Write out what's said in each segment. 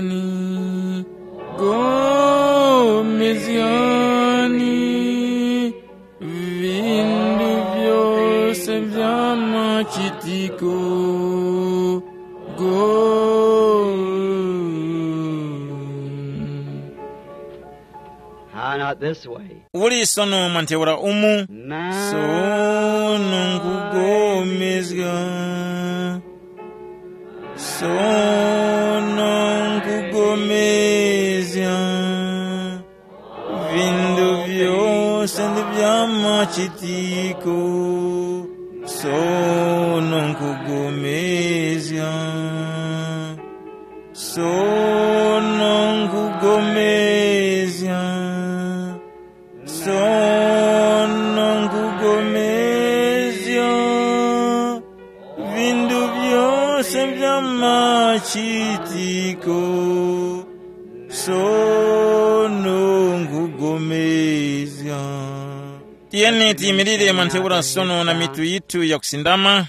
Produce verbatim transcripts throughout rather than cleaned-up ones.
Gomezgani, gomezgani, vindu vyose vya machitiko. Go. How not this way? Uli sono mwa ntheura umu? Sono nkugomezga. Sono nkugomezga. Vindu vyose ndi vya machitiko. Sono nkugomezga. Sono nkugomezga. Sono nkugomezga. Vindu vyose vya machitiko. Sono nkugomezga. Tiyeni tiyimirire mwa ntheura sono na mitu yithu yakusindama.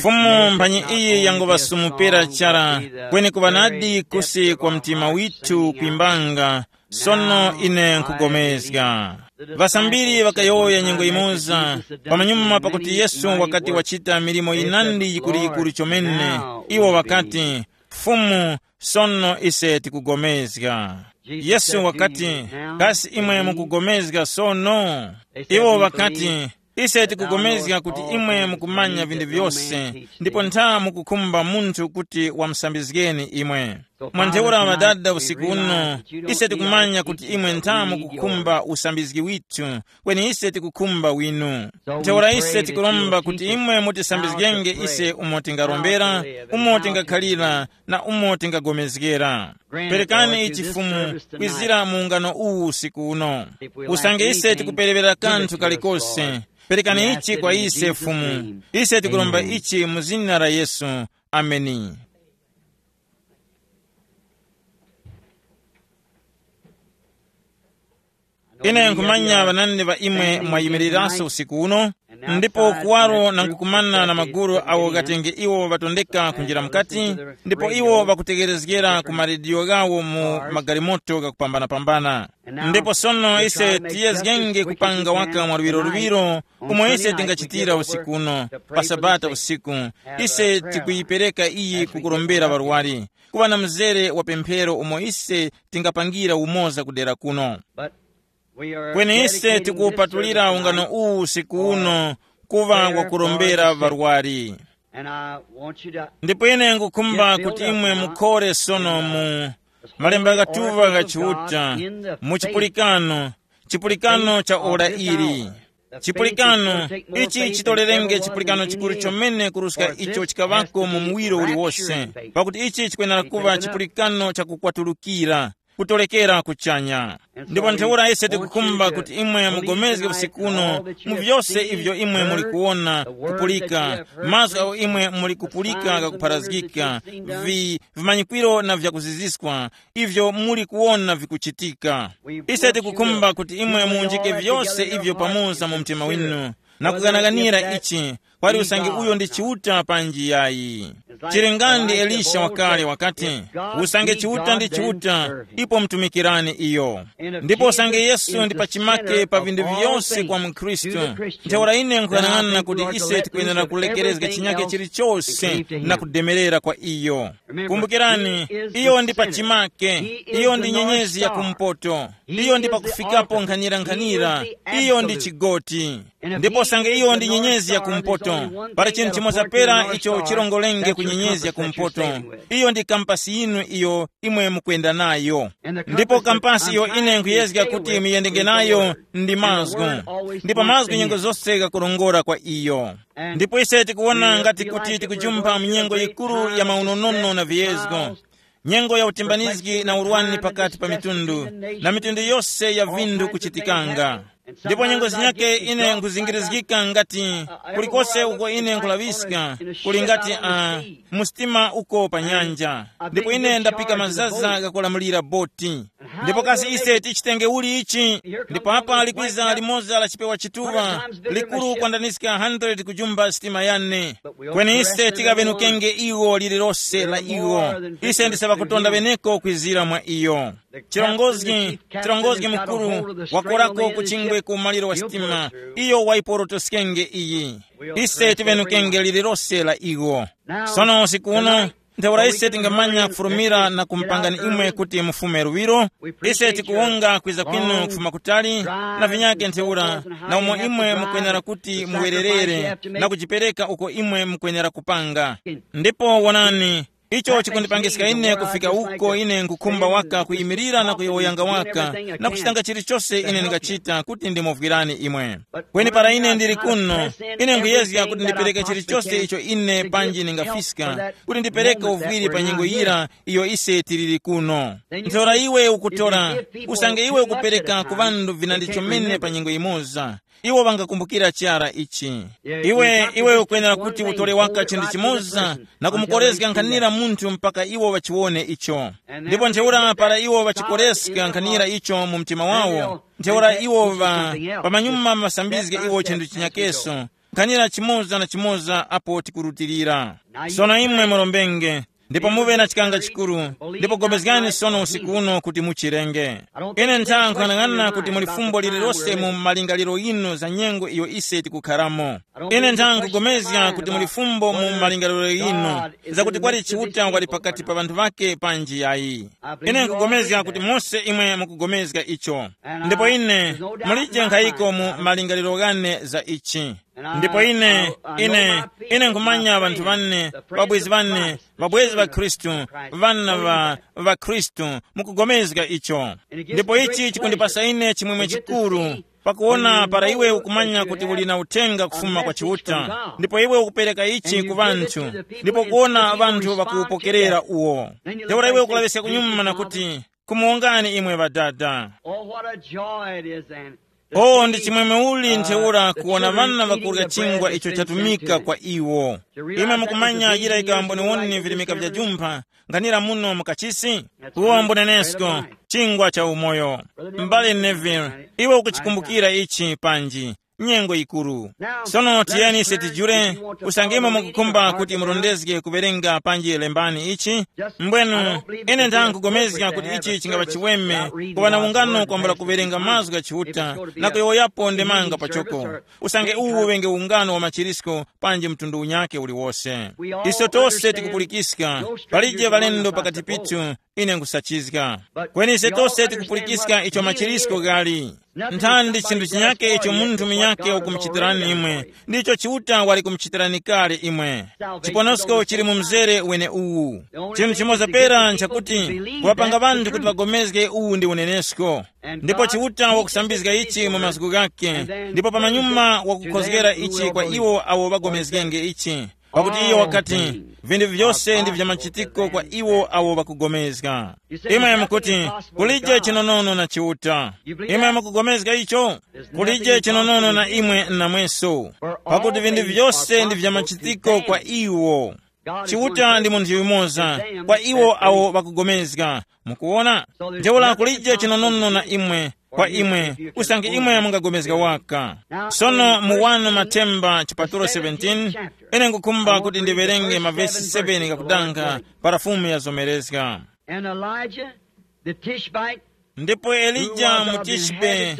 Fumu mphanyi iyi yangovasumupera chara, kweni kuŵa nadi kusi kwa mtima withu kwimbanga. Sono ine nkugomezga. Ŵasambiri ŵakayowoya nyengo yimoza, pamanyuma pakuti Yesu wakati wachita milimo yinandi yikuluyikulu chomene, iwo ŵakati, Fumu, sono ise tikugomezga. Yesu wakati, kasi imwe mukugomezga sono? Iwo ŵakati, ise tikugomezga kuti imwe mukumanya vinthu vyose, ndipo ntha mukukhumba munthu kuti wamusambizgeni imwe. Mwa ntheura ŵadada usiku uno, ise tikumanya kuti imwe ntha mukukhumba usambizgi withu, kweni ise tikukhumba winu. Ntheura ise tikuromba kuti imwe mutisambizgenge ise umo tingarombera, umo tingakhalira, na umo tingagomezgera. Perekani ichi Fumu kwizira mu ungano uwu usiku uno. Usange ise tikuperewera kanthu kalikose, perekani ichi kwa ise Fumu. Ise tikuromba ichi mu zina la Yesu. Ameni. Ine nkhumanya ŵanandi ŵa imwe mwayimiriranso usiku uno, ndipo kuwaro na nkukumana na magulu awo ghatenge iwo ŵatondeka kunjira mukati, ndipo iwo ŵakutegherezgera ku marediyo ghawo mu magalimoto ghakupambanapambana. Ndipo sono ise tiyezgenge kupanga waka mwa luŵiro luŵiro, umo ise tingachitira usiku uno, pa Sabata usiku, ise tikuyipereka iyi kukurombera ŵarwari, kuŵa na mzere wa pemphero umo ise tingapangira umoza kudera kuno. Kweni ise tikuwupatulira ungano uwu usiku uno kuŵa wakurombera ŵarwari. Ndipo ine ngukhumba kuti imwe mukhore sono mu malemba ghatuŵa gha Chiuta, mu chipulikano, chipulikano cha ora ili. Chipulikano ichi chitolerenge chipulikano chikuru chomene kuruska icho chikaŵako mu muwiro uliwose, pakuti ichi chikwenera kuŵa chipulikano cha kukwatulukira, kutolekera kuchanya. Ndipo ntheura ise tikukhumba kuti imwe mugomezge usiku uno mu vyose ivyo imwe muli kuwona, kupulika, mazgu agho imwe muli kupulika ghakupharazgika, vi vimanyikwiro na vyakuziziskwa ivyo muli kuwona vikuchitika. Ise tikukhumba kuti imwe muwunjike vyose ivyo pamoza mu mtima winu, na kughanaghanira ichi, kwali usange uyo ndi Chiuta panji yayi. Chili nga ndi Elisha wakale wakati, usange Chiuta ndi Chiuta, ipo mtumikirani iyo. Ndipo usange Yesu ndi pachimake pa vinthu vyose kwa mkhristu, ntheura ine nkughanaghanana kuti ise tikwenera kulekerezga chinyake chilichose na kudemerera kwa iyo. Kumbukirani, iyo ndi pachimake, iyo ndi nyenyezi ya kumpoto, iyo ndi pakufikapo nkhanira-nkhanira, iyo ndi chigoti. Ndipo usange iyo ndi nyenyezi ya kumpoto, pali chinthu chimoza pera icho chirongolenge ku nyenyezi ya kumpoto. Iyo ndi kampasi yinu iyo imwe mukwenda nayo. Ndipo kampasi iyo ine nkhuyezga kuti muyendenge nayo ndi mazgu. Ndipo mazgu nyengo zose ghakurongora kwa iyo. Ndipo ise tikuwona ngati kuti tikujumpha mu nyengo yikuru ya maunonono na viyezgo, nyengo ya utimbanizgi na urwani pakati pa mitundu, na mitundu yose ya vindu kuchitikanga. Ndipo nyengo zinyake ine nkhuzingirizgika ngati kulikose uko ine nkhulaŵiska, kuli ngati uh, msitima uko pa nyanja. Ndipo ine ndapika mazaza ghakulamulira boti. Ndipo kasi ise tichitenge uli ichi? Ndipo apa likwiza limoza la chipewa chituŵa, likuru kwandaniska hundred kujumba sitima yane. Kweni ise tikaŵenukenge iwo lililose la iwo. Ise ndise ŵakutonda ŵeneko kwizira mwa iyo. Chirongozgi, chirongozgi mukuru wakorako ku chingwe ku maliro wa sitima. Iyo waiporotoskenge iyi. Ise tiŵenukenge lililose la iwo. Sono usiku uno, ntheura ise tingamanya kufurumira na kumupangani imwe kuti mufume luŵiro. Ise tikuwonga kwiza kwinu kufuma kutali, na vinyake ntheura, na umo imwe mukwenera kuti muwererere na kujipereka uko imwe mukwenera kupanga. Ndipo wonani, icho chikundipangiska ine kufika uko ine nkukhumba waka kuyimirira na kuyowoyanga waka, na kuchitanga chilichose ine ndingachita kuti ndimuvwirani imwe. Kweni para ine ndili kuno, ine nkuyezga kuti ndipereke chilichose icho ine panji ndingafiska, kuti ndipereke uvwiri pa nyengo yira iyo ise tiliri kuno. Ntheura iwe ukutora, usange iwe ukupereka ku ŵanthu vinandi chomene pa nyengo yimoza, iwo ŵangakumbukira chara ichi. Iwe iwe ukwenera kuti utore waka chinthu chimoza na kumukorezga nkhanira munthu mpaka iwo ŵachiwone icho. Ndipo ntheura para iwo ŵachikoreska nkhanira icho mu mtima wawo, ntheura iwo ŵa pamanyuma ŵasambizge iwo chinthu chinyakeso, nkhanira chimoza na chimoza apo tikurutilira. Sono imwe murombenge, ndipo muŵe na chikanga chikuru, ndipo gomezgani sono usiku uno kuti muchirenge. Ine ntha nkhanang'ana kuti muli fumbo lililose mu malingaliro yinu za nyengo iyo ise tikukharamo. Ine ntha nkugomezga kuti muli fumbo mu malingaliro yinu, zakuti kwali Chiuta wali pakati pa ŵanthu ŵake panji yayi. Ine nkugomezga kuti mose imwe mukugomezga icho. Ndipo ine, mulije nkhayiko mu malingaliro ghane za ichi. Ndipo ine, ine, ine nkhumanya ŵanthu ŵane, ŵabwezi ŵane, ŵabwezi ŵa Khristu, ŵana ŵa, ŵa Khristu, mukugomezga icho. Ndipo ichi chikundipasa ine chimwemwe chikuru, pakuwona para iwe ukumanya kuti uli na uthenga kufuma kwa Chiuta, ndipo iwe ukupereka ichi ku ŵanthu, ndipo kuwona ŵanthu ŵakuwupokerera uwo. Ntheura iwe ukulaŵiska kunyuma na kuti, kumuwongani imwe ŵadada. Oh, what a joy it is then. Oh, ndi chimwemwe uli ntheura kuwona ŵana ŵakurya chingwa icho chatumika kwa iwo. Imwe mukumanya yira ikamboniwoni virimika vya jumpha, nkhanira muno mu kachisi? Uwo mbunenesko, chingwa cha umoyo. M'bale Neville, iwe ukuchikumbukira ichi panji? Nyengo yikuru. Sono tiyeni ise tijule, usange imwe mukukhumba kuti murondezge kuwerenga panji lembani ichi. Mbwenu, ine ndangugomezga kuti ichi chingapa chiweme kuŵa na ungano kwambula kuwerenga mazgu gha Chiuta na kuyowoyapo ndemanga pachoko. Usange uwu uŵenge ungano wa machirisko panji mtundu unyake uliwose. Iso tose tikupulikiska, palije ŵalendo pakati pithu, ine nkusachizga. Kweni ise tose tikupulikiska icho machirisko ghali. Nthandi chinthu chinyake icho munthu munyake wakumuchitirani imwe, ndicho Chiuta wali kumuchitirani kale imwe. Chiponosko chili mu mzere wene uwu. Chinthu chimoza pera nchakuti kuŵapanga ŵanthu kuti ŵagomezge uwu ndi unenesko. Ndipo Chiuta wakusambizga ichi mu mazgu ghake, ndipo pamanyuma wakukhozgera ichi kwa iwo awo ŵagomezgenge ichi. Pakuti iyo wakati, vinthu vyose ndi vya machitiko kwa iwo awo ŵakugomezga. Imwe mukuti, kulije chinonono na Chiuta. Imwe mukugomezga icho? Kulije chinonono na imwe namweso. Pakuti vinthu vyose ndi vya machitiko kwa iwo. Chiuta ndi munthu yumoza kwa iwo awo ŵakugomezga. Mukuwona? Ntheura kulije chinonono na imwe, kwa imwe, usange imwe mungagomezga waka. Sono mu wanu Mathemba chipatulo seventeen, ine nkukhumba kuti ndiwerenge mavesi seven gakudanga para Fumu yazomerezga. And Elijah the Tishbite, Ndipo Elija mu Tishbe,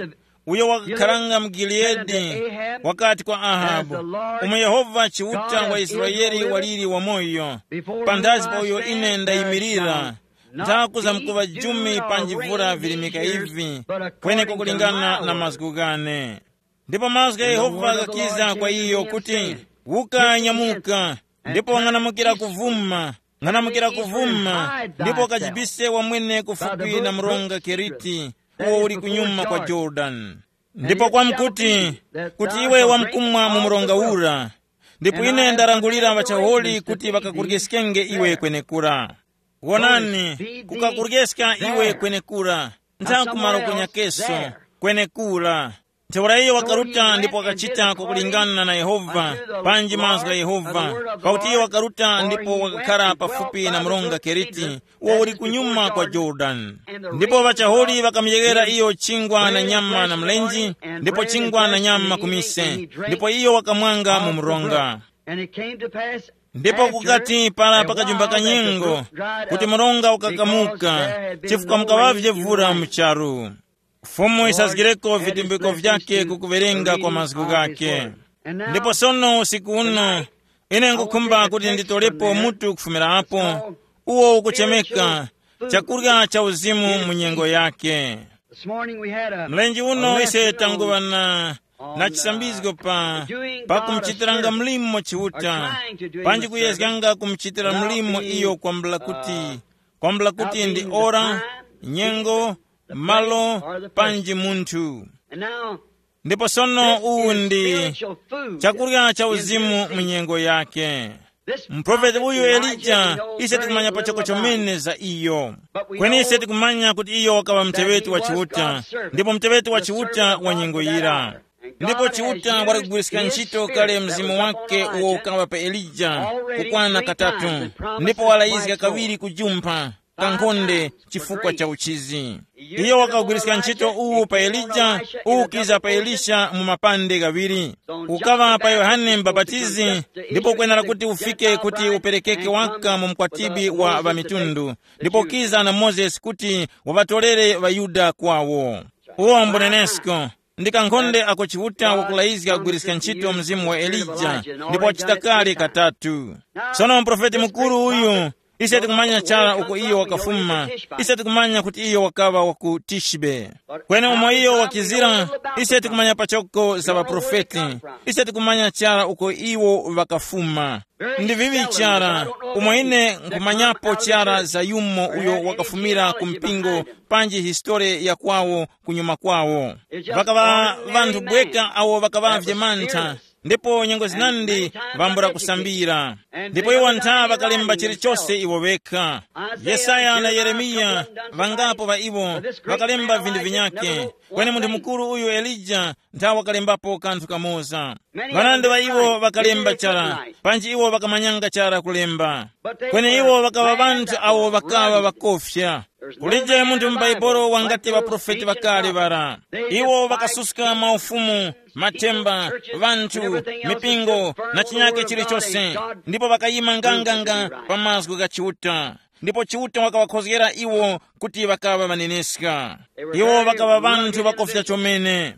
uyo wakakharanga mu Gileadi, wakati kwa Ahabu, umo Yehova Chiuta wa Israele waliri wamoyo, panthazi pa uyo ine ndayimirira, nthakuzamkuŵa jumi pa njivura virimika ivi, kweneko kulingana na mazgu ghane. Ndipo mazgu gha Yehova ghakiza kwa iyo kuti, wuka, nyamuka, ndipo ng'anamukira kuvuma, ng'anamukira kuvuma, ndipo kajibise wamwene kufupi na mronga Keriti, uwo uli kunyuma kwa Jorodani. Ndipo kwamkuti, kuti iwe wamkumwa mu mronga ura, ndipo ine ndarangulira ŵachaholi kuti ŵakakuryeskenge iwe kwenekura. Wonani, kukakuryeska iwe kwenekura, ntha kumalo kunyakeso, kwenekura. Ntheura iyo wakaruta ndipo wakachita kukulingana na Yehova, panji mazgu gha Yehova, pakuti iyo wakaruta ndipo wakakhara pafupi na mronga Keriti, uwo uli kunyuma kwa Jorodani. Ndipo ŵachahuli ŵakamuyeghera iyo chingwa na nyama na mlenje, ndipo chingwa na nyama kumise, ndipo iyo wakamwanga mu mronga. Ndipo kukati para pakajumba kanyengo, kuti mronga ukakamuka, chifukwa mukaŵavye vura mu charu. Fumu yisazgireko vitumbiko vyake ku kuwerenga kwa mazgu ghake. Ndipo sono usiku uno, ine ngukhumba kuti nditolepo mutu kufumira apo, uwo ukuchemeka chakurya cha uzimu mu nyengo yake. Mlenje uno ise tanguŵa na na chisambizgo pa pakumuchitiranga mlimo Chiuta, panji kuyezganga kumuchitira mlimo iyo kwambula kuti, kwambula kuti ndi ora, nyengo, malo, panji munthu. Ndipo sono uwu ndi chakurya cha uzimu mu nyengo yake. Muprofeti uyu Elija, ise tikumanya pachoko chomene za iyo. Kweni ise tikumanya kuti iyo wakaŵa muteŵeti wa Chiuta, ndipo muteŵeti wa Chiuta wa nyengo yira. Ndipo Chiuta wali kugwirizika ntchito kale mzimu wake uwo ukaŵa pa Elija kukwana katatu, ndipo walayizga kawiri kujumpha kankhonde chifukwa cha uchizi. Iyo wakagwiriska ntchito uwu pa Elija, uwu kiza pa Elisha mu mapande ghaŵiri. Ukaŵa pa Yohane Mubapatizi, ndipo kwenera kuti ufike kuti uperekeke waka mu mkwatibwi wa ŵamitundu, ndipo kiza na Mozesi kuti waŵatorere ŵaYuda kwawo. Uwo mbunenesko, ndi kankhonde ako Chiuta wakulayizga kugwiriska ntchito mzimu wa Elija, ndipo wachita kale katatu. Sono muprofeti mukuru uyu, ise tikumanya chara uko iyo wakafuma, ise tikumanya kuti iyo wakaŵa wa ku Tishbe. Kweni umo iyo wakizira, ise tikumanya pachoko za ŵaprofeti, ise tikumanya chara uko iwo ŵakafuma. Ndi vivi chara, umo ine nkhumanyapo chara za yumo uyo wakafumira ku mpingo, panji histori ya kwawo kunyuma kwawo. Ŵakaŵa ŵanthu bweka awo ŵakaŵavye mantha, ndipo nyengo zinandi ŵambula kusambira. Ndipo iwo ntha ŵakalemba chilichose iwo ŵekha. Yesaya na Yeremiya, ŵangapo ŵa iwo, ŵakalemba vinthu vinyakhe. Kweni munthu mukuru uyu Elija ntha wakalembapo kanthu kamoza. Ŵanandi ŵa iwo ŵakalemba chara, panji iwo ŵakamanyanga chara kulemba. Kweni iwo ŵakaŵa ŵanthu awo ŵakaŵa ŵakofya. Kulije munthu mu Bhaibuli wangati ŵaprofeti ŵakale ŵara. Iwo ŵakasuska maufumu, mathemba, ŵanthu, mipingo, na chinyake chilichose, ndipo ŵakayima nganganga pa mazgu gha Chiuta. Ndipo Chiuta wakaŵakhozgera iwo kuti ŵakaŵa ŵaneneska. Iwo ŵakaŵa ŵanthu ŵakofya chomene.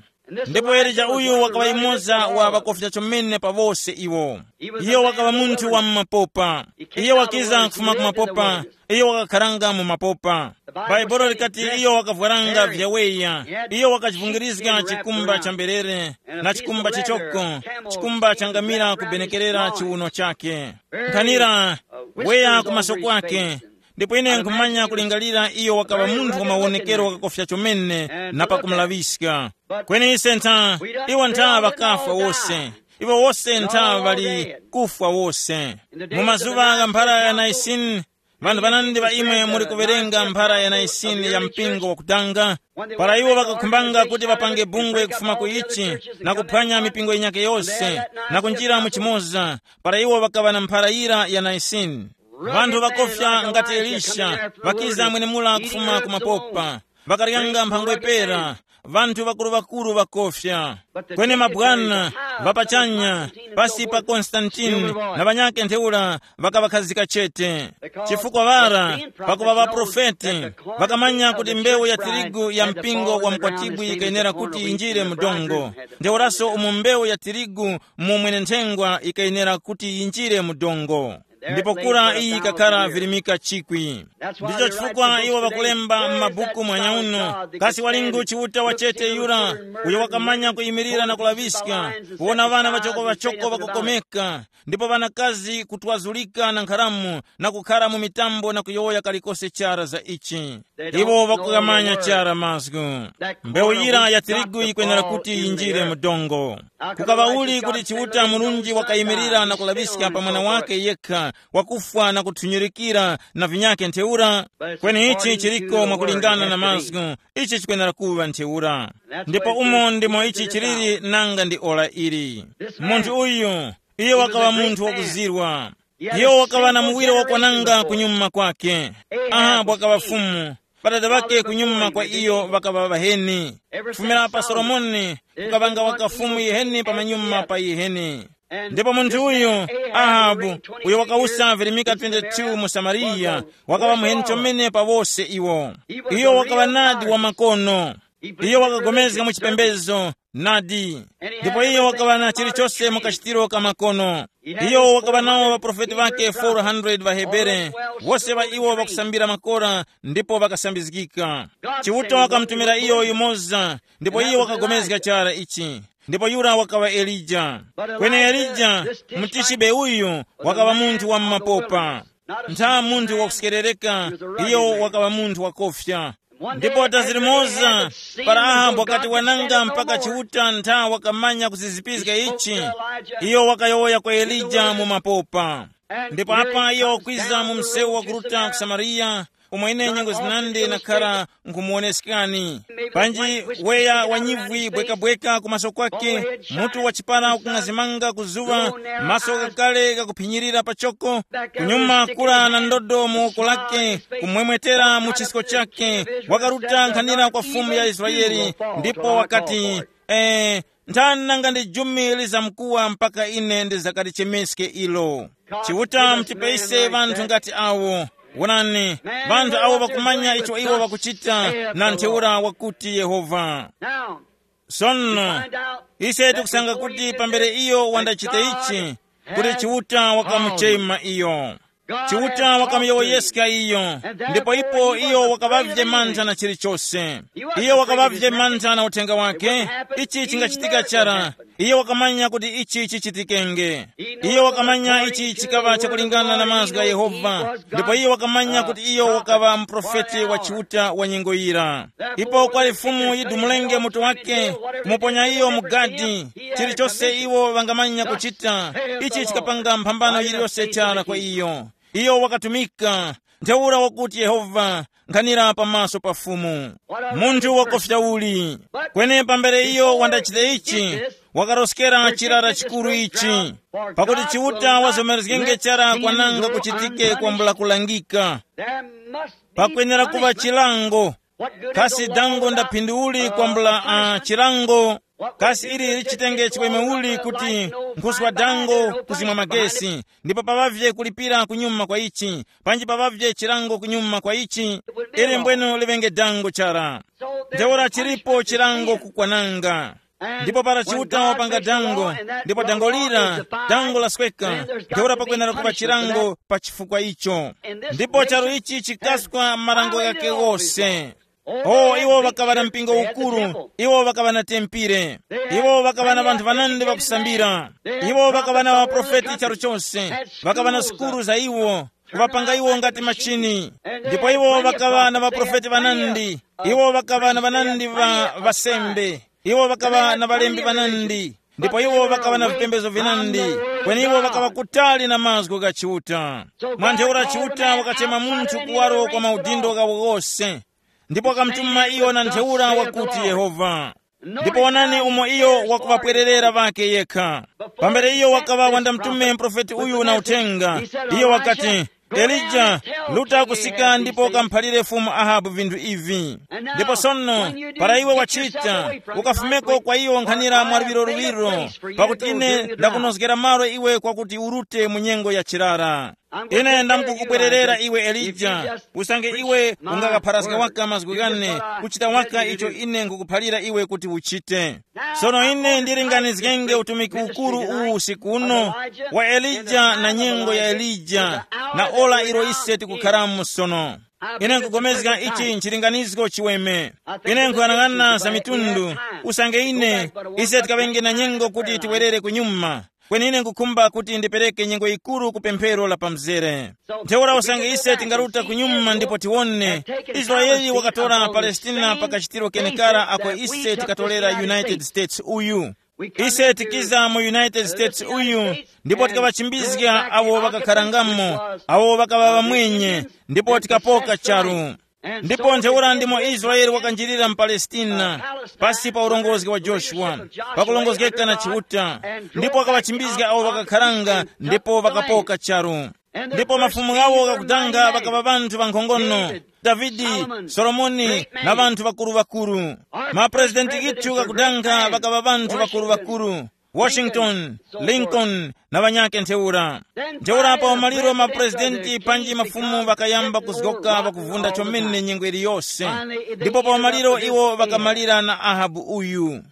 Ndipo Elija uyu wakaŵa yumoza wa ŵakofya chomene pa wose iwo. Iyo wakaŵa munthu wa mu mapopa. Iyo wakiza kufuma ku mapopa. Iyo wakakharanga mu mapopa. Bhaibuli likati iyo wakavwaranga vyaweya. Iyo wakachivungirizga chikumba cha mberere, na chikumba chichoko, chikumba cha ngamira kubenekerera chiwuno chake. Nkhanira, weya ku maso kwake. Ndipo ine nkhumanya kulingalira iyo wakaŵa munthu wa mawonekero wakakofya chomene na pakumulaŵiska. Kweni ise ntha, iwo ntha ŵakafwa wose. Iwo wose ntha ŵali kufwa wose. Mu mazuŵa gha mphara ya Naisini, ŵanthu ŵanandi ŵa imwe muli kuwerenga mphara ya Naisini ya mpingo wakutanga, para iwo ŵakakhumbanga kuti ŵapange bungwe kufuma ku ichi, na kuphwanya mipingo yinyakhe yose, na kunjira mu chimoza, para iwo ŵakaŵa na mphara yira ya Naisini. Ŵanthu ŵakofya ngati Elisha, ŵakiza mwenemura kufuma ku mapopa, ŵakaryanga mphangwe pera, ŵanthu ŵakuru-ŵakuru ŵakofya. Kweni mabwana ŵapachanya, pasi pa Konstantini na ŵanyakhe ntheura ŵakaŵakhazika chete. Chifukwa ŵara, pakuŵa ŵaprofeti, ŵakamanya kuti mbewu ya tirigu ya mpingo wa mkwatibwi yikayenera kuti yinjire mu dongo. Ntheuraso umo mbewu ya tirigu mu mwenenthengwa yikayenera kuti yinjire mu dongo. Ndipo kura iyi yikakhara virimika chikwi. Ndicho chifukwa iwo ŵakulemba m'mabuku mwanyauno, kasi walingu Chiuta wachete yura, uyo wakamanya kuyimirira na kulaŵiska, kuwona ŵana ŵachoko-ŵachoko ŵakukomeka, ndipo ŵanakazi kutwazulika na nkharamu, na kukhara mu mitambo na kuyowoya kalikose chara za ichi. Iwo ŵakukamanya chara mazgu. Mbewu yira ya tirigu yikwenera kuti yinjire mu dongo. Kukaŵa uli kuti Chiuta Murunji wakayimirira na kulaŵiska pa mwana wake yekha, wakufwa na kuthunyurikira na vinyake ntheura. Kweni ichi chiriko mwakulingana na mazgu. Ichi chikwenera kuŵa ntheura. Ndipo umo ndimo ichi chiliri nanga ndi ora ili. Munthu uyu, iyo wakaŵa munthu wakuzirwa. Iyo wakaŵa na muwiro wakwananga kunyuma kwake. Ahabu wakaŵa fumu. Ŵadada ŵake kunyuma kwa iyo ŵakaŵa ŵaheni. Kufumira pa Solomoni, kukaŵanga waka fumu yiheni pamanyuma pa yiheni. Ndipo munthu uyu, Ahabu, uyo wakawusa virimika twenty-two mu Samariya, wakaŵa muheni chomene pa wose iwo. Iyo wakaŵa nadi wa makono. Iyo wakagomezga mu chipembezo, nadi. Ndipo iyo wakaŵa na chilichose mu kachitiro ka makono. Iyo wakaŵa nawo ŵaprofeti ŵake four hundred ŵa Hebere, wose ŵa iwo ŵakusambira makora ndipo ŵakasambizgika. Chiuta wakamutumira iyo yumoza, ndipo iyo wakagomezga chara ichi. Ndipo yura wakaŵa Elija. Kweni Elija, mutichibe uyu, wakaŵa munthu wa mumapopa. Ntha munthu wakusekerereka, iyo wakaŵa munthu wakofya. Ndipo tazirimoza, para Ahabu wakati wananga mpaka Chiuta ntha wakamanya kuzizipizga ichi, iyo wakayowoya kwa Elija mu mapopa. Ndipo apa iyo wakwiza mu msewu wakuruta ku Samariya, umo ine nyengo zinandi nakhara nkhumuwoneskani. Panji weya wa nyivwi bwekabweka kumaso kwake, mutu wa chipara ukung'azimanga kuzuŵa, maso kakale kakuphinyirira pachoko, kunyuma kula na ndodo mu woko lake, kumwemwetera mu chisko chake, wakaruta nkhanira kwa fumu ya Israeli, ndipo wakati, eh, nthani nanga ndi jumi lizamkuwa mpaka ine ndizakalichemeske ilo. Chiuta mutipeyise ŵanthu ngati awo. Wonani, ŵanthu awo ŵakumanya icho iwo ŵakuchita na ntheura wakuti Yehova. Sono, ise tikusanga kuti pambere iyo wandachita ichi, kuti Chiuta wakamuchema iyo. Chiuta wakamuyowoyeska iyo, ndipo ipo iyo wakaŵavye mantha na chilichose. Iyo wakaŵavye mantha na uthenga wake. Ichi chingachitika chara. Iyo wakamanya kuti ichi chichitikenge. Iyo wakamanya ichi chikaŵa chakulingana na mazgu gha Yehova, ndipo iyo wakamanya kuti iyo wakaŵa muprofeti wa Chiuta wa nyengo yira. Ipo kwali Fumu yidumulenge mutu wake, kumuponya iyo mu gadi. Chilichose iwo ŵangamanya kuchita, ichi chikapanga mphambano yiliyose chara kwa iyo. Iyo wakatumika, ntheura wakuti Yehova, nkhanira pamaso pa Fumu. Munthu wakofya uli! Kweni pambere iyo wandachita ichi, wakaroskera chirara chikuru ichi, pakuti Chiuta wazomerezgenge chara kwananga kuchitike kwambula kulangika. Pakwenera kuŵa chilango. Kasi dango ndaphindi uli kwambula uh, chilango? Kasi ili lichitenge chiweme uli kuti nkhuswa dango kuzimwa magesi, ndipo paŵavye kulipira kunyuma kwa ichi, panji paŵavye chilango kunyuma kwa ichi? Ili mbweno liŵenge dango chara. Ntheura chilipo chilango kukwananga. Ndipo para Chiuta wapanga dango, ndipo dango lira, dango lasweka, ntheura pakwenera kuŵa chilango pa chifukwa icho. Ndipo charu ichi chikaskwa marango ghake ghose. O iwo ŵakaŵa na mpingo ukuru, iwo ŵakaŵa na tempire, iwo ŵakaŵa na ŵanthu ŵanandi ŵakusambira, iwo ŵakaŵa na ŵaprofeti charu chose, ŵakaŵa na sukuru za iwo, kuŵapanga iwo ngati machini. Ndipo iwo ŵakaŵa na ŵaprofeti ŵanandi, iwo ŵakaŵa na ŵanandi ŵa ŵasembe, iwo ŵakaŵa na ŵalembi ŵanandi, ndipo iwo ŵakaŵa na vipembezo vinandi. Kweni iwo ŵakaŵa kutali na mazgu gha Chiuta. Mwa ntheura Chiuta wakachema munthu kuwaro kwa maudindo ghawo ghose. Ndipo wakamutuma iyo na ntheura wakuti Yehova. Ndipo wonani umo iyo wakuŵapwererera ŵake yekha. Pambere iyo wakaŵa wandamtume muprofeti uyu na uthenga, iyo wakati, Elija, ruta kusika ndipo ukamuphalire Fumu Ahabu vinthu ivi. Ndipo sono, para iwe wachita, ukafumeko kwa iyo nkhanira mwa luŵiro luŵiro, pakuti ine ndakunozgera malo iwe kwakuti urute mu nyengo ya chirara. Ine ndamkukubwererera iwe Elija, usange iwe ungakapharaska waka mazgu ghane, kuchita waka icho ine nkukuphalira iwe kuti uchite. Sono ine ndilinganizgenge utumiki ukuru uwu usiku uno, wa Elija na nyengo ya Elija, na ora ilo ise tikukharamo sono. Ine nkupulikana ichi nchilinganizgo chiweme. Ine nkuyang'ana za mitundu, usange ine, ise tikaŵenge na nyengo kuti tiwerere kunyuma. Kweni ine nkukhumba kuti ndipereke nyengo yikuru ku pemphero la pamzere. Ntheura usange ise tingaruta kunyuma ndipo tiwone, Israeli wakatora Palestina pa kachitiro kenekara ako ise tikatorera United States uyu. Ise tikiza mu United States uyu, ndipo tikaŵachimbizga awo ŵakakharangamo, awo ŵakaŵa ŵamwenye, ndipo tikapoka charu. Ndipo ntheura ndimo Israele wakanjirira mu Palestina, pasi pa ulongozi wa Joshua, pakulongozgeka na Chiuta, ndipo wakaŵachimbizga awo ŵakakharanga ndipo ŵakapoka charu. Ndipo mafumu ghawo ghakudanga ŵakaŵa ŵanthu ŵankhongono, Davide, Solomoni, na ŵanthu ŵakuru-ŵakuru. Mapurezidenti ghithu ghakudanga ŵakaŵa ŵanthu ŵakuru-ŵakuru, Washington, Lincoln, na ŵanyakhe ntheura. Ntheura pa umaliro mapurezidenti panji mafumu ŵakayamba kuzgoka ŵakuvunda chomene nyengo iliyose. Ndipo pa umaliro iwo ŵakamalira na Ahabu uyu.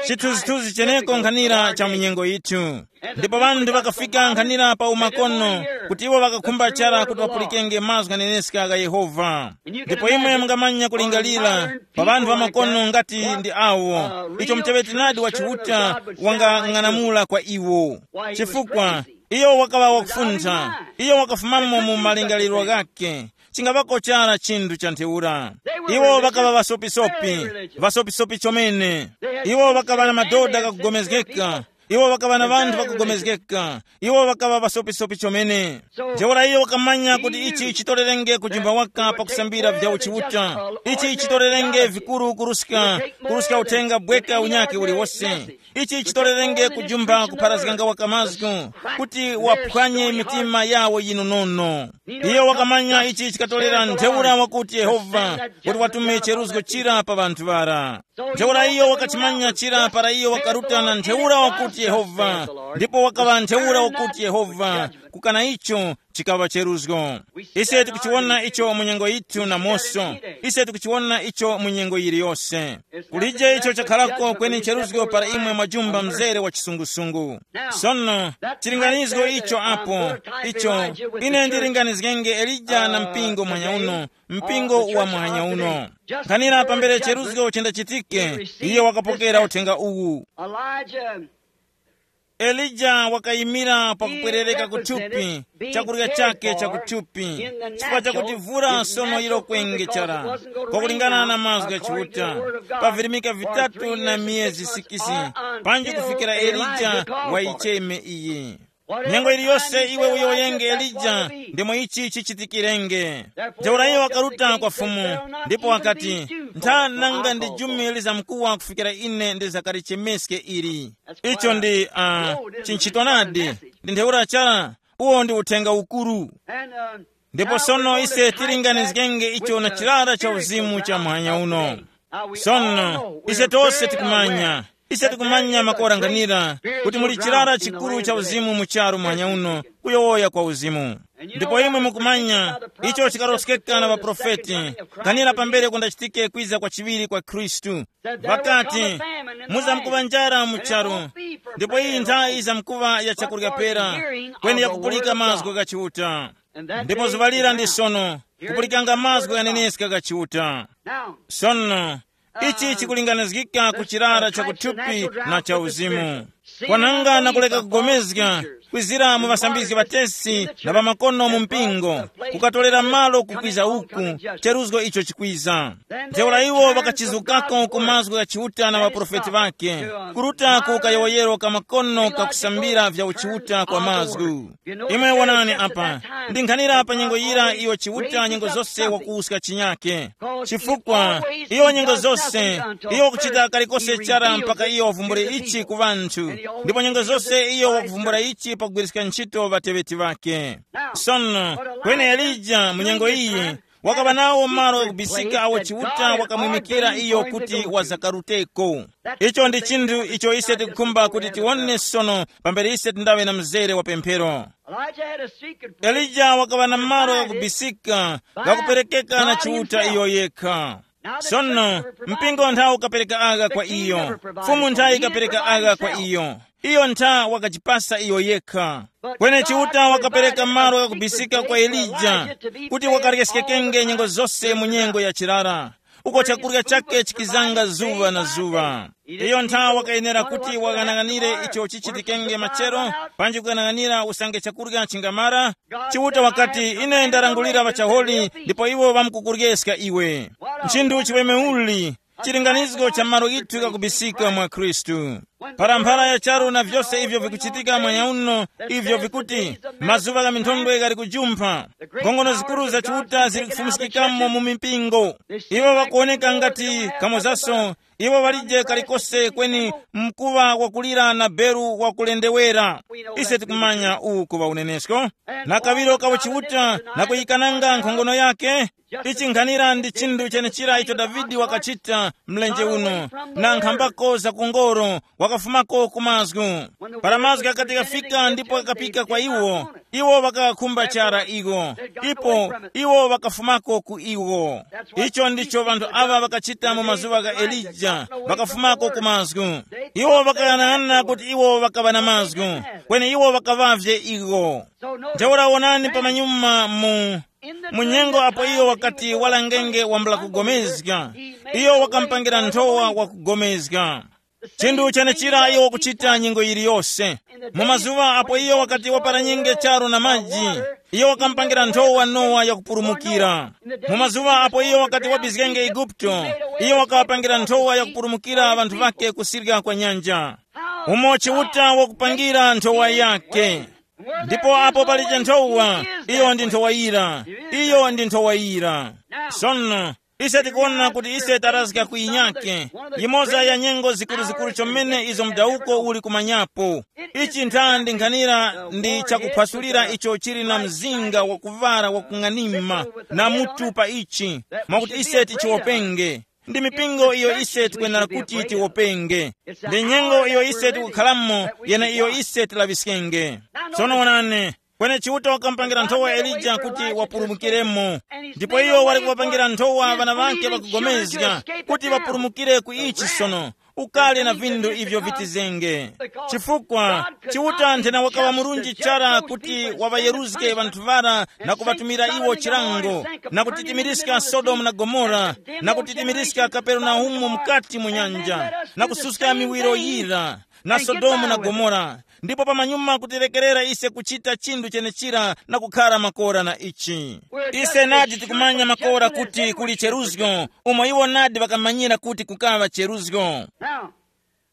Chithunzithunzi cheneko nkhanira cha munyengo yithu. Ndipo ŵanthu ŵakafika nkhanira pa umakono, kuti iwo ŵakakhumba chara kuti ŵapulikenge mazgu ghaneneska gha Yehova. Ndipo imwe mungamanya kulingalira pa ŵanthu ŵamakono ngati ndi awo, icho muteŵeti nadi wa Chiuta wangang'anamula kwa iwo. Chifukwa iyo wakaŵa wakufuntha, iyo wakafumamo mu malingaliro ghakhe, chingaŵako chara chinthu cha ntheura. Iwo ŵakaŵa ŵasopisopi, ŵasopisopi chomene. Iwo ŵakaŵa na madoda ghakugomezgeka, iwo ŵakaŵa na ŵanthu ŵakugomezgeka, iwo ŵakaŵa ŵasopisopi chomene. Ntheura iyo wakamanya kuti ichi chitorerenge kujimba waka pakusambira vya uchiuta, ichi chitorerenge vikuru kuruska, kuruska uthenga bweka unyake uliwose. Ichi chitorerenge kujumba kupharazganga waka mazgu, kuti waphwanye mitima yawo yinonono. Iyo wakamanya ichi chikatorera ntheura wakuti Yehova, kuti watume cheruzgo chira pa ŵanthu ŵara. Ntheura iyo wakachimanya chira para iyo wakaruta na ntheura wakuti Yehova, ndipo wakaŵa ntheura wakuti Yehova, kukana icho chikaŵa cheruzgo. Ise tikuchiwona icho mu nyengo yithu namoso. Ise tikuchiwona icho mu nyengo yiliyose. Kulije icho chakharako kweni cheruzgo para imwe mwajumba mzere wa chisungusungu. Sono, chilinganizgo icho apo, icho, ine ndilinganizgenge Elija na mpingo mwanya uno, mpingo wa mwanya uno. Nkhanira pambere cheruzgo chendachitike, iye wakapokera uthenga uwu. Elijah Elija wakayimira pakupwerereka kuthupi, chakurya chake chakuthupi, chifukwa chakuti vura sono yiro kwenge chara, kwakulingana na mazgu gha Chiuta, pa virimika vitatu na miyezi sikisi, panji kufikira Elija wayicheme iyi. Nyengo iliyose iwe uyowoyenge Elija, ndimo ichi chichitikirenge. Ntheura iyo wakaruta kwa Fumu, ndipo wakati, ntha nanga ndi jumi lizamkuwa kufikira ine ndizakalichemeske ili. Icho ndi uh, chinchito nadi. Ndi ntheura chara, uwo ndi uthenga ukuru. Ndipo sono ise tilinganizgenge icho na chirara cha uzimu cha muhanya uno. Sono ise tose tikumanya, ise tikumanya makoranganira kuti muli chirara chikuru cha uzimu mu charu muhanya uno, kuyowoya kwa uzimu. Ndipo imwe mukumanya, icho chikaroskeka na ŵaprofeti, kanira pambere kundachitike kwiza kwa chiŵiri kwa Khristu. Ŵakati, muzamkuŵa njara mu charu, ndipo iyi nthawi izamkuŵa ya chakurya pera, kweni yakupulika mazgu gha Chiuta. Ndipo zuŵa lira ndi sono, kupulikanga mazgu ghaneneska gha Chiuta. Sono, ichi chikulinganizgika ku chirara cha kuthupi na cha uzimu. Kwananga na kuleka kugomezga, kwizira mu ŵasambizgi ŵatesi na ŵamakono mu mpingo, kukatorera malo kukwiza uku, cheruzgo icho chikwiza. Ntheura iwo ŵakachizukako ku mazgu gha Chiuta na ŵaprofeti ŵakhe, kuruta ku kayowoyero ka makono kakusambira vya uchiuta kwa mazgu. Imwe wonani apa, ndi nkhanira pa nyengo yira iyo Chiuta nyengo zose wakuwuska chinyake. Chifukwa iyo nyengo zose, iyo wakuchita kalikose chara mpaka iyo wavumbule ichi ku ŵanthu, ndipo nyengo zose iyo wakuvumbula ichi pakugwiriska ntchito ŵateŵeti ŵakhe. Sono, kweni Elija mu nyengo iyi wakaŵa nawo malo ghakubisika awo Chiuta wakamwimikira iyo kuti wazakaruteko. Icho ndi chinthu icho ise tikukhumba kuti tiwone sono pambere ise tindawe na mzere wa pemphero. Elija wakaŵa na malo ghakubisika, ghakuperekeka na Chiuta iyo yekha. Sono, mpingo nthawi ukapereka agha kwa iyo, Fumu nthawi ikapereka agha kwa iyo, iyo ntha wakachipasa iyo yekha. Kweni Chiuta wakapereka malo ghakubisika kwa Elija, kuti wakaryeskekenge nyengo zose mu nyengo ya chirara, uko chakurya chake chikizanga zuŵa na zuŵa. Iyo ntha wakayenera kuti waghanaghanire icho chichitikenge machero, panji kughanaghanira usange chakurya chingamara. Chiuta wakati, ine ndarangulira ŵachaholi, ndipo iwo ŵamkukuryeska iwe. Nchinthu chiweme uli, chilinganizgo cha malo ghithu ghakubisika mwa Khristu. Para mphara ya charu na vyose ivyo vikuchitika mwanya uno, ivyo vikuti mazuŵa gha minthondwe ghali kujumpha, nkhongono zikuru za Chiuta zili kufumiskikamo mu mipingo. Iwo ŵakuwoneka ngati kamozaso, iwo ŵalije kalikose kweni mkuŵa wakulira na beru wakulendewera. Ise tikumanya uwu kuŵa unenesko, na kaŵiro kawo Chiuta na kuyikananga nkhongono yake. Ichi nkhanira ndi chinthu chenechira icho Davide wakachita mlenje uno, na nkhambako za kungoro, wakafumako ku mazgu. Para mazgu akati kafika ndipo kakapika kwa iwo, iwo ŵakakhumba chara iwo, ipo iwo ŵakafumako ku iwo. Icho ndicho ŵanthu aŵa ŵakachita mu mazuŵa gha Elija, ŵakafumako ku mazgu. Iwo ŵakayang'ana kuti iwo ŵakaŵa na mazgu, kweni iwo ŵakaŵavye iwo. Ntheura wonani pamanyuma mu mu nyengo apo iyo wakati walangenge wambula kugomezga, iyo wakamupangira nthowa wakugomezga. Chinthu chenechira iyo wakuchita nyengo yiliyose. Mu mazuŵa apo iyo wakati waparanyenge charu na maji, iyo wakamupangira nthowa Nowa yakupulumukira. Mu mazuŵa apo iyo wakati wabizgenge Eguputo, iyo wakawapangira nthowa yakupulumukira ŵanthu ŵake kusirya kwa nyanja. Umo Chiuta wakupangira nthowa yake. Ndipo apo palije nthowa, iyo ndi nthowa yira. Iyo ndi nthowa yira. Sono, ise tikuwona kuti ise tarazga ku yinyake, yimoza ya nyengo zikuruzikuru chomene izo mudawuko uli kumanyapo. Ichi ntha ndi nkhanira ndi chakuphwasulira icho chili na mzinga wakuvara wakung'anima na mutu pa ichi, mwakuti ise tichiwopenge. Ndi mipingo iyo ise tikwenera kuti tiwopenge. Ndi nyengo iyo ise tikukhalamo, yene iyo ise tilaŵiskenge. Tsono wonani, kweni Chiuta wakamupangira nthowa Elija kuti wapulumukiremo. Ndipo iyo wali kuŵapangira nthowa ŵana ŵake ŵakugomezga kuti ŵapulumukire ku ichi sono, ukali na vindu ivyo vitizenge. Chifukwa Chiuta nthena wakaŵa murunji chara kuti waŵayeruzge ŵanthu ŵara na kuŵatumira iwo chilango, na kutitimiriska Sodomu na Gomora, na kutitimiriska Kaperenaumu mukati mu nyanja, na kususka miwiro yira na Sodomu na Gomora, ndipo pamanyuma kutirekerera ise kuchita chinthu chenechira na kukhara makora na ichi. Ise nadi tikumanya makora kuti kuli cheruzgo, umo iwo nadi ŵakamanyira kuti kukaŵa cheruzgo. Now,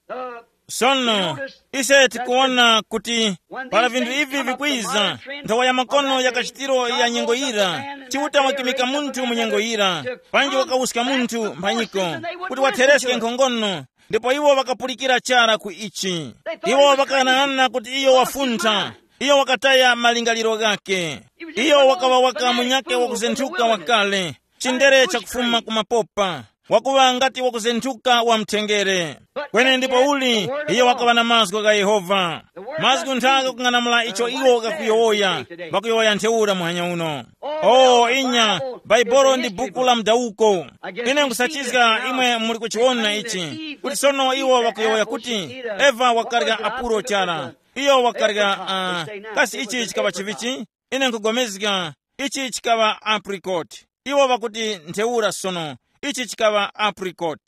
uh, sono, ise tikuwona kuti para vinthu ivi vikwiza, nthawa ya makono ya kachitiro ya nyengo yira, Chiuta wakimika munthu mu nyengo yira, panji wakawuska munthu mphanyiko kuti wathereske nkhongono, ndipo iwo ŵakapulikira chara ku ichi. Iwo ŵakayang'ana kuti iyo wafuntha, iyo wakataya malingaliro ghakhe. Iyo wakaŵa waka munyakhe wakuzenthuka wakale, chindere chakufuma ku mapopa, wakuŵa ngati wakuzenthuka wa mthengere. Kweni ndipo uli, iyo wakaŵa na mazgu gha Yehova. Mazgu nthaka kung'anamula icho iwo ghakuyowoya, ŵakuyowoya ntheura muhanya uno. O inya, Baibolo ndi buku la mdawuko. Ine nkusachizga imwe muli kuchiwona ichi, kuti sono iwo ŵakuyowoya kuti Eva wakarya apuro chara. Iyo wakarya, uh, kasi ichi chikaŵa chivichi? Ine nkugomezga ichi chikaŵa apricot. Iwo ŵakuti ntheura sono, ichi chikaŵa apricot.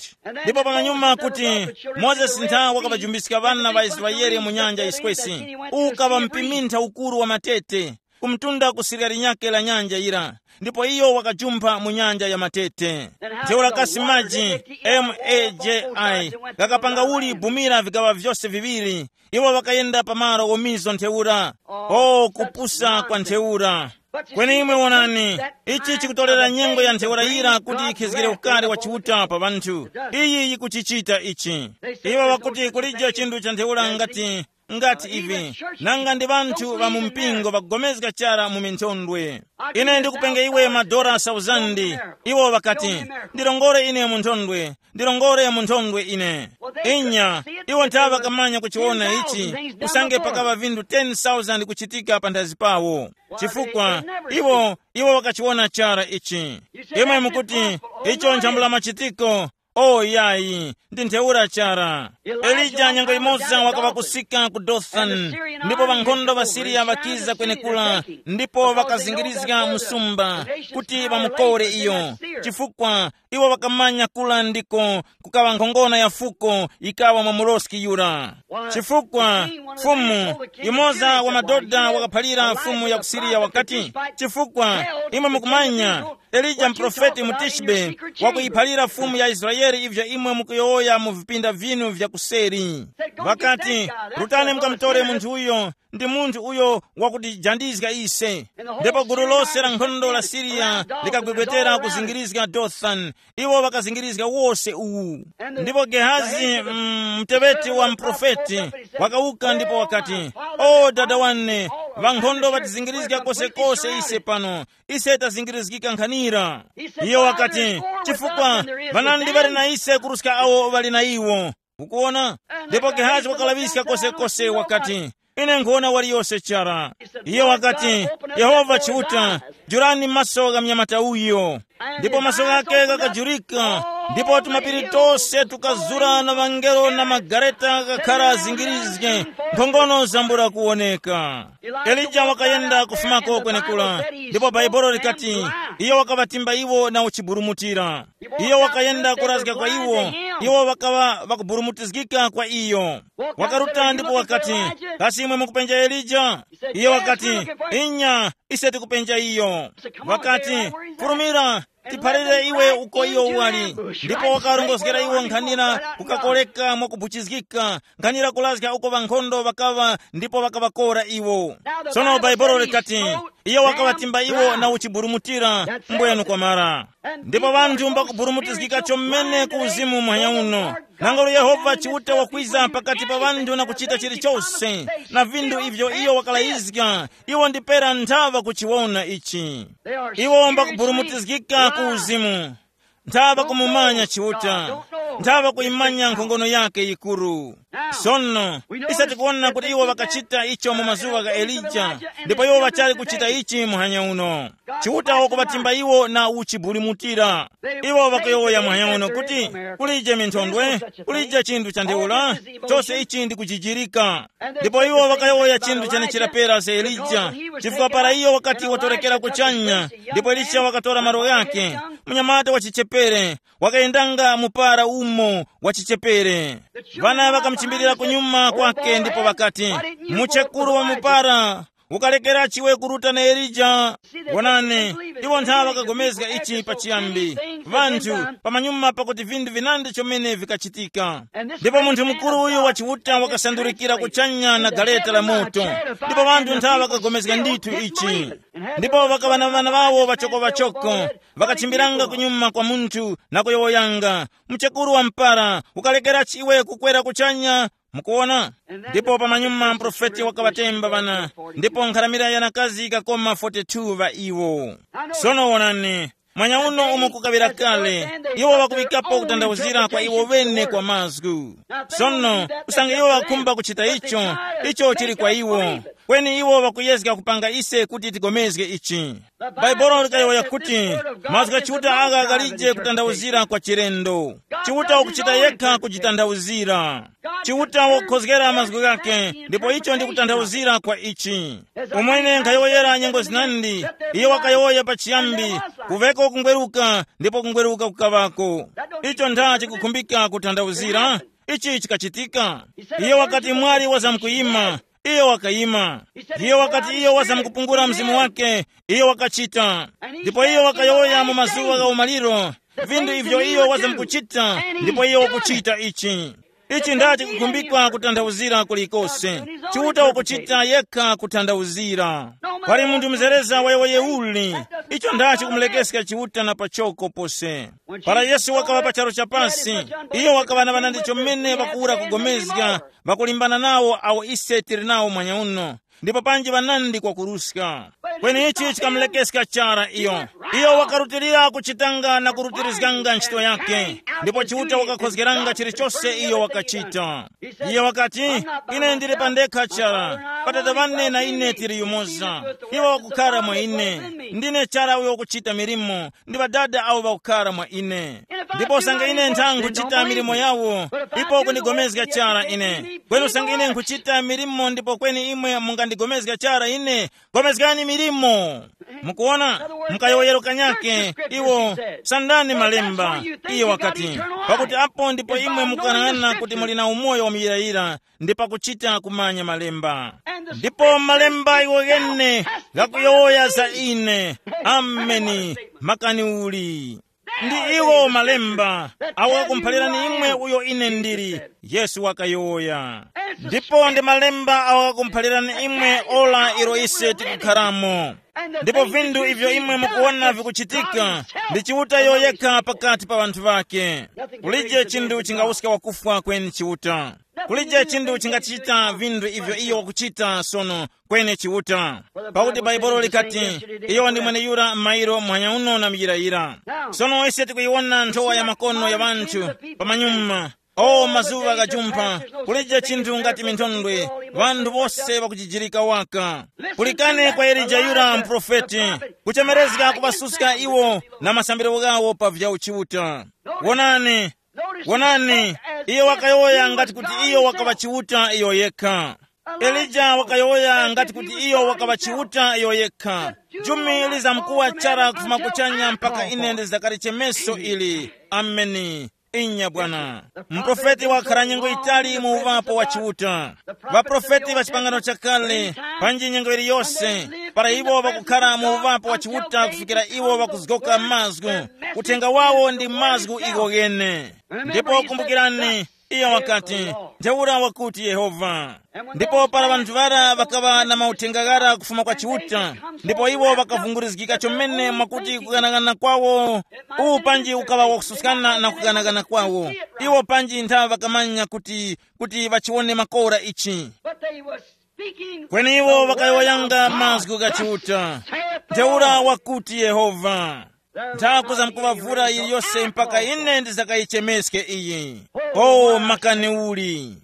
Ndipo pamanyuma kuti Mozesi ntha wakaŵajumbiska ŵana ŵa Israele mu nyanja yiswesi, ukaŵa mpimintha ukuru wa matete, kumtunda ku sirya linyakhe la nyanja yira, ndipo iyo wakajumpha mu nyanja ya matete. Ntheura kasi maji, maji ghakapanga uli bumira vigaŵa vyose viŵiri, iwo ŵakayenda pa malo ghomizo ntheura. O kupusa kwa ntheura. Kweni imwe wonani, ichi chikutolera nyengo ya ntheura yira kuti yikhizgire ukari wa Chiuta pa ŵanthu. Iyi yikuchichita ichi. Iwo ŵakuti kulije chinthu cha ntheura ngati, ngati ivi, nanga ndi ŵanthu ŵa mu mpingo ŵakugomezga chara mu minthondwe. Ine ndikupenge iwe madora sauzandi. Iwo ŵakati, ndirongore ine mu nthondwe, ndirongore mu nthondwe ine. Inya, iwo nthawe ŵakamanya kuchiwona ichi, usange pakaŵa vinthu ten thousand kuchitika panthazi pawo. Chifukwa iwo, iwo ŵakachiwona chara ichi. Imwe mukuti, icho nchambula machitiko. O yayi, ndi ntheura chara. Elija nyengo imoza wakaŵa kusika ku Dothani, ndipo ŵankhondo ŵa Siriya ŵakiza kwenekura, ndipo ŵakazingirizga msumba kuti ŵamukore iyo, chifukwa iwo ŵakamanya kula ndiko kukaŵa nkhongona ya fuko yikawa mwa muloski yura. Chifukwa fumu, yumoza wa madoda wakaphalira fumu ya ku Siriya wakati, chifukwa imwe mukumanya, Elija muprofeti mu Tishbe wakuyiphalira fumu ya Israele ivyo imwe mukuyowoya mu vipinda vinu vya kuseri. Ŵakati, rutani mukamutore munthu uyo, ndi munthu uyo wakutijandizga ise. Ndipo gulu lose la nkhondo la Siriya likagwegwetera kuzingirizga Dothani. Iwo ŵakazingirizga wose uwu. Ndipo Gehazi, mm, mteŵeti wa mprofeti, wakawuka ndipo wakati, o dada wane, ŵankhondo ŵatizingirizga kosekose ise pano. Ise tazingirizgika nkhanira. Iyo wakati, chifukwa ŵanandi ŵali na ise kuruska awo ŵali na iwo. Ukuwona? Ndipo Gehazi wakalaŵiska kosekose wakati, ine nkhuwona waliyose chara. Iye wakati, Yehova Chiuta, jurani maso gha mnyamata uyo. Ndipo maso ghake ghakajurika, ndipo tumapiri tose tukazura na ŵangelo na magareta ghakhara zingirizge, nkhongono zambula kuwoneka. Elija wakayenda kufumako kwenekura, ndipo Bhaibuli likati, iyo wakaŵatimba iwo na uchiburumutira. Iyo wakayenda kurazga kwa iwo, iwo ŵakaŵa ŵakuburumutizgika kwa iyo. Wakaruta ndipo wakati, kasi imwe mukupenja Elija? Iyo wakati, inya, ise tikupenja iyo. Wakati, furumira, tiphalire iwe uko iyo wali. Ndipo wakarongozgera iwo nkhanira kukakoreka mwakubuchizgika, nkhanira kurazga uko ŵankhondo ŵakaŵa ndipo ŵakaŵakora iwo. Sono bhaibolo likati, iyo wakaŵatimba iwo na uchiburumutira mbwenu kwamara. Ndipo ŵanthu mbakuburumutizgika chomene ku uzimu muhanya uno. Nangolo Yehova Chiuta wakwiza pakati pa ŵanthu na kuchita chilichose na vinthu ivyo iyo wakalayizga, iwo ndipera nthawa kuchiwona ichi. Iwo mbakuburumutizgika ku uzimu, nthawa kumumanya Chiuta, nthawa kuyimanya nkhongono yake yikuru. Sono, ise tikuwona kuti iwo ŵakachita icho mu mazuŵa gha Elija, ndipo iwo ŵachali kuchita ichi muhanya uno. Chiuta wakuŵatimba iwo na uchiburumutira. Iwo ŵakuyowoya muhanya uno kuti, kulije minthondwe, kulije chinthu cha ntheura, chose ichi ndi kuchijirika. Ndipo iwo ŵakayowoya chinthu chenechera pera za Elija, chifukwa para iyo wakati watorekera kuchanya, ndipo Elija wakatora malo ghake, munyamata wa chichepere, wakayendanga mupara umo wa chichepere. Vana ŵakamuchimbilira kunyuma kwake ndipo ŵakati, muchekuru wa mupara, ukalekera chiwe kuruta na Elija? Wonani, iwo nthawi ŵakagomezga ichi pachiyambi, vanthu, pamanyuma pakuti vinthu vinandi chomene vikachitika. Ndipo munthu mukuru uyu wa Chiuta wakasandurikira kuchanya na gareta la moto, ndipo vanthu nthawi ŵakagomezga ndithu ichi. Ndipo ŵakaŵa na ŵana ŵawo ŵachokoŵachoko, ŵakachimbiranga kunyuma kwa munthu na kuyowoyanga, mchekuru wa mpara, ukalekera chiwe kukwera kuchanya? Mukuwona? Ndipo pamanyuma mprofeti wakaŵatemba ŵana, ndipo nkharamira ya nakazi yikakoma forty-two ŵa iwo. Sono wonani, mwanya uno umo kukaŵira kale, iwo ŵakuŵikapo kutanthauzira kwa iwo ŵene kwa mazgu. Sono, usange iwo ŵakhumba kuchita icho, icho chili kwa iwo. Kweni iwo ŵakuyezga kupanga ise kuti tigomezge ichi. Bhaibuli likayowoya kuti, mazgu gha Chiuta agha ghalije kutanthauzira kwa chilendo. Chiuta wakuchita yekha kujitanthauzira. Chiuta wakukhozgera mazgu ghake, ndipo icho ndi kutanthauzira kwa ichi. Umwene nkhayowoyera nyengo zinandi, iyo wakayowoya pachiyambi, kuveko kungweruka, ndipo kungweruka kukaŵako. Icho ntha chikukhumbika kutanthauzira? Ichi chikachitika. Iyo wakati mwali wazamkuyima, iyo wakayima. Iyo wakati iyo wazamkupungula mzimu wake, iyo wakachita. Ndipo iyo wakayowoya mu mazuwa gha umaliro, vinthu ivyo iyo wazamkuchita, ndipo iyo wakuchita ichi. Ichi ndachi kukhumbikwa kutanthauzira kulikose. Chiuta wakuchita yekha kutanthauzira. Pali munthu mzereza wayowoye uli, icho ndachi kumulekeska Chiuta na pachoko pose. Para Yesu wakaŵa pa charu cha pasi, iyo wakaŵa na ŵanandi chomene ŵakuwura kugomezga, ŵakulimbana nawo awo ise tili nawo mwanya uno, ndipo panji ŵanandi kwakuruska. Kweni ichi chikamulekeska chara iyo. Iyo wakarutilira kuchitanga na kurutirizganga ntchito yake, ndipo Chiuta wakakhozgeranga chilichose iyo wakachita. Iye wakati, ine ndili pandekha chara, pa Tate ŵane na ine tili yumoza. Iwo wakukhara mwa ine. Ndine chara uyo wakuchita milimo, ndi Ŵadada awo ŵakukhara mwa ine. Ndipo usange ine nthangwe kuchita milimo yawo, ipo kundigomezga chara ine. Kweni usange ine nkhuchita milimo ndipo kweni imwe mungandigomezga chara ine, gomezgani milimo. Mukuona? Mkayowoyero kanyake iwo, sandani malemba. Iye wakati, pakuti apo ndipo imwe mukanang'ana kuti muli na umoyo wamuyirayira, ndi pakuchita kumanya malemba. Ndipo malemba iwo ghene ghakuyowoya za ine. Ameni. Makani uli. Ndi iwo malemba awo ghakumphalirani imwe uyo ine ndili, Yesu wakayowoya. Ndipo ndi malemba awo ghakumphalirani imwe ora ilo ise tikukharamo. Ndipo vinthu ivyo imwe mukuwona vikuchitika, ndi Chiuta yoyekha pakati pa ŵanthu ŵake. Kulije chinthu chingawuska wakufwa kweni Chiuta. Kulije chinthu chingachita vinthu ivyo iyo wakuchita sono, kweni Chiuta. Pakuti Baibulo likati, iyo ndi mweneyura mairo muhanya uno na muyirayira. Sono ise tikuyiwona nthowa ya makono ya ŵanthu pamanyuma. O mazuŵa ghajumpha, kulije chinthu ngati minthondwe, ŵanthu wose ŵakuchijirika waka. Pulikani kwa Elija yura muprofeti, kuchemerezga kuŵasuska iwo na masambiro ghawo pa vya uchiuta. Wonani, wonani, iyo wakayowoya ngati kuti iyo wakaŵa Chiuta iyo yekha. Elija wakayowoya ngati kuti iyo wakaŵa Chiuta iyo yekha. Jumi lizamkuwa chara kufuma kuchanya mpaka ine ndizakalichemeso ili. Ameni. Inya bwana. Muprofeti wakhala nyengo yitali mu uŵapo wa Chiuta. Ŵaprofeti ŵa chipangano chakale, panji nyengo yiliyose, para iwo ŵakukhara mu uŵapo wa Chiuta kufikira iwo ŵakuzgoka mazgu, uthenga wawo ndi mazgu iwo ghene. Ndipo kumbukirani, iyo wakati, ntheura wakuti Yehova. Ndipo para ŵanthu ŵara ŵakaŵa na mauthenga ghara kufuma kwa Chiuta, ndipo iwo ŵakavungurizgika chomene mwakuti kughanaghanana kwawo uwu panji ukaŵa wakususkana na kughanaghanana kwawo, iwo panji ntha ŵakamanya kuti kuti ŵachiwone makora ichi. But they was speaking kweni iwo the word ŵakayowoyanga of God. Mazgu gha Chiuta. Saith the ntheura Lord. Wakuti Yehova, nthakuza mkuvavura yiliyose mpaka ine ndizakayichemeske iyi. O makani uli.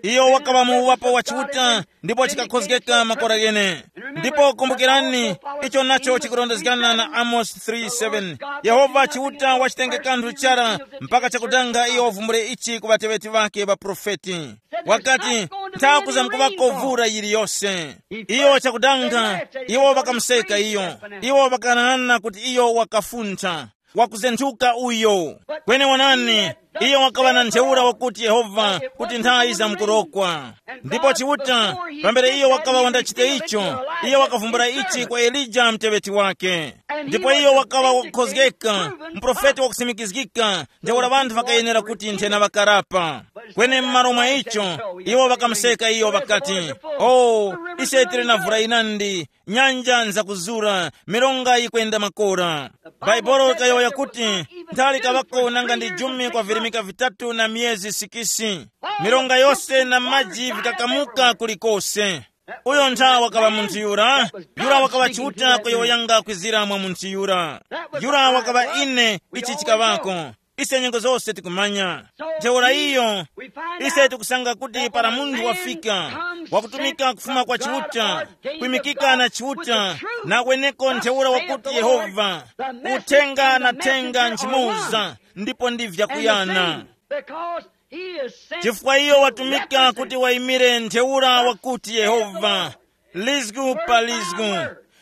Iyo wakaŵa mu uwapo wa Chiuta ndipo chikakhozgeka makora ghene. Ndipo kumbukirani, icho nacho chikurondezgana na Amos three seven. Yehova Chiuta wachitenge kanthu chara mpaka chakudanga iyo wavumbule ichi ku ŵateŵeti ŵake ŵaprofeti. Wakati, nthakuza mkuŵakovura yiliyose. Iyo chakudanga, iwo ŵakamuseka iyo. Iwo ŵakanana kuti iyo wakafuntha, wakuzenthuka uyo. Kweni wonani, iyo wakaŵa na ntheura wakuti Yehova kuti nthawi zamkurokwa. Ndipo Chiuta, pambere iyo wakaŵa wandachite icho, iyo wakavumbula ichi kwa Elija mteŵeti wake. Ndipo iyo wakaŵa wakukhozgeka, muprofeti wakusimikizgika, ntheura ŵanthu ŵakayenera kuti nthena ŵakarapa. Kweni m'malo mwa icho, iwo ŵakamuseka iyo ŵakati, o, ise tili na vura yinandi, nyanja nzakuzura, milonga yikwenda makora. Baibulo likayowoya kuti, nthali kaŵako nanga ndi jumi kwa virimika vitatu na myezi sikisi. Milonga yose na maji vikakamuka kulikose. Uyo ntha wakaŵa munthu yura, yura wakaŵa Chiuta kuyowoyanga kwizira mwa munthu yura. Yura wakaŵa ine, ichi chikaŵako. Ise nyengo zose tikumanya. Ntheura iyo, ise tikusanga kuti para munthu wafika, wakutumika kufuma kwa Chiuta, kwimikika na Chiuta, na kweneko ntheura wakuti Yehova, uthenga na thenga nchimoza, ndipo ndi vyakuyana. Chifukwa iyo watumika kuti wayimire ntheura wakuti Yehova, lizgu pa lizgu.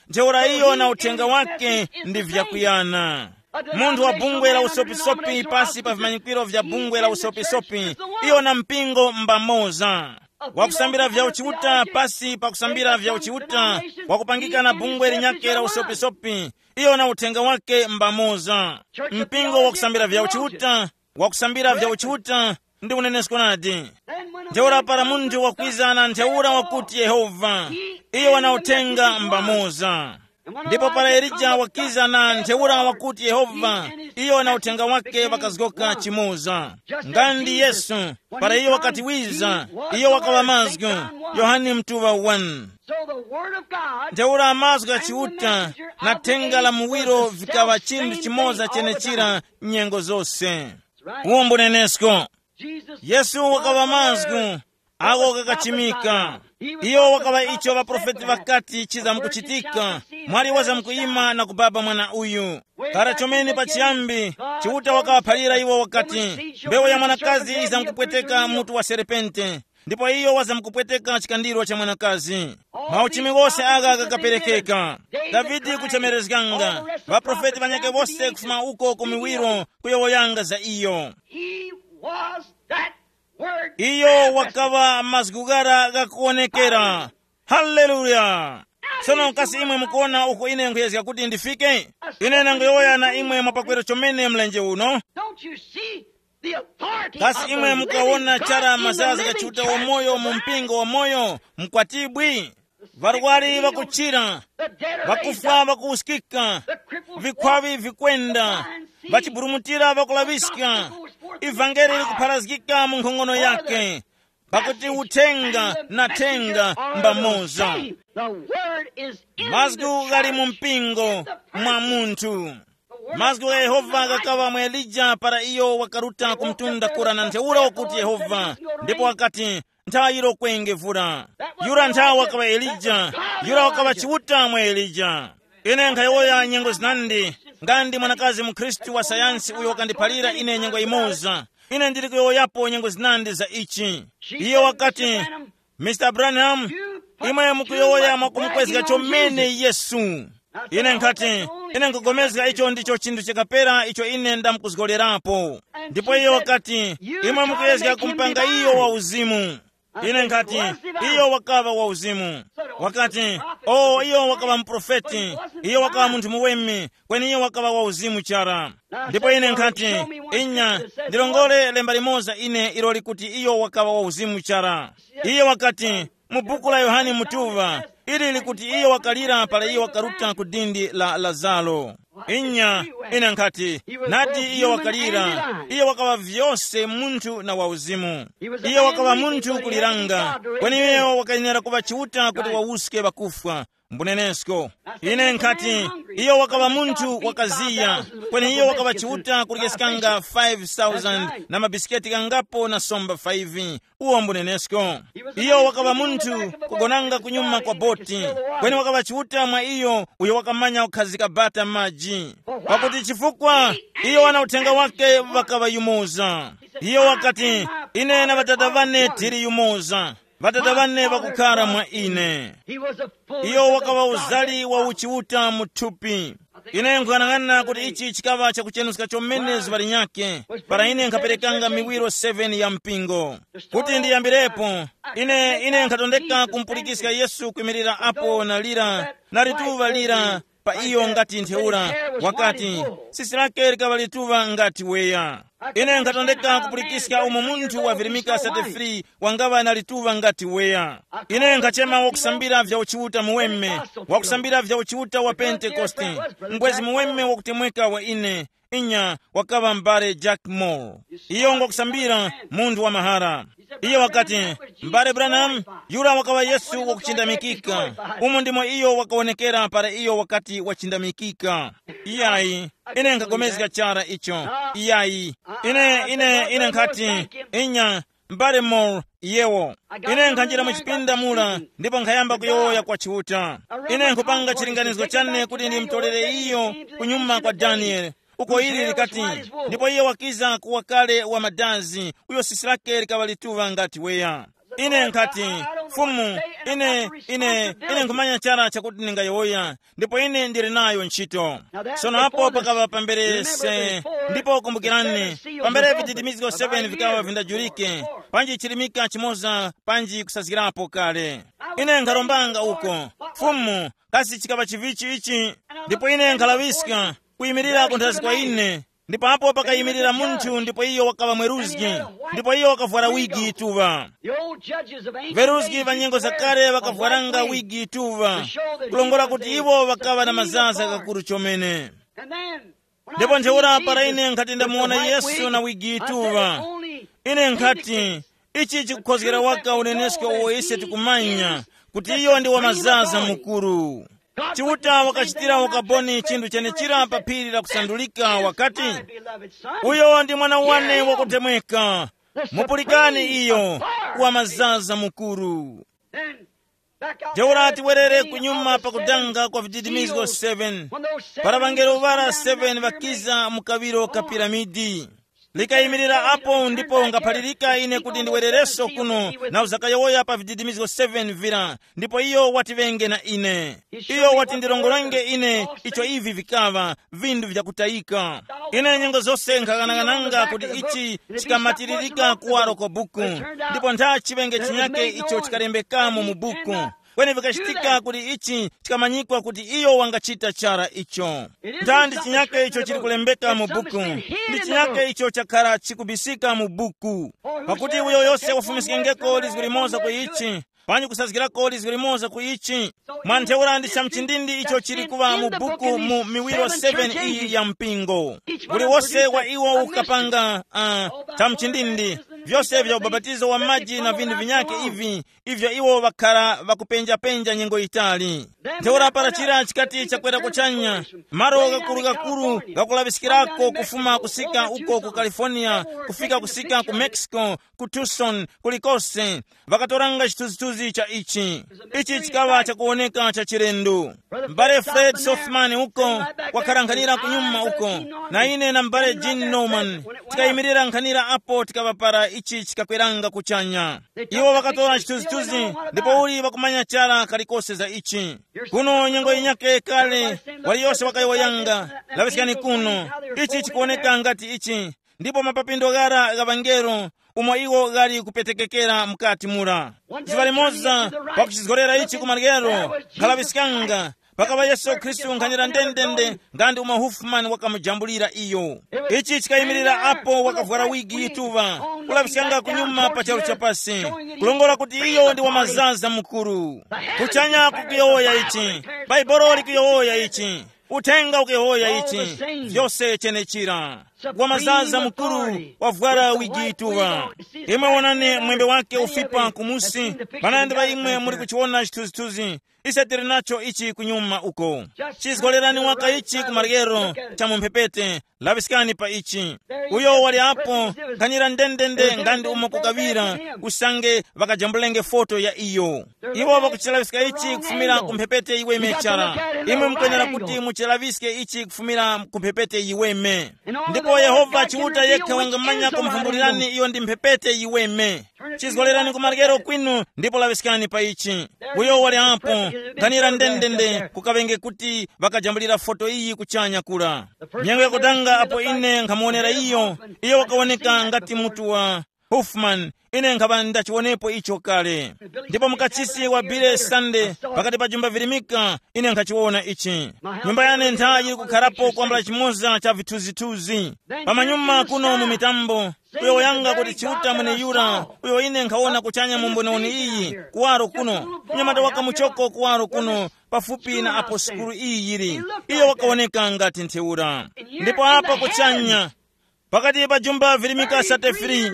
Ntheura iyo na uthenga wake ndi vyakuyana. Munthu wa bungwe la usopisopi pasi pa vimanyikiro vya bungwe la usopisopi, iyo na mpingo mbamoza. Wakusambira vya uchiuta pasi pa kusambira vya uchiuta, wakupangika na bungwe linyakhe la usopisopi, iyo na uthenga wake mbamoza. Mpingo wakusambira vya uchiuta, wakusambira vya uchiuta, ndi unenesko nadi. Ntheura para munthu wakwiza na ntheura wakuti Yehova, iyo wana uthenga mbamoza. Ndipo para Elija wakiza na ntheura wakuti Yehova, iyo na uthenga wake ŵakazgoka chimoza. Nga ndi Yesu, para iyo wakati wiza, iyo wakaŵa mazgu. Yohane mtuŵa one. Ntheura mazgu gha Chiuta na thenga la muwiro vikaŵa chinthu chimoza chenechira nyengo zose. Uwo mbunenesko. Yesu wakaŵa mazgu, ako kakachimika. Iyo wakaŵa icho ŵaprofeti ŵakati chizamkuchitika, mwali wazamkuyima na kubaba mwana uyu. Para chomene pachiyambi, Chiuta wakaŵaphalira iwo wakati, mbewu ya mwanakazi izamkupweteka mutu wa serpente, ndipo iyo wazamkupweteka chikandiro cha mwanakazi. Mauchimi ghose agha ghakaperekeka. Davide kuchemerezganga, ŵaprofeti ŵanyakhe wose kufuma uko ku miwiro kuyowoyanga za iyo. He was that word. Iyo wakaŵa mazgu ghara ghakuwonekera. Haleluya. Tsono kasi imwe mukuona uko ine nkhuyezga kuti ndifike? Ine nangoyowoya na imwe mwapakwera chomene mlenje uno. Don't you see the authority? Kasi of imwe the mukuwona living chara God in the mazazi living ga Chiuta church wamoyo mu divine? Mpingo wamoyo, mkwatibwi? Varwari vakuchira, vakufwa vakuwuskika, vikhwavi vikwenda, vachiburumutira vakulaŵiska, ivangeli likupharazgika mu nkhongono yake, pakuti uthenga na thenga mbamoza. Mazgu ghali mu mpingo mwa munthu. Mazgu gha Yehova ghakaŵa mwa Elija para iyo wakaruta ku mtunda kura na ntheura wakuti Yehova, ndipo wakati, nthaŵa yiro kwenge vura. Yura nthaŵa wakaŵa Elija. Yura wakaŵa Chiuta mwa Elija. Ine nkhayowoya nyengo zinandi, nga ndi mwanakazi mukhristu wa sayansi uyo wakandiphalira ine nyengo yimoza. Ine ndili kuyowoyapo nyengo zinandi za ichi. Iyo wakati, mr Branham, imwe mukuyowoya mwakumukwezga chomene Yesu. Ine nkhati, ine nkugomezga icho ndicho chinthu chikapera icho ine ndamkuzgolerapo. Ndipo iyo wakati, imwe mukuyezga kumpanga iyo wa uzimu. Ine nkhati, iyo wakaŵa wa uzimu. Wakati, o iyo wakaŵa muprofeti, iyo wakaŵa munthu muweme, kweni iyo wakaŵa wa uzimu chara. Ndipo ine nkhati, inya, ndilongole lemba limoza ine ilo likuti iyo wakaŵa wa uzimu chara. Iye wakati, mu buku la Yohane Mutuŵa, ili likuti iyo wakalira para iyo wakaruta ku dindi la Lazaro. Inya, ine nkhati, nadi iyo wakalira, iyo wakaŵa vyose munthu na wauzimu. Iyo wakaŵa munthu kuliranga, kweni iyo wakayenera kuŵa Chiuta kuti wawuske ŵakufwa. Mbunenesko, ine nkhati, iyo wakaŵa munthu wakaziya, kweni iyo wakaŵa Chiuta kuryeskanga five thousand na mabisiketi kangapo na somba five. Uwo mbunenesko. Iyo wakaŵa munthu kugonanga kunyuma kwa boti, kweni wakaŵa Chiuta mwa iyo uyo wakamanya kukhazika bata maji. Pakuti chifukwa iyo wana uthenga wake ŵakaŵa yumoza. Iyo wakati, ine na Ŵadada wane tili yumoza. Ŵadada wane ŵakukhara mwa ine. Iyo wakaŵa uzali wa uchiuta mu thupi. Ine nkuyang'ana kuti ichi chikaŵa chakuchenuska chomene zuŵa linyakhe, para ine nkhaperekanga miwiro seven ya mpingo. Kuti ndiyambirepo, ine ine nkhatondeka kumpulikiska Yesu kwimirira apo na lira na lituŵa lira pa iyo ngati ntheura, wakati, sisi lake likaŵa lituŵa ngati weya. Ine nkhatondeka kupulikiska umo munthu wavirimika sate free wangaŵa na lituŵa ngati weya. Ine nkhachema wakusambira vya uchiuta muweme, wakusambira vya uchiuta wa Pentekoste, mbwezi muweme wakutemweka wa ine. Inya, wakaŵa m'bale Jack Moore. Iyo ngwakusambira, munthu wa mahara. Iye wakati, m'bale Branham, yura wakaŵa Yesu wakuchindamikika. Umo ndimo iyo wakawonekera para iyo wakati wachindamikika. Iyayi, ine nkhapulikana chara icho. Iyayi, ine ine ine nkhati, inya, m'bale Moore, yewo. Ine nkhanjira mu chipinda mura ndipo nkhayamba kuyowoya kwa Chiuta. Ine nkhupanga chilinganizo chane kuti ndimutolere iyo kunyuma kwa Danieli, uko ili likati, ndipo iye wakiza kuwa kale wa madazi, uyo sisi lake likaŵa lituŵa ngati weya. Ine nkhati, Fumu, ine ine ine nkhumanya chara chakuti ndingayowoya, ndipo ine ndili nayo ntchito. Sono apo pakaŵa pamberese. Ndipo kumbukirani, pambere vititimizgo seven vikaŵa vindajulike, panji chilimika chimoza panji kusazgirapo kale. Ine nkharombanga uko, Fumu, kasi chikaŵa chivichi ichi? Ndipo ine nkhalaŵiska kuyimirira kunthazi kwa ine. Ndipo apo pakayimirira munthu ndipo iyo wakaŵa mweruzgi, ndipo iyo wakavwara wigi tuŵa. Veruzgi va nyengo zakale vakavwaranga wigi tuŵa, kulongora kuti iwo ŵakaŵa na mazaza kakuru chomene. Ndipo ntheura para ine nkhati ndamuwona Yesu na wigi tuŵa, ine nkhati, ichi chikukhozgera waka unenesko uwo ise tikumanya, kuti iyo ndi wa mazaza mukuru. Chiuta wakachitira ukaboni chinthu chenechira pa phiri la kusandulika, wakati, uyo ndi mwana wane wakutemweka, mupulikani iyo, wa mazaza mukuru. Ntheura tiwerere kunyuma pakudanga kwa vididimizgo seven. Para ŵangelo ŵara seven ŵakiza mu kaŵiro ka piramidi, likayimirira apo ndipo ngaphalirika ine kuti ndiwerereso kuno na uzakayowoya pa vididimizgo seven vira, ndipo iyo watiŵenge na ine. Iyo watindirongorenge ine icho ivi vikaŵa, vinthu vyakutayika. Ine nyengo zose nkhaghanaghananga kuti ichi chikamatiririka kuwaro kwa buku, ndipo ntha chiŵenge chinyake icho chikalembekamo mu buku. Kweni vikachitika kuti ichi chikamanyikwa kuti iyo wangachita chara icho. Ntha ndi chinyake icho chili kulembeka mu buku, ndi chinyake icho chakhara chikubisika mu buku. Pakuti uyo yose wafumiskengeko lizgu limoza ku ichi, panji kusazgirako lizgu limoza ku ichi. Mwa ntheura ndi chamchindindi icho chili kuŵa mu buku mu miwiro seven iyi ya mpingo. Uliwose wa iwo ukapanga uh, chamchindindi, vyose vya ubapatizo wa maji na vinthu vinyake ivi, ivyo iwo ŵakhara ŵakupenjapenja nyengo yitali. Ntheura para chira chikati chakwera kuchanya, malo gakuru-gakuru gakulaŵiskirako kufuma kusika uko ku California kufika kusika ku Mexico, ku Tucson, kulikose, ŵakatoranga chithunzithunzi cha ichi. Ichi chikaŵa chakuwoneka cha chilendo. M'bale Fred Sothmann uko wakhala nkhanira kunyuma uko, na ine na m'bale Gene Norman tikayimirira nkhanira apo tikaŵapara ichi chikakweranga kuchanya. Iwo ŵakatora chithunzithunzi, ndipo uli ŵakumanya chara kalikose za ichi. Kuno nyengo yinyake kale, waliyose wakayowoyanga, laŵiskani kuno. Ichi chikuwoneka ngati ichi, ndipo mapapindo ghara gha ŵangelo umo iwo ghali kupetekekera mukati mura. Zuŵa limoza, pakuchizgorera ichi ku maryero, nkhalaŵiskanga, pakaŵa Yesu Khristu nkhanira ndendende nga ndi umo Huffman wakamujambulira iyo. Ichi chikayimirira apo wakavwara wigi yituŵa, kulaŵiskanga kunyuma pa charu chapasi, kulongola kuti iyo ndi wa mazaza mukuru. Kuchanya kukuyowoya ichi, Baibolo likuyowoya ichi, uthenga ukuyowoya ichi, vyose chenechira. Wa mazaza mukuru wavwara wigi yituŵa. Imwe wonani mwembe wake ufipa kumusi, panandi pa imwe muli kuchiwona chithunzithunzi. Ise tili nacho ichi kunyuma uko. Chizgolerani waka ichi ku maryero cha mu mphepete, laŵiskani pa ichi. Uyo wali apo, nkhanira ndendende nga ndi umo kukaŵira, usange ŵakajambulenge foto ya iyo. Iwo ŵakuchilaŵiska ichi kufumira ku mphepete yiweme chara. Imwe mukwenera kuti muchilaŵiske ichi kufumira ku mphepete yiweme. Ndipo Yehova Chiuta yekha wangamanya kumvumbulirani iyo ndi mphepete yiweme. Chizgolerani ku maryero kwinu ndipo laŵiskani pa ichi. Uyo wali apo, ganira ndendende kukaŵenge kuti ŵakajambulira foto iyi kuchanya kura. Nyengo yakutanga apo ine nkhamuwonera iyo, iyo wakawoneka ngati mutu wa Huffman, ine nkhapa ndachiwonepo icho kale. Ndipo mukachisi wa Billy Sunday pakati pa jumba virimika, ine nkhachiwona ichi. Nyumba yane ntha yili kukharapo kwambula chimoza cha vithuzithuzi. Pamanyuma kuno mu mitambo, uyo wayanga kuti Chiuta mweneyura, uyo ine nkhawona kuchanya mu mboniwoni iyi, kuwaro kuno, mnyamata waka muchoko kuwaro kuno, pafupi na apo sukulu iyi yili. Iyo wakawoneka ngati ntheura. Ndipo apa kuchanya, pakati pa jumba virimika sate free,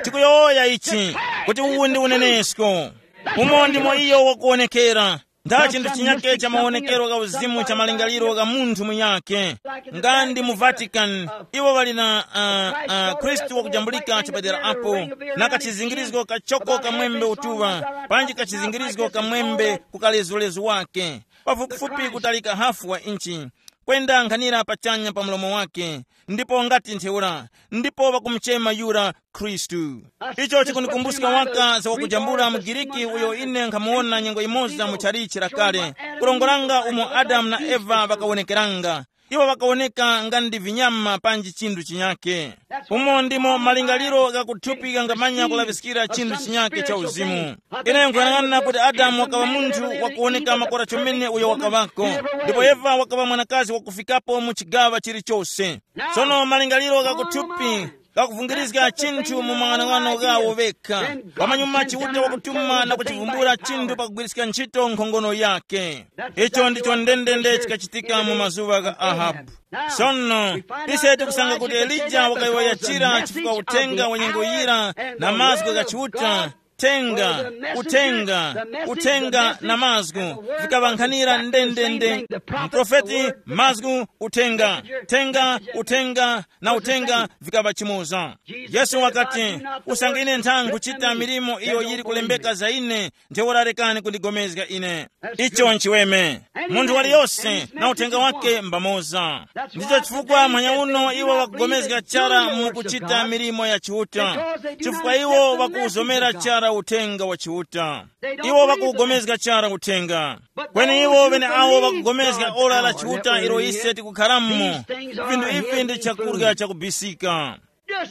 tikuyowoya ichi, kuti uwu ndi unenesko. Umo ndimo iyo wakuwonekera. Nda chinthu chinyake cha mawonekero gha uzimu cha malingaliro gha munthu munyake. Nga ndi mu Vatican, iwo ŵali na uh, uh, Khristu wakujambulika chapadera apo, na kachizingirizgo kachoko kamwembe utuŵa, panji kachizingirizgo kamwembe ku kalezulezu wake, pafupifupi kutalika hafu wa inchi, kwenda nkhanira pachanya pa mlomo wake, ndipo ngati ntheura, ndipo ŵakumuchema yura Khristu. Icho chikundikumbuska waka za wakujambula mu Giriki uyo ine nkhamuwona nyengo imoza mu chalichi lakale, kulongolanga umo Adamu na Eva ŵakawonekeranga. Iwo ŵakawoneka nga ndi vinyama panji chinthu chinyake. Umo ndimo malingaliro gha kuthupi ghangamanya kulaŵiskira chinthu chinyake cha uzimu. Ine nkuyang'ana kuti Adamu wakaŵa munthu wakuwoneka makora chomene uyo wakaŵako, ndipo Eva wakaŵa mwanakazi wakufikapo mu chigaŵa chilichose. Sono malingaliro gha kuthupi gakuvungirizga chinthu mu mang'anong'ano ghawo ŵekha. Pamanyuma Chiuta wakutuma na kuchivumbula chinthu pakugwiriska ntchito nkhongono yake. Icho ndicho ndendende chikachitika mu mazuŵa gha Ahabu. Sono, ise tikusanga kuti Elija wakayowoya chira chifukwa uthenga wa nyengo yira na mazgu gha Chiuta, Thenga, uthenga, uthenga na mazgu vikaŵankhanira ndendende. Mprofeti, mazgu, uthenga, thenga, uthenga na uthenga vikaŵa chimoza. Yesu wakati, usange ine ntha nkuchita milimo iyo yili kulembeka za ine, ntheura rekani kundigomezga ine. Icho nchiweme. Munthu waliyose na uthenga wake mbamoza. Ndicho chifukwa manya uno iwo wakugomezga chara mu kuchita milimo ya Chiuta, chifukwa iwo wakuwuzomera chara uthenga wa Chiuta. Iwo wakuwugomezga chara uthenga. Kweni iwo ŵeneawo ŵakugomezga ora la Chiuta ilo ise tikukharamo, vinthu ivi ndi chakurya chakubisika.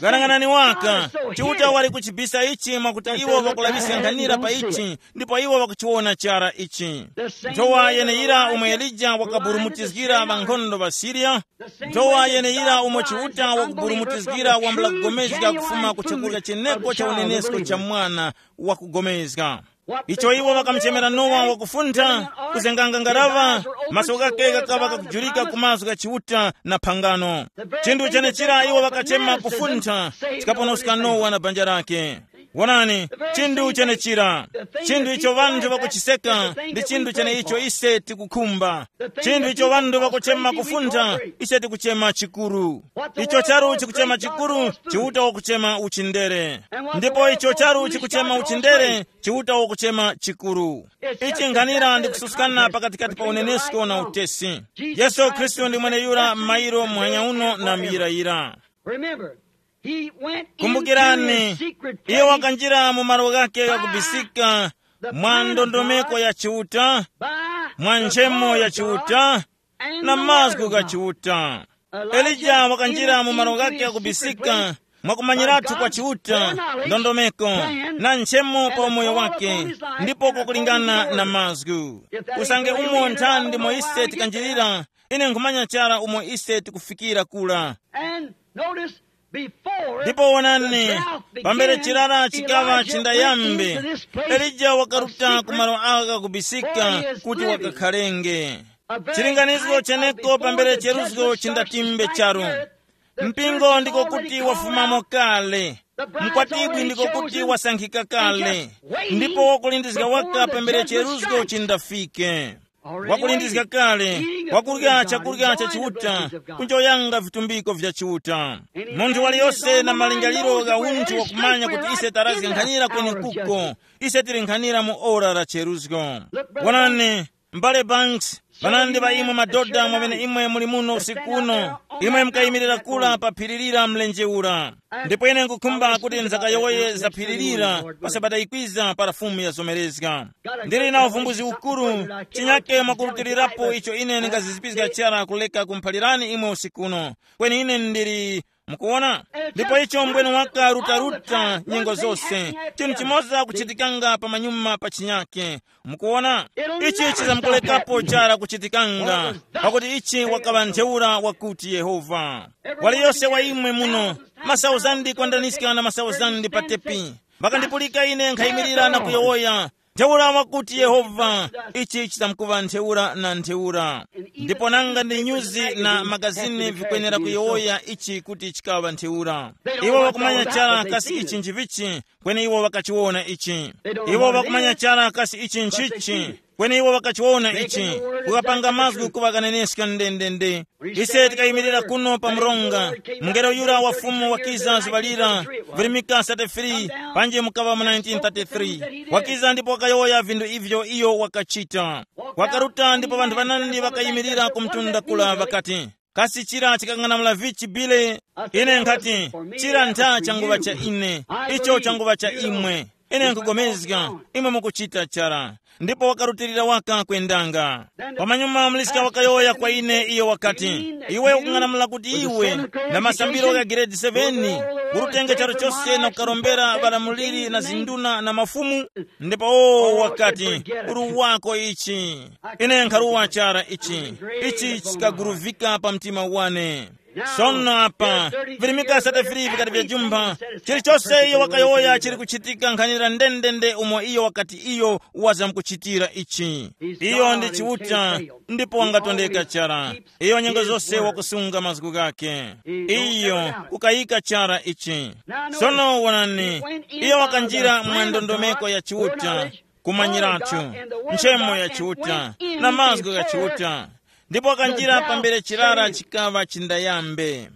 Ghanaghanani waka, Chiuta wali kuchibisa ichi mwakuti iwo ŵakulaŵiska nkhanira pa ichi, ndipo iwo ŵakuchiwona chara ichi. Nthowa yeneyira umo Elija wakaburumutizgira ŵankhondo ŵa Siriya, nthowa yeneyira umo Chiuta wakuburumutizgira wambula kugomezga kufuma ku chakurya cheneko cha unenesko cha mwana wakugomezga. Icho iwo ŵakamuchemera Nowa wakufuntha, kuzenganga ngaraŵa, maso ghake ghakaŵa kakujurika ku mazgu gha Chiuta na phangano. Chinthu chenechira iwo ŵakachema kufuntha chikaponoska Nowa na banja lake. Wonani, chinthu chenechira, chinthu icho ŵanthu ŵakuchiseka ndi chinthu cheneicho ise tikukhumba. Chinthu icho ŵanthu ŵakuchema kufuntha, ise tikuchema chikuru. Icho charu chikuchema chikuru, Chiuta wakuchema uchindere. Ndipo icho charu chikuchema uchindere, Chiuta wakuchema chikuru. Ichi nkhanira ndi kususkana pakatikati pa unenesko na utesi. Yesu Khristu ndi mweneyura m'mayiro muhanya uno na muyirayira. Remember, he went into Kumbukirani, his secret iye place wakanjira mu malo ghake ghakubisika mwa ndondomeko ya Chiuta, mwa nchemo ya Chiuta, na mazgu gha Chiuta. Elija wakanjira mu malo ghake ghakubisika mwakumanyirathu kwa Chiuta, ndondomeko, na nchemo pa umoyo wake, ndipo kwakulingana na mazgu. Usange umo nthani ndimo ise tikanjirira, ine nkhumanya chara umo ise tikufikira kula. And notice, before Ndipo wonani, the drought began, pambere chirara chikawa Elijah chindayambe, went into this place elija wakaruta of ku malo aka kubisika kuti wakakhalenge. Chilinganizo cheneko pambere cheruzgo chindatimbe charu. Mpingo ndiko kuti wafumamo kale. Mkwatibwi ndiko kuti wasankhika kale. Ndipo wakulindizga waka pambere cheruzgo chindafike. Wakulindizga kale, wakurya chakurya cha Chiuta, kunjoyanga vitumbiko vya Chiuta. Munthu waliyose na malingaliro gha unthu wakumanya kuti ise tarazga nkhanira kwenekuko, ise tili nkhanira mu ora la cheruzgo. Wonani, M'bale Banks, panandi pa imwe madoda mwamene imwe muli muno usiku uno, imwe mukayimirira kula pa phiri lira mlenje ura. Ndipo ine nkukhumba kuti nzakayowoye za phiri lira pa sabata ikwiza para Fumu yazomerezga. Ndili na uvumbuzi ukuru, chinyake mwakurutilirapo icho ine ndingazizipizga chara kuleka kumphalirani imwe usiku uno. Kweni ine ndili, mukuwona? Ndipo icho mbwene waka rutaruta nyengo zose. Chinthu chimoza kuchitikanga pamanyuma pa chinyake. Mukuwona? Ichi chizamkulekapo chara kuchitikanga, pakuti ichi wakaŵa ntheura wakuti Yehova. Waliyose wa imwe muno, masauzandi kwandaniska na masauzandi pa tepi, ŵakandipulika ine nkhayimirira na kuyowoya, ntheura wakuti Yehova, ichi chitamkuŵa ntheura na ntheura. Ndipo nanga ndi nyuzi na magazini vikwenera kuyowoya ichi kuti chikaŵa ntheura. Iwo wakumanya chara kasi ichi nchivichi, kweni iwo ŵakachiwona ichi. Iwo ŵakumanya chara kasi ichi nchichi, kweni iwo ŵakachiwona ichi. Kukapanga mazgu kuŵa kaneneska ndendende. Ise tikayimirira kuno pa mronga, mungelo yura wa Fumu wakiza zuŵa lira, virimika thirty-three, panji mukaŵa mu nineteen thirty-three. Wakiza ndipo wakayowoya vinthu ivyo iyo wakachita. Wakaruta ndipo ŵanthu ŵanandi ŵakayimirira ku mtunda kula ŵakati, kasi chira chikang'anamula vichi bile? Ine nkhati, chira ntha changuŵa cha ine, icho changuŵa cha imwe. Ine nkugomezga, imwe mukuchita chara. Ndipo wakarutilira waka kwendanga. Pamanyuma muliska wakayowoya kwa ine, iyo wakati, iwe ukung'anamula kuti iwe na masambiro gha giredi seveni urutenge charu chose na kukarombera ŵalamuliri na zinduna na mafumu? Ndipo owo wakati, uru wako ichi. Ine nkharuwa chara ichi. Ichi chikaguruvika pa mtima wane. Sono apa, virimika sate fili vikati vya jumba, chilichose iyo wakayowoya chili kuchitika nkhanira ndendende umo iyo wakati iyo wazamkuchitira ichi. Iyo ndi Chiuta, ndipo wangatondeka chara. Iyo nyengo zose wakusunga mazgu ghake. Iyo kukayika chara ichi. Sono wonani, iyo wakanjira mwa ndondomeko ya Chiuta, kumanyiratu, nchemo ya Chiuta, na mazgu gha Chiuta. Ndipo wakanjira pambere chirara chikaŵa chindayambe.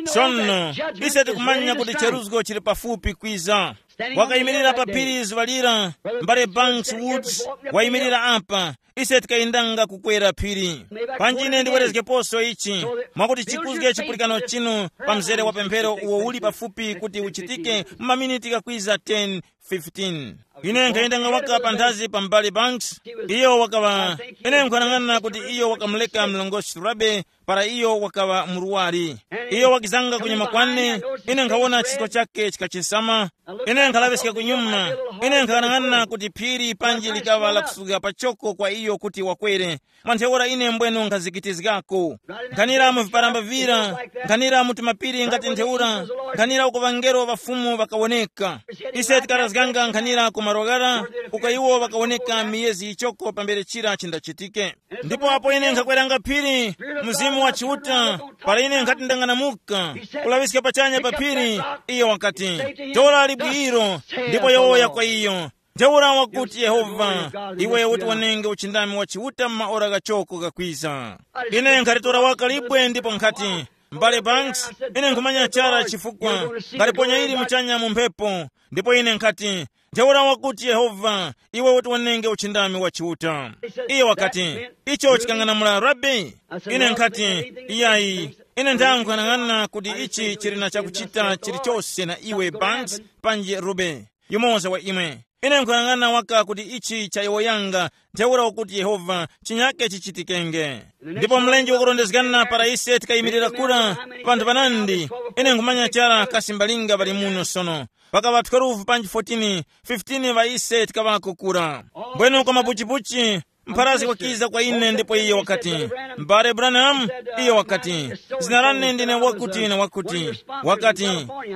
Sono, ise tikumanya kuti cheruzgo chili pafupi kwiza. Wakayimirira pa phiri zuŵa lira, mbale Banks Woods wayimirira apa. Ise tikayendanga kukwera phiri. Panji ine ndiwerezgeposo ichi, mwakuti chikuzge chipulikano chinu pa mzere wa pemphero uwo uli pafupi kuti uchitike mu maminiti kakwiza ten, fifteen. Ine nkhayendanga waka panthazi pa mbale Banks. Iyo wakaŵa, ine nkhanang'ana kuti iyo wakamuleka mlongosi Rabe para iyo wakaŵa murwari. Iyo wakizanga kunyuma kwane, ine nkhawona chisko chake chikachesama. Ine nkhalaŵiska kunyuma. Ine nkhanang'ana kuti phiri panji likaŵa lakusuka pachoko kwa iyo kuti wakwere. Mwa ntheura ine mbwenu nkhazikitizgako. Nkhanira mu viparamba vira, nkhanira mu tumapiri ngati ntheura, nkhanira uko ŵangelo ŵa Fumu ŵakawoneka. Ise tikarazganga nkhanira ku maroghara, uko iwo ŵakawoneka miyezi yichoko pambere chira chindachitike. Ndipo apo ine nkhakweranga phiri, Mzimu wa Chiuta, para ine nkhati ndang'anamuka, kulaŵiska pachanya pa phiri, iyo wakati, tora libwiro, ndipo yowoya kwa iyo. Ntheura wakuti Yehova, iwe uti wanenge uchindami wa Chiuta m'maora ghachoko ghakwiza. Ine nkhalitora waka libwe ndipo nkhati, mbale Banks, ine nkhumanya chara chifukwa ngaliponya ili muchanya mu mphepo. Ndipo ine nkhati, ntheura wakuti Yehova, iwe uti wanenge uchindami wa Chiuta. Iye wakati, icho chikang'anamula Rabi? Ine nkhati, iyayi. Ine nthang'anang'ana kuti ichi chili na chakuchita chilichose na iwe Banks, panji Rube, yumoza wa imwe. Ine nkuyang'ana waka kuti ichi chayowoyanga, ntheura ukuti Yehova chinyake chichitikenge. Ndipo mlenje wakurondezgana para ise tikayimirira kura, vanthu vanandi, ine nkhumanya chara kasi mbalinga ŵali muno sono. Pakaŵa twelve panji fourteen, fifteen ŵa ise tikaŵako kura. Mbwenu kwa mapuchipuchi, mpharazi wakiza kwa ine ndipo iye wakati, mbale Branham, iye wakati, zina lane ndine wakuti na wakuti. Wakati,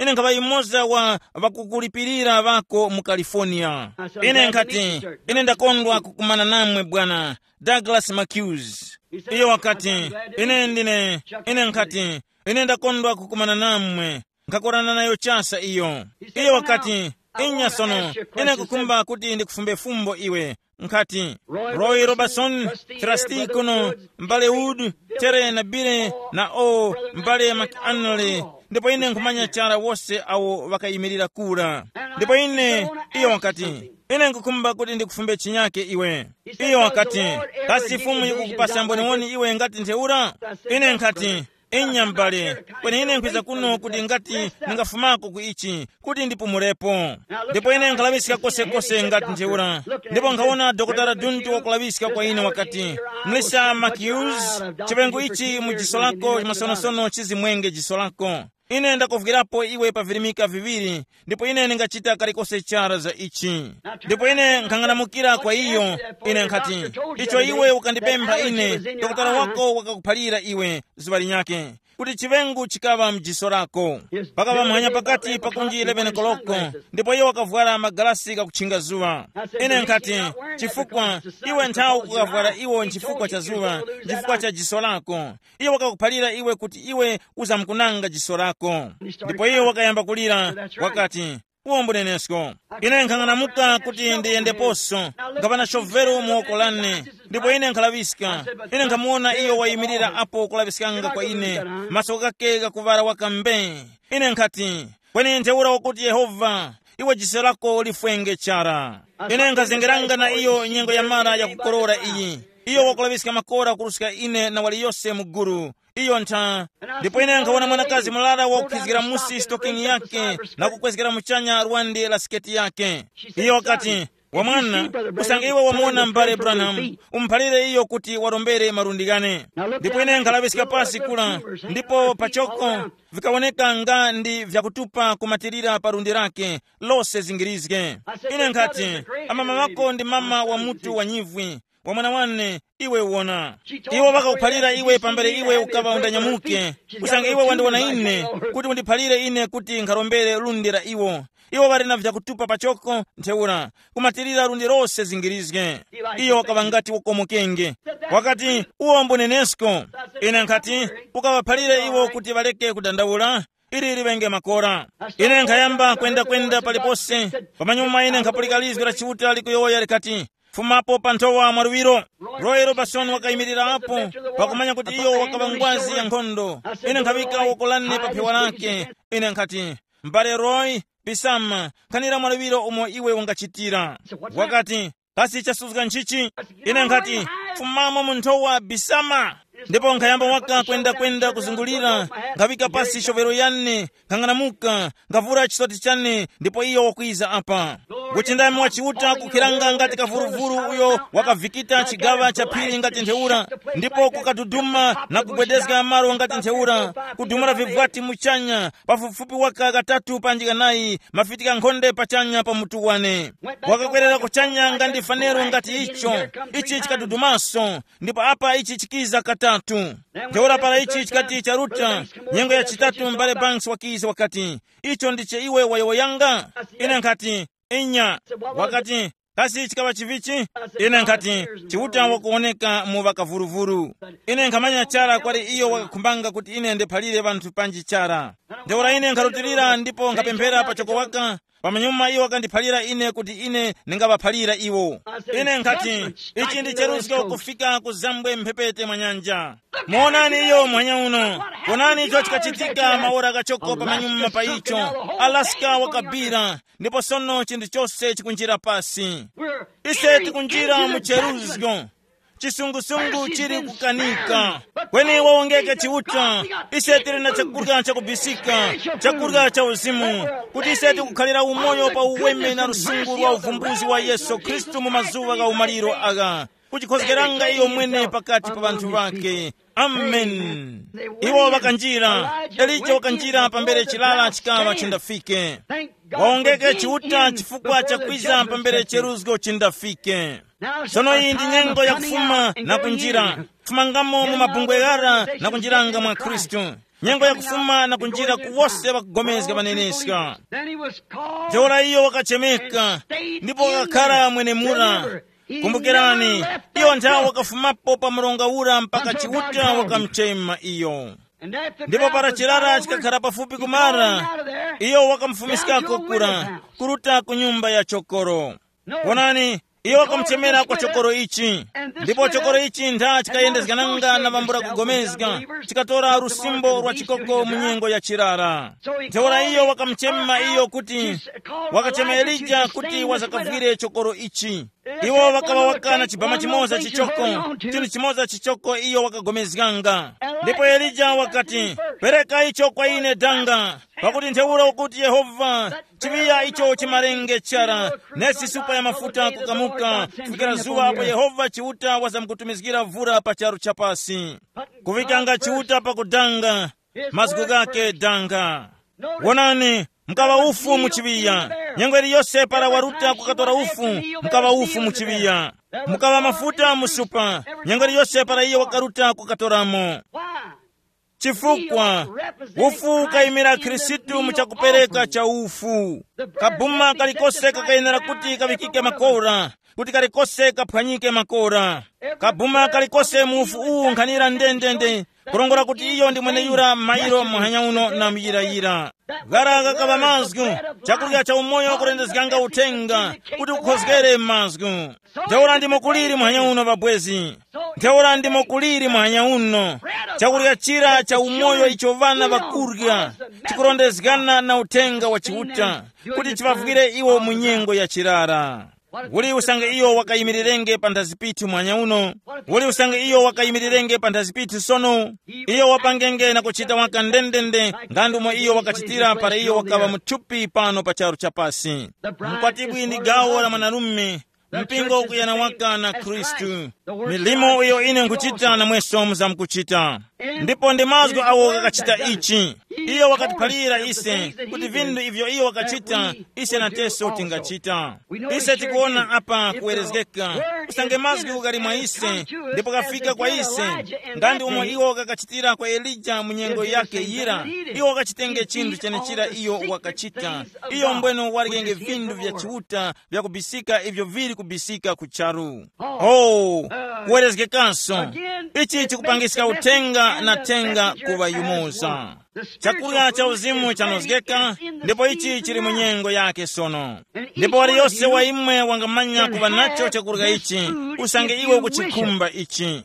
ine nkhaŵa yumoza wa ŵakukulipirira ŵako mu California. Ine nkhati, ine ndakondwa kukumana namwe bwana Douglas Macuse. Iye wakati, ine ndine, ine nkhati, ine ndakondwa kukumana namwe. Nkhakorana nayo chasa iyo. Iye wakati, inya sono, ine kukhumba kuti ndikufumbe fumbo iwe. Nkhati, Roy Robertson, Trustee kuno, mbale Wood, Tere na Bire na o mbale McAnally. Ndipo ine nkhumanya chara wose awo ŵakayimirira kura. Ndipo ine, iyo wakati, ine nkukhumba kuti ndikufumbe chinyake iwe. Iyo wakati, kasi Fumu yikukupasa mboniwoni iwe ngati ntheura? Ine nkhati, inya m'bale, kweni ine nkhwiza kuno kuti ngati ndingafumako ku ichi, kuti ndipumulepo. Ndipo ine nkhalaŵiska kosekose ngati ntheura. Ndipo nkhawona dokotala Duntu wakulaŵiska kwa ine wakati, mlisa Makius, chipengo ichi mu jiso lako masonosono chizimwenge jiso lako. Ine ndakuvwirapo iwe pa virimika viŵiri, ndipo ine ndingachita kalikose chara za ichi. Ndipo ine nkhang'anamukira kwa iyo, ine nkhati, icho iwe ukandipempha ine, dokotala wako wakakuphalira iwe zuŵa linyakhe, kuti chiŵengu chikaŵa mjiso lako. Pakaŵa muhanya pakati pakunji eleven koloko, ndipo iyo wakavwara magalasi gakutchinga zuŵa. Ine nkhati, chifukwa iwe nthawi ukukavwara iwo nchifukwa cha zuŵa, nchifukwa cha jiso lako. Iyo wakakuphalira iwe kuti iwe uzamkunanga jiso lako. Ndipo iyo wakayamba kulira, wakati, uwo mbunenesko. Ine nkhang'anamuka kuti ndiyendeposo, ngapana shoveru mu woko lane. Ndipo ine nkhalaŵiska. Ine nkhamuwona iyo wayimirira apo kulaŵiskanga kwa ine, maso ghake ghakuŵala waka mbe. Ine nkhati, kweni ntheura wakuti Yehova, iwe jiso lako lifwenge chara. Ine nkhazengeranga na iyo nyengo ya mara yakukorora iyi. Iyo wakulaŵiska makora kuruska ine na waliyose mu gulu. Iyo ntha. Ndipo ine nkhawona mwanakazi mulala wakukhizgira musi sitokingi yake na kukwezgera muchanya lwande la siketi yake. Iyo wakati, wamwana, usange iwe wamuwona m'bale Branham, umuphalire iyo kuti warombere malundi ghane. Ndipo ine nkhalaŵiska pasi kula, ndipo pachoko vikawoneka nga ndi vyakutupa kumatirira pa lundi lake, lose zingirizge. Ine nkhati, amama ŵako ndi mama wa mutu wa nyivwi, wa mwana wane, Iwe wona, iwo ŵakakuphalira iwe pambere iwe ukaŵa undanyamuke, kusanga iwe wandiwona ine, kuti undiphalire ine kuti nkharombere lundi la iwo. Iwo ŵali na vyakutupa pachoko ntheura, kumatirira lundi lose zingirizge. Iyo wakaŵa ngati wakomokenge. Wakati, uwo mbunenesko. Ine nkhati, ukaŵaphalire iwo kuti ŵaleke kudandaula, ili liŵenge makora. Ine nkhayamba kwendakwenda palipose. Pamanyuma ine nkhapulika lizgu la Chiuta likuyowoya likati, fumapo pa nthowa mwaluŵiro. Roy Robertson wakayimirira apo, pakumanya kuti iyo wakaŵa ngwazi ya nkhondo. Ine nkhaŵika woko lane pa phewa lake. Ine nkhati, mbale Roy, pisama, nkhanira mwaluŵiro umo iwe ungachitira. Wakati, kasi chasuzga nchichi? Ine nkhati, fumamo mu nthowa, bisama. Ndipo nkhayamba waka kwendakwenda kuzungulira, nkhafika pasi shovero yane, nkhang'anamuka, nkhuvura chisoti chane, ndipo iyo wakwiza apa. Uchindami wa Chiuta kukhiranga ngati kavuruvuru uyo wakavikita chigaŵa cha phiri ngati ntheura, ndipo kukaduduma na kugwedezga malo ngati ntheura, kudumula vivwati muchanya, pafupifupi waka katatu panji kanayi, mafiti ghankhonde pachanya pa mutu wane. Wakakwerera kuchanya nga ndi fanero ngati icho, ichi chikadudumaso, ndipo apa ichi chikiza katatu. Ntheura para ichi chikati charuta, nyengo ya chitatu m'bale Banks wakiza wakati, icho ndicho iwe wayowoyanga? Ine nkhati, inya. Wakati, kasi chikaŵa chivichi? Ine nkhati, Chiuta wakuwoneka mu ŵakavuruvuru. Ine nkhamanya chara kwali iyo wakakhumbanga kuti ine ndiphalire ŵanthu panji chara. Ntheura ine nkharutilira ndipo nkhapemphera pachoko waka, pamanyuma iyo wakandiphalira ine kuti ine ndingaŵaphalira iwo. Ine nkhati, ichi ndi cheruzgo kufika ku zambwe mphepete mwa nyanja. Muonani iyo muhanya uno. Wonani icho chikachitika maora kachoko pamanyuma pa icho. Alaska wakabira, ndipo sono chinthu chose chikunjira pasi. Ise tikunjira mu cheruzgo. Chisungusungu chili kukanika. Kweni wawongeke Chiuta, ise tili na chakurya chakubisika, chakurya cha uzimu, kuti ise tikukhalira umoyo pa uweme na lusungu lwa uvumbuzi wa Yesu Khristu mu mazuŵa gha umaliro agha, kuchikhozgeranga iyo mwene pakati pa ŵanthu ŵake. Amen. Iwo ŵakanjira, Elija wakanjira pambere chilala chikaŵa chindafike. Wawongeke Chiuta chifukwa chakwiza pambere cheruzgo chindafike. Sono iyi ndi nyengo yakufuma na kunjira, kufumangamo mu mabungwe ghara na kunjiranga mwa Khristu. Nyengo yakufuma na kunjira ku wose ŵakugomezga ŵaneneska. Ntheura iyo wakachemeka, ndipo wakakhara mwenemura. Kumbukirani, iyo nthawi wakafumapo pa mronga ura mpaka Chiuta wakamchema iyo. Ndipo para chirara chikakhara pafupi kumara, iyo wakamufumiskako kura, kuruta ku nyumba ya chokoro. Wonani, iyo wakamuchemera kwa chokoro ichi. Ndipo chokoro ichi ntha chikayendezgananga na vambula kugomezga, chikatora lusimbo lwa chikoko mu nyengo ya chirara. Ntheura iyo wakamuchema iyo kuti, wakachema Elija kuti wazakavwire chokoro ichi. Iwo ŵakaŵa wakana chibama chimoza chichoko, chinthu chimoza chichoko iyo wakagomezganga. Ndipo Elija wakati, pereka icho kwa ine danga, pakuti ntheura ukuti Yehova, chiŵiya icho chimarenge chara, nesi supa ya mafuta kukamuka, kufikira zuŵa apo Yehova Chiuta wazamukutumizgira vura pa charu cha pasi. Kuŵikanga Chiuta pakudanga, mazgu ghake danga. Wonani, mukaŵa ufu mu chiŵiya. Nyengo iliyose para waruta kukatora ufu, mukaŵa ufu mu chiŵiya. Mukaŵa mafuta mu supa. Nyengo iliyose para iyo wakaruta kukatoramo. Chifukwa ufu ukayimira Khristu mu chakupereka cha ufu. Kabuma kalikose kakayenera kuti kaŵikike makora, kuti kalikose kaphwanyike makora. Kabuma kalikose mu ufu uwu nkhanira ndendende, kurongora kuti iyo ndi mweneyura mairo muhanya uno na muyirayira. Ghara ghakaŵa mazgu, chakurya cha umoyo kurendezganga uthenga, kuti kukhozgere mazgu. Ntheura ndimo kuliri muhanya uno, ŵabwezi. Ntheura ndimo kuliri muhanya uno. Chakurya chira cha umoyo icho ŵana ŵakurya, chikurondezgana na uthenga wa Chiuta, kuti chivavwire iwo mu nyengo ya chirara. Uli usange iyo wakayimirirenge panthazi pithu muhanya uno? Uli usange iyo wakayimirirenge panthazi pithu sono? Iyo wapangenge na kuchita waka ndendende nga ndumo iyo wakachitira para iyo wakaŵa muthupi pano pa charu chapasi. Mkwatibwi ndi gawo la mwanarume, mpingo ukuyana waka na Khristu. Milimo iyo ine nkuchita namweso muzamkuchita. Ndipo ndi mazgu awo ghakachita ichi. Iyo wakatiphalira ise kuti vinthu ivyo iyo wakachita, ise nateso tingachita. Ise tikuwona apa kuwerezgeka. Usange mazgu ghali mwa ise, ndipo kafika kwa ise, nga ndi umo iwo kakachitira kwa Elija mu nyengo yake yira. Iwo wakachitenge chinthu chenechira iyo wakachita. Iyo mbweno walikenge vinthu vya Chiuta vyakubisika ivyo vili kubisika ku charu. Oh, kuwerezgekanso. Ichi chikupangiska uthenga na thenga kuŵa yumoza. Chakurya cha uzimu chanozgeka, ndipo ichi chili mu nyengo yake sono. Ndipo waliyose wa imwe wangamanya kuŵa nacho chakurya ichi, usange iwe ukuchikhumba ichi.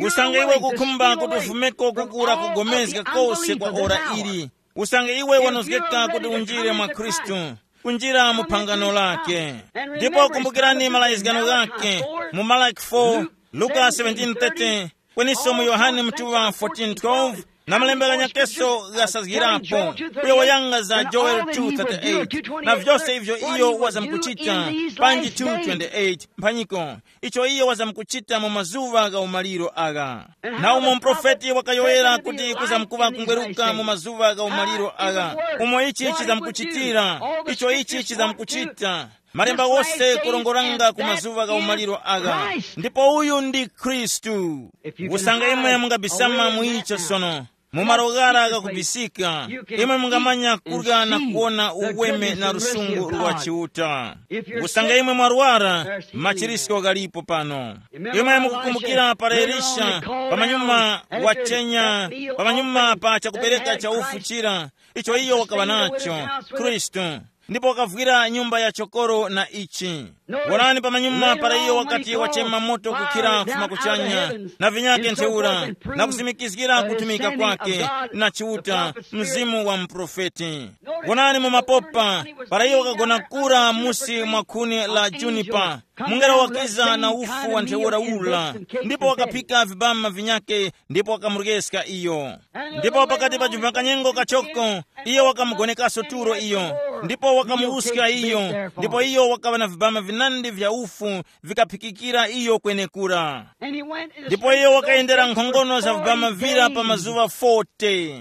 Usange iwe ukukhumba kuti ufumeko kukura kugomezga kose kwa ora ili. Usange iwe wanozgeka kuti unjire mwa Khristu, kunjira mu phangano lake. Ndipo kumbukirani malayizgano ghake mu Malaki four, Luka seventeen thirty, kweniso mu Yohane mtuŵa fourteen twelve, na malembe ghanyakeso ghasazgirapo, kuyowoyanga za Joel two thirty-eight, na vyose ivyo iyo wazamkuchita, panji two twenty-eight mphanyiko, icho iyo wazamkuchita mu mazuŵa gha umaliro agha. Na umo muprofeti wakayowoyera kuti kuzamkuŵa kungweruka mu mazuŵa gha umaliro agha, umo ichi chizamkuchitira, icho ichi chizamkuchita. Malemba wose kurongoranga ku mazuŵa gha umaliro agha. Ndipo uyu ndi Khristu. Usange imwe mungabisama mu icho sono, mu malo ghara ghakubisika, imwe mungamanya kurya na kuwona uweme na lusungu lwa Chiuta. Usange imwe mwarwara, machirisko ghalipo pano. Imwe mukukumbukira para Elisha, pamanyuma wachenya, pamanyuma pa chakupereka cha ufu chira, icho iyo wakaŵa nacho, Khristu, ndipo wakavwira nyumba ya chokoro na ichi. Wonani, pamanyuma para iyo wakati wachema moto kukhira kufuma kuchanya, na vinyake ntheura, na kusimikizgira kutumika kwake na Chiuta, mzimu wa muprofeti. Wonani mu mapopa, para iyo wakagona kura musi mwa khuni la junipa, mungelo wakiza na ufu wa ntheura ula, ndipo wakaphika vibama vinyake, ndipo wakamuryeska iyo. Ndipo pakati pa chuma kanyengo kachoko, iyo wakamugonekaso tulo iyo, ndipo wakamuwuska iyo, ndipo iyo wakaŵa na vibama vinandi vya ufu vikaphikikira iyo kwenekura. Ndipo iyo wakayendera nkhongono za vibama vira pa mazuŵa forty.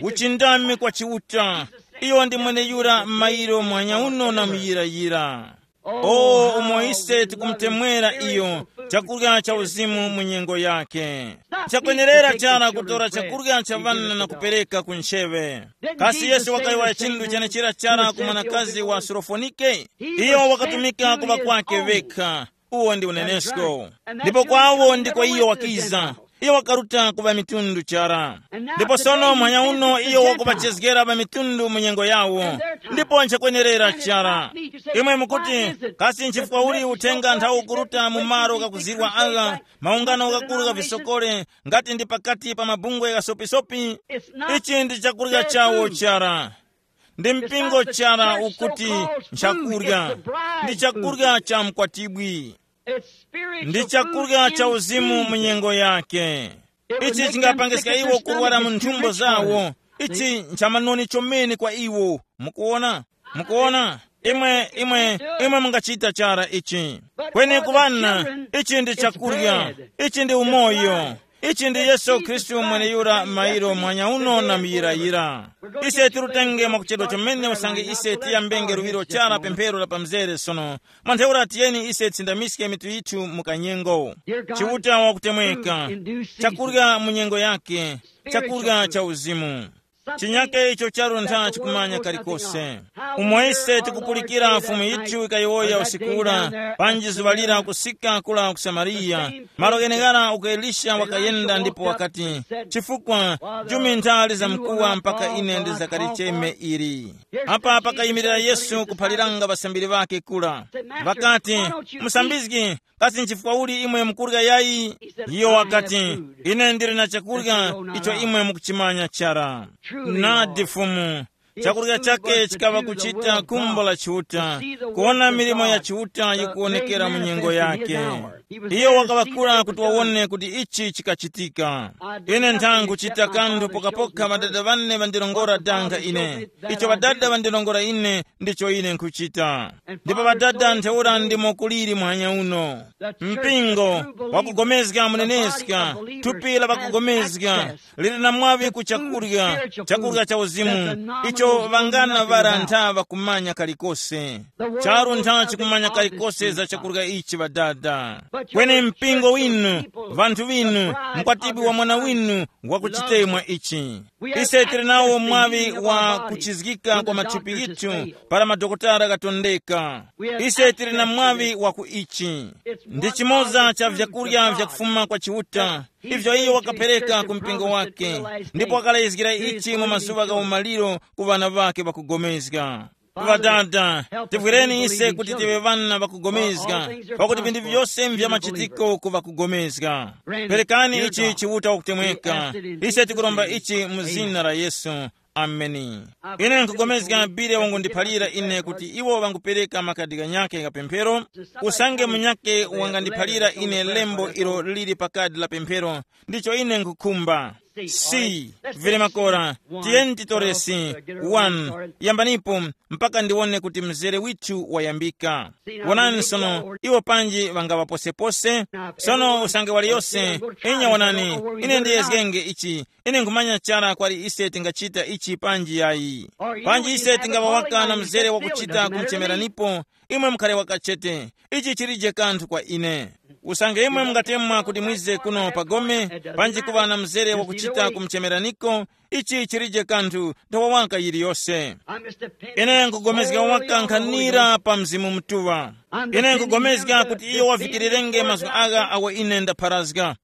Uchindami kwa Chiuta. Iyo ndi mweneyura m'mayiro mwanyauno na muyirayira. O, umo ise tikumutemwera iyo, chakurya cha uzimu mu nyengo yake. Chakwenerera chara kutora chakurya cha ŵana na kupereka ku ncheŵe. Kasi Yesu wakayowoya chinthu chenechira chara ku mwanakazi wa Surofonike? Iyo wakatumika kuŵa kwake vekha. Uwo ndi unenesko. Ndipo kwawo ndiko iyo wakiza. Iyo wakaruta ku ŵamitundu chara. Ndipo sono muhanya uno iyo wakupachezgera ŵamitundu mu nyengo yawo. Ndipo nchakwenerera chara. Imwe mukuti, kasi nchifukwa uli uthenga nthawi ukuruta mu malo ghakuzirwa agha, maungano ghakuru gha visokole, ngati ndi pakati pa mabungwe ghasopisopi? Ichi ndi chakurya chawo chara. Ndi mpingo chara ukuti nchakurya. Ndi chakurya cha mkwatibwi. Ndi chakurya cha uzimu mu nyengo yake. Ichi chingapangiska iwo kurwara mu nthumbo zawo. Ichi nchamanoni chomene kwa iwo. Mukuona? Mukuona? Imwe imwe imwe mungachita chara ichi. Kweni ku ŵana, ichi ndi chakurya. Ichi ndi umoyo. Ichi ndi Yesu Khristu mweneyura mairo mwanya uno na muyirayira. Ise tirutenge mwakuchedwa chomene usange ise tiyambenge luŵiro chara pemphero la pamzere sono. Mwa ntheura tiyeni ise tisindamiske mitu yithu mu kanyengo. Chiuta wakutemweka. Chakurya mu nyengo yake. Chakurya cha uzimu. Chinyake icho charuntha chikumanya kalikose. Umo ise tikupulikira Fumu yithu ikayowoya usiku ura, panji zuŵa lira kusika kula ku Samariya, malo gheneghara uko Elisha wakayenda ndipo wakati, chifukwa jumi nthali za mkuwa mpaka ine ndizakalicheme ili. Apa pakayimirira Yesu kuphaliranga ŵasambiri ŵake kula. Ŵakati, musambizgi, kasi nchifukwa uli imwe mukurya yayi? Iyo wakati, ine ndili na chakurya icho imwe mukuchimanya chara. Nadi Fumu, Chakurya chake chikaŵa kuchita khumbo la Chiuta, kuwona milimo ya Chiuta yikuwonekera mu nyengo yake. Iyo wakaŵakula kuti wawone kuti ichi chikachitika. Ine nthangu chita kanthu pokapoka ŵadada ŵane ŵandilongora danga ine. Icho ŵadada ŵandilongora ine ndicho ine nkhuchita. Ndipo ŵadada ntheura ndimo kuliri muhanya uno. Mpingo wakugomezga muneneska, thupi la pakugomezga lili na mwaŵi ku chakurya, chakurya cha uzimu, icho ŵangana ŵara ntha ŵakumanya kalikose. Charu ntha chikumanya kalikose za chakurya ichi ŵadada. Kweni mpingo winu, vanthu vinu, mkwatibi wa mwana winu wakuchitemwa ichi. Ise tili nawo mwaŵi wa kuchizgika kwa mathupi yithu para madokotala gatondeka. Ise tili na mwaŵi wa ku ichi. Ndi chimoza cha vyakurya vyakufuma kwa Chiuta, ivyo iyo wakapereka ku mpingo wake, ndipo wakalezgira ichi mu mazuŵa gha umaliro ku ŵana ŵake ŵakugomezga. Ŵadada, tivwireni ise kuti tive ŵana ŵakugomezga, pakuti vinthu vyose mvya machitiko ku ŵakugomezga. Perekani ichi Chiuta wakutemweka. Ise tikuromba ichi mu zina la Yesu. Ameni. Ine nkugomezga bile wangundiphalira ine kuti iwo ŵangupereka makadi ghanyakhe gha pemphero. Usange munyakhe wangandiphalira ine lembo ilo lili pa kadi la pemphero, ndicho ine nkukhumba. Si, vili makora, tiyeni titore si one, yambanipo mpaka ndiwone kuti mzere withu wayambika. Wonani sono, iwo panji ŵangaŵa posepose. Sono usange waliyose, inya wonani, ine ndiyezgenge ichi, ine nkhumanya chara kwali ise tingachita ichi panji yayi. Panji ise tingaŵa waka na mzere wakuchita kumchemeranipo, imwe mukhale wakachete. Ichi chilije kanthu kwa ine. Usange imwe mungatemwa kuti mwize kuno pa gome, panji kuŵa na mzere wakuchita kumchemeraniko, ichi chilije kanthu nthowa waka yiliyose. Ine nkugomezga waka nkhanira pa Mzimu Mutuŵa. Ine nkugomezga kuti iyo wavikirirenge mazgu agha awo ine ndapharazga.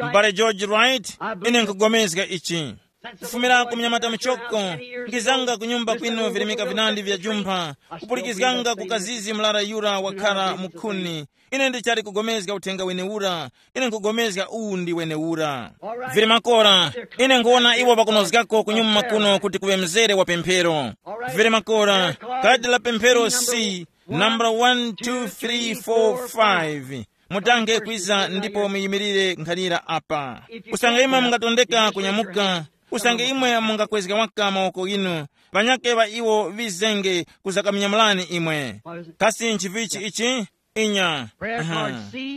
M'bale George Wright, ine nkugomezga ichi. Kufumira ku mnyamata muchoko, ngizanga ku nyumba kwinu virimika vinandi vya jumpha, kupulikizganga ku kazizi mlara yura wakhara mukhuni. Ine ndichali kugomezga uthenga wenewura. Ine nkugomezga uwu ndi wenewura. Vili makora, ine nkuwona iwo pakunozgako kunyuma kuno kuti kuŵe mzere wa pemphero. Vili makora, kadi la pemphero si nambala one two three four five. Mutange kwiza ndipo muyimirire nkhanira apa. Usange imwe mungatondeka kunyamuka, usange imwe mungakwezga waka mawoko ghinu, ŵanyakhe ŵa iwo ŵizenge kuzakaminyamulani imwe. Kasi nchivichi ichi? Inya. Aha.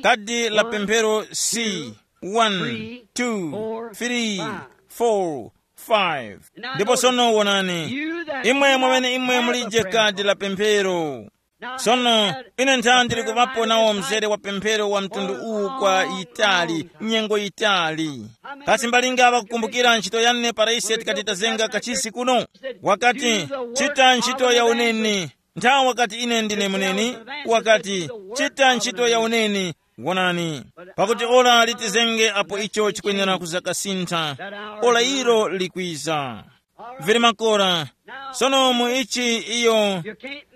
Kadi la pemphero si one two three four five. Ndipo sono wonani, imwe mwamene imwe mulije kadi la pemphero. Sono, ine ntha ndili kuŵapo nawo mzere wa pemphero wa mtundu uwu kwa yitali, nyengo yitali. Kasi mbalinga ŵakukumbukira ntchito yane para ise tikati tazenga kachisi kuno? Wakati, chita ntchito ya uneni. Nthawi wakati ine ndine muneni, wakati, chita ntchito ya uneni. Wonani, pakuti ora litizenge apo icho chikwenera kuzakasintha. Ora ilo likwiza. Vili makora. Sono mu ichi iyo,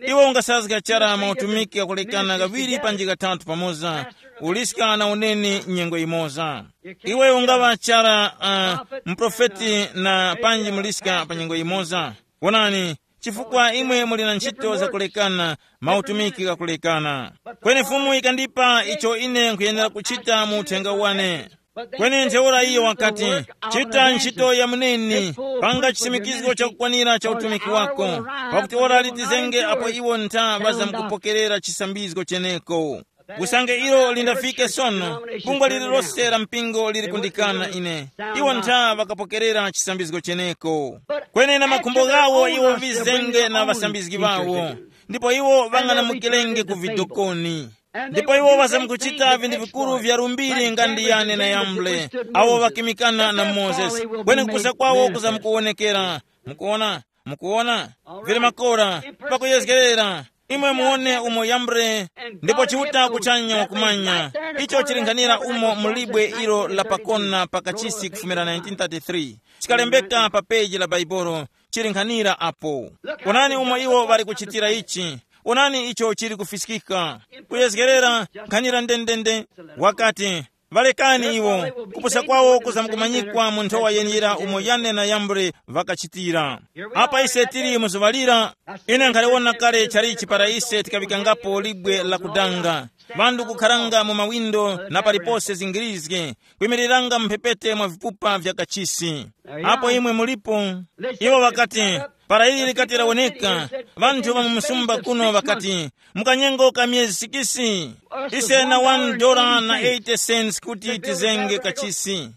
iwe ungasazga chara mautumiki ghakulekana ghaŵiri panji ghathatu pamoza, uliska na uneni nyengo imoza. Iwe ungaŵa chara uh, mprofeti na panji muliska pa nyengo imoza. Wonani, chifukwa imwe muli na ntchito zakulekana, mautumiki ghakulekana. Kweni Fumu ikandipa icho ine nkhuyenera kuchita mu uthenga wane. Kweni ntheura iyo wakati, chita ntchito ya muneni, panga chisimikizgo chakukwanira cha utumiki wako, pakuti ora litizenge apo iwo ntha ŵazamkupokerera chisambizgo cheneko. Usange ilo lindafike sono, bungwe lililose la mpingo lili kundikana ine. Iwo ntha ŵakapokerera chisambizgo cheneko. Kweni na makhumbo ghawo iwo vizenge na ŵasambizgi ŵawo, ndipo iwo ŵang'anamukirenge ku vidokoni. Ndipo iwo ŵazamkuchita vinthu vikuru vya lumbiri nga ndi Yane na Yambre, awo ŵakimikana na Mozesi. Kweni kupusa kwawo kuzamkuwonekera. Mukuona? Mukuona? Vili makora, pakuyezgerera. Imwe muone umo Yambre, ndipo Chiuta kuchanya wakumanya. Icho chili nkhanira umo mu libwe ilo la pakona pa kachisi kufumira nineteen thirty-three. Chikalembeka pa peji la Bhaibuli, chili nkhanira apo. Onani umo iwo ŵali kuchitira ichi. Onani icho chili kufiskika. Kuyezgerera nkhanira ndendende. Wakati, Ŵalekani iwo, kupusa kwawo kuzamkumanyikwa mu nthowa yeniyira umo Yane na Yambre ŵakachitira. Apa ise tili mu zuŵa lira, ine nkhaliwona kale chalichi para ise tikaŵikangapo libwe la kudanga, ŵanthu kukharanga mu mawindo na palipose zingirizge, kwimiriranga mphepete mwa vipupa vya kachisi. Apo imwe mulipo, iwo ŵakati, para ili likati lawoneka, ŵanthu ŵa mu msumba kuno ŵakati, mu kanyengo ka myezi sikisi, ise na one dola na eighty cents kuti tizenge kachisi.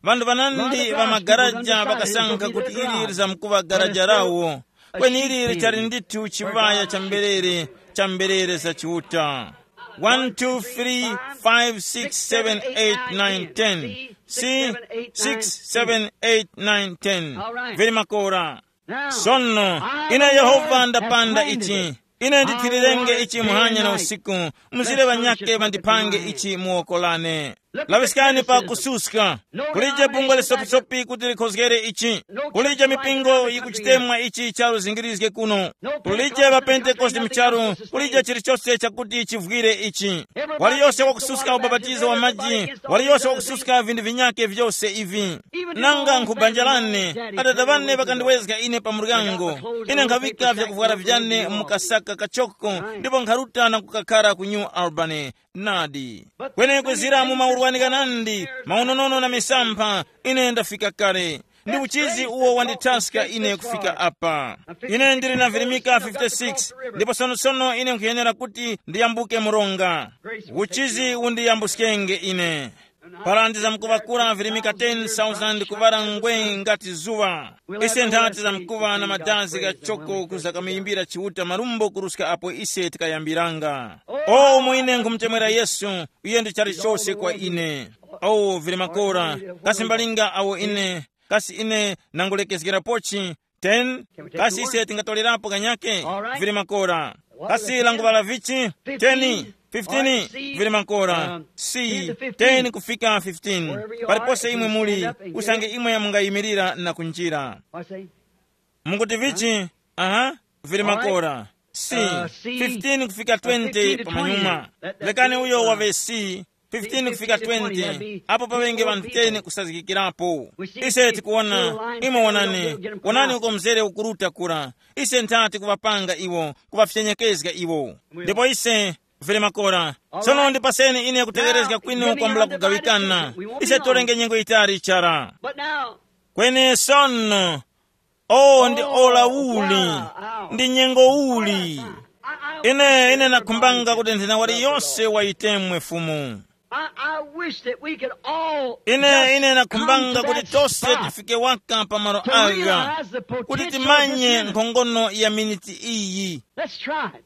Ŵanthu ŵanandi ŵa magaraja ŵakasankha kuti ili lizamkuŵa garaja lawo, kweni ili lichali ndithu chiŵaya cha mberere, cha mberere za Chiuta. One two three five six seven eight nine ten. Si, six seven eight nine ten. Vili makora. Sono, ine Yehova ndapanda ichi. Ine ndithilirenge ichi muhanya na usiku, mzire ŵanyakhe ŵandipange ichi mu woko lane. Laŵiskani pa kususka. Kulije bungwe lisopisopi kuti likhozgere ichi. Kulije mipingo yikuchitemwa ichi charu zingirizge kuno. Kulije ŵapentekoste mucharu, kulije chilichose chakuti chivwire ichi. Waliyose wakususka ubapatizo wa maji, waliyose wakususka vinthu vinyakhe vyose ivi. Nanga nkhubanjalane, adada ŵane ŵakandiwezga ine pa muryango. Ine nkhaŵika vyakuvwara vyane mu kasaka kachoko, ndipo nkharuta na kukakhara ku New Albany. Nadi. Kweni kwizira mu maurwani ghanandi, maunonono na misampha, ine ndafika kale. Ndi uchizi uwo wandithaska ine kufika apa. Ine ndili na virimika fifty-six, ndipo sonosono ine nkhuyenera kuti ndiyambuke mronga. Uchizi undiyambuskenge ine. Para ndizamkuŵakula virimika ten thousand kuŵala ngwe ngati zuŵa. Ise nthati zamkuŵa na madazi ghachoko kuzakamuyimbira Chiuta marumbo kuruska apo ise tikayambiranga. O, umo ine nkhumutemwera Yesu, iye ndi chalichose kwa ine. O, vili makora, kasi mbalinga awo ine, kasi ine nangulekezgerapochi, ten? Kasi ise tingatolerapo kanyake? Vili makora. Kasi languvala vichi? Ten, fifteen? Vili makora. Si, ten kufika fifteen. Palipose imwe muli, usange imwe mungayimirira na kunjira. Mukuti vichi? Aha, vili makora. Si, fifteen kufika twenty pamanyuma. Lekani uyo wave si, fifteen kufika twenty, apo paŵenge ŵanthu ten kusazgikirapo. Ise tikuwona, imwe wonani, wonani uko mzere ukuruta kura. Ise nthati kuŵapanga iwo, kuŵafyenyekeza iwo. Ndipo ise, vili makora. Sono ndipaseni ine kutegherezga kwinu kwambula kugawikana. Ise tolenge nyengo yitali chara. Kweni sono, o, ndi ora uli, ndi nyengo uli. Ine, ine nakhumbanga kuti nthena wali yose wayitemwe Fumu. I, I wish that we could all ine just ine come nakhumbanga to kuti that tose spot tifike waka pa malo to aga, realize the kuti potential of this timanye minute. Nkhongono ya miniti iyi. Let's try it.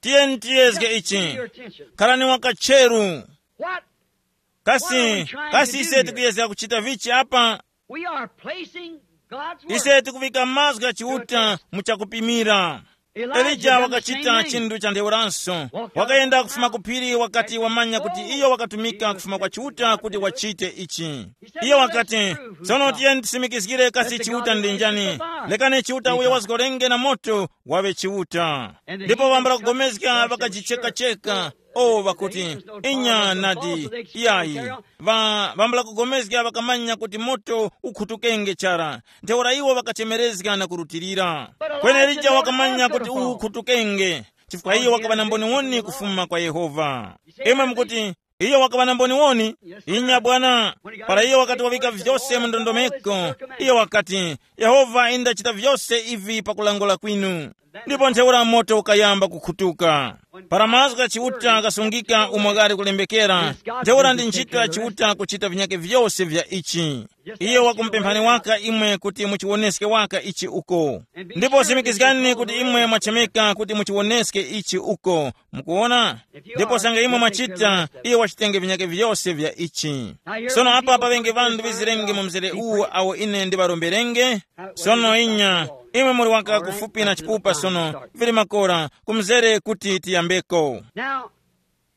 Tiyeni tiyezge ichi. Give your attention. Khalani wakatcheru. What, what are we kasi trying kasi to do ise here? Tikuyezga kuchita vichi apa? We are placing God's word. Ise tikuvika mazgu gha Chiuta mu chakupimira. Elija wakachita chinthu cha ntheuraso. Wakayenda kufuma ku phiri wakati wamanya kuti iyo wakatumika kufuma kwa Chiuta kuti wachite ichi. Iyo wakati, tsono tiyeni tisimikizgire kasi Chiuta ndi njani. Lekani Chiuta uyo wazgorenge na moto waŵe Chiuta. Ndipo ŵambala kugomezga ŵakajichekacheka. O, ŵakuti, inya nadi, iyayi. Ŵa ŵambula kugomezga ŵakamanya kuti moto ukhutukenge chara. Ntheura iwo ŵakachemerezga na kurutilira. Kweni Elija wakamanya kuti uwu ukhutukenge, chifukwa iyo wakaŵa na mboniwoni kufuma kwa Yehova. Imwe mukuti, iyo wakaŵa na mboniwoni? Inya bwana. Para iyo wakati wavika vyose mu ndondomeko, iyo wakati, Yehova indachita vyose ivi pakulangula kwinu. Ndipo ntheura moto ukayamba kukhutuka. Para mazgu gha Chiuta ghasungika umo ghali kulembekera, ntheura ndi ntchito ya Chiuta kuchita vinyake vyose vya ichi. Iyo wakumupemphani waka imwe kuti muchiwoneske waka ichi uko. Ndipo simikizgani kuti imwe mwachemeka kuti muchiwoneske ichi uko. Mukuwona? Ndipo sanga imwe mwachita, iyo wachitenge vinyake vyose vya ichi. Sono apa paŵenge ŵanthu ŵizirenge mu mzere uwu awo ine ndiŵaromberenge. Sono inya, imwe muli waka kufupi na chipupa sono, vili makora, kumzere kuti tiyambeko. Now,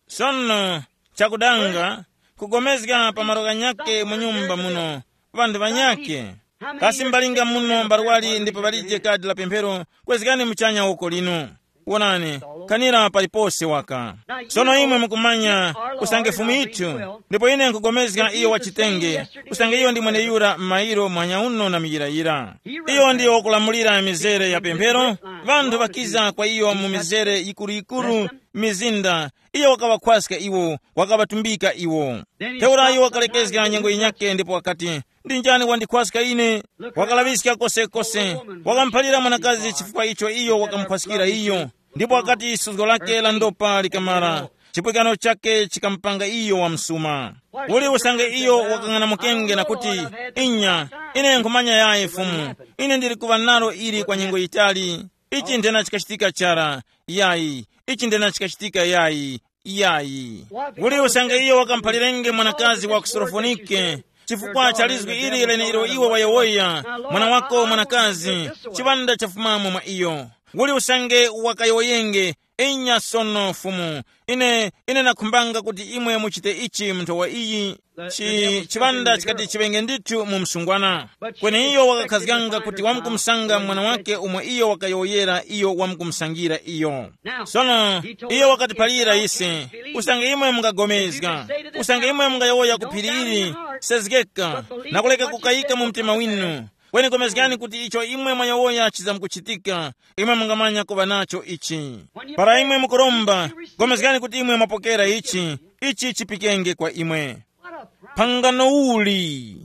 sono, chakudanga, kugomezga pa malo ghanyakhe mu nyumba muno, ŵanthu ŵanyakhe. Kasi mbalinga muno mbarwali ndipo ŵalije kadi la pemphero, kwezgani muchanya woko linu. Wonani, khanira palipose waka. Sono imwe mukumanya, usange Fumu yithu, ndipo ine nkugomezga iyo wachitenge, usange iyo ndi mweneyura m'mayiro mwanyauno na miyirayira. Iyo ndiyo wakulamulira mizere ya pemphero, ŵanthu ŵakiza kwa iyo mu mizere yikuru-yikuru, mizinda, iyo wakaŵakhwaska iwo, wakaŵatumbika iwo. Ntheura iyo wakalekezga nyengo yinyakhe ndipo wakati, ndi njani wandikhwaska ine? Wakalaŵiska kosekose, wakamuphalira mwanakazi chifukwa icho iyo wakamukhwaskira iyo. Ndipo wakati suzgo lake la ndopa likamara, chipwikano chake chikamupanga iyo wamsuma. Uli usange iyo wakang'anamukenge na kuti, inya, ine nkhumanya yayi Fumu, ine ndili kuŵa nalo ili kwa nyengo yitali. Ichi ndena chikachitika chara, yayi, ichi ndena chikachitika yayi, yayi. Uli usange iyo wakamuphalirenge mwanakazi wa ku Surofonike, chifukwa cha lizwi ili lenelo iwe wayowoya, mwana wako mwanakazi, chiŵanda chafumamo mwa iyo. Uli usange wakayowoyenge, inya sono Fumu, ine, ine nakhumbanga kuti imwe muchite ichi mu nthowa iyi. Chi, chiŵanda chikati chiŵenge ndithu mu msungwana. Kweni iyo wakakhazganga kuti wamkumusanga mwana wake umo iyo wakayowoyera iyo wamkumusangira iyo. Sono, iyo wakatiphalira ise, usange imwe mungagomezga, usange imwe mungayowoya ku phiri ili, sezgeka, na kuleka kukayika mu mtima winu, kweni gomezgani kuti icho imwe mwayowoya chizamkuchitika, imwe mungamanya kuŵa nacho ichi. Para imwe mukuromba, gomezgani kuti imwe mwapokera ichi, ichi chipikenge kwa imwe. Phangano uli?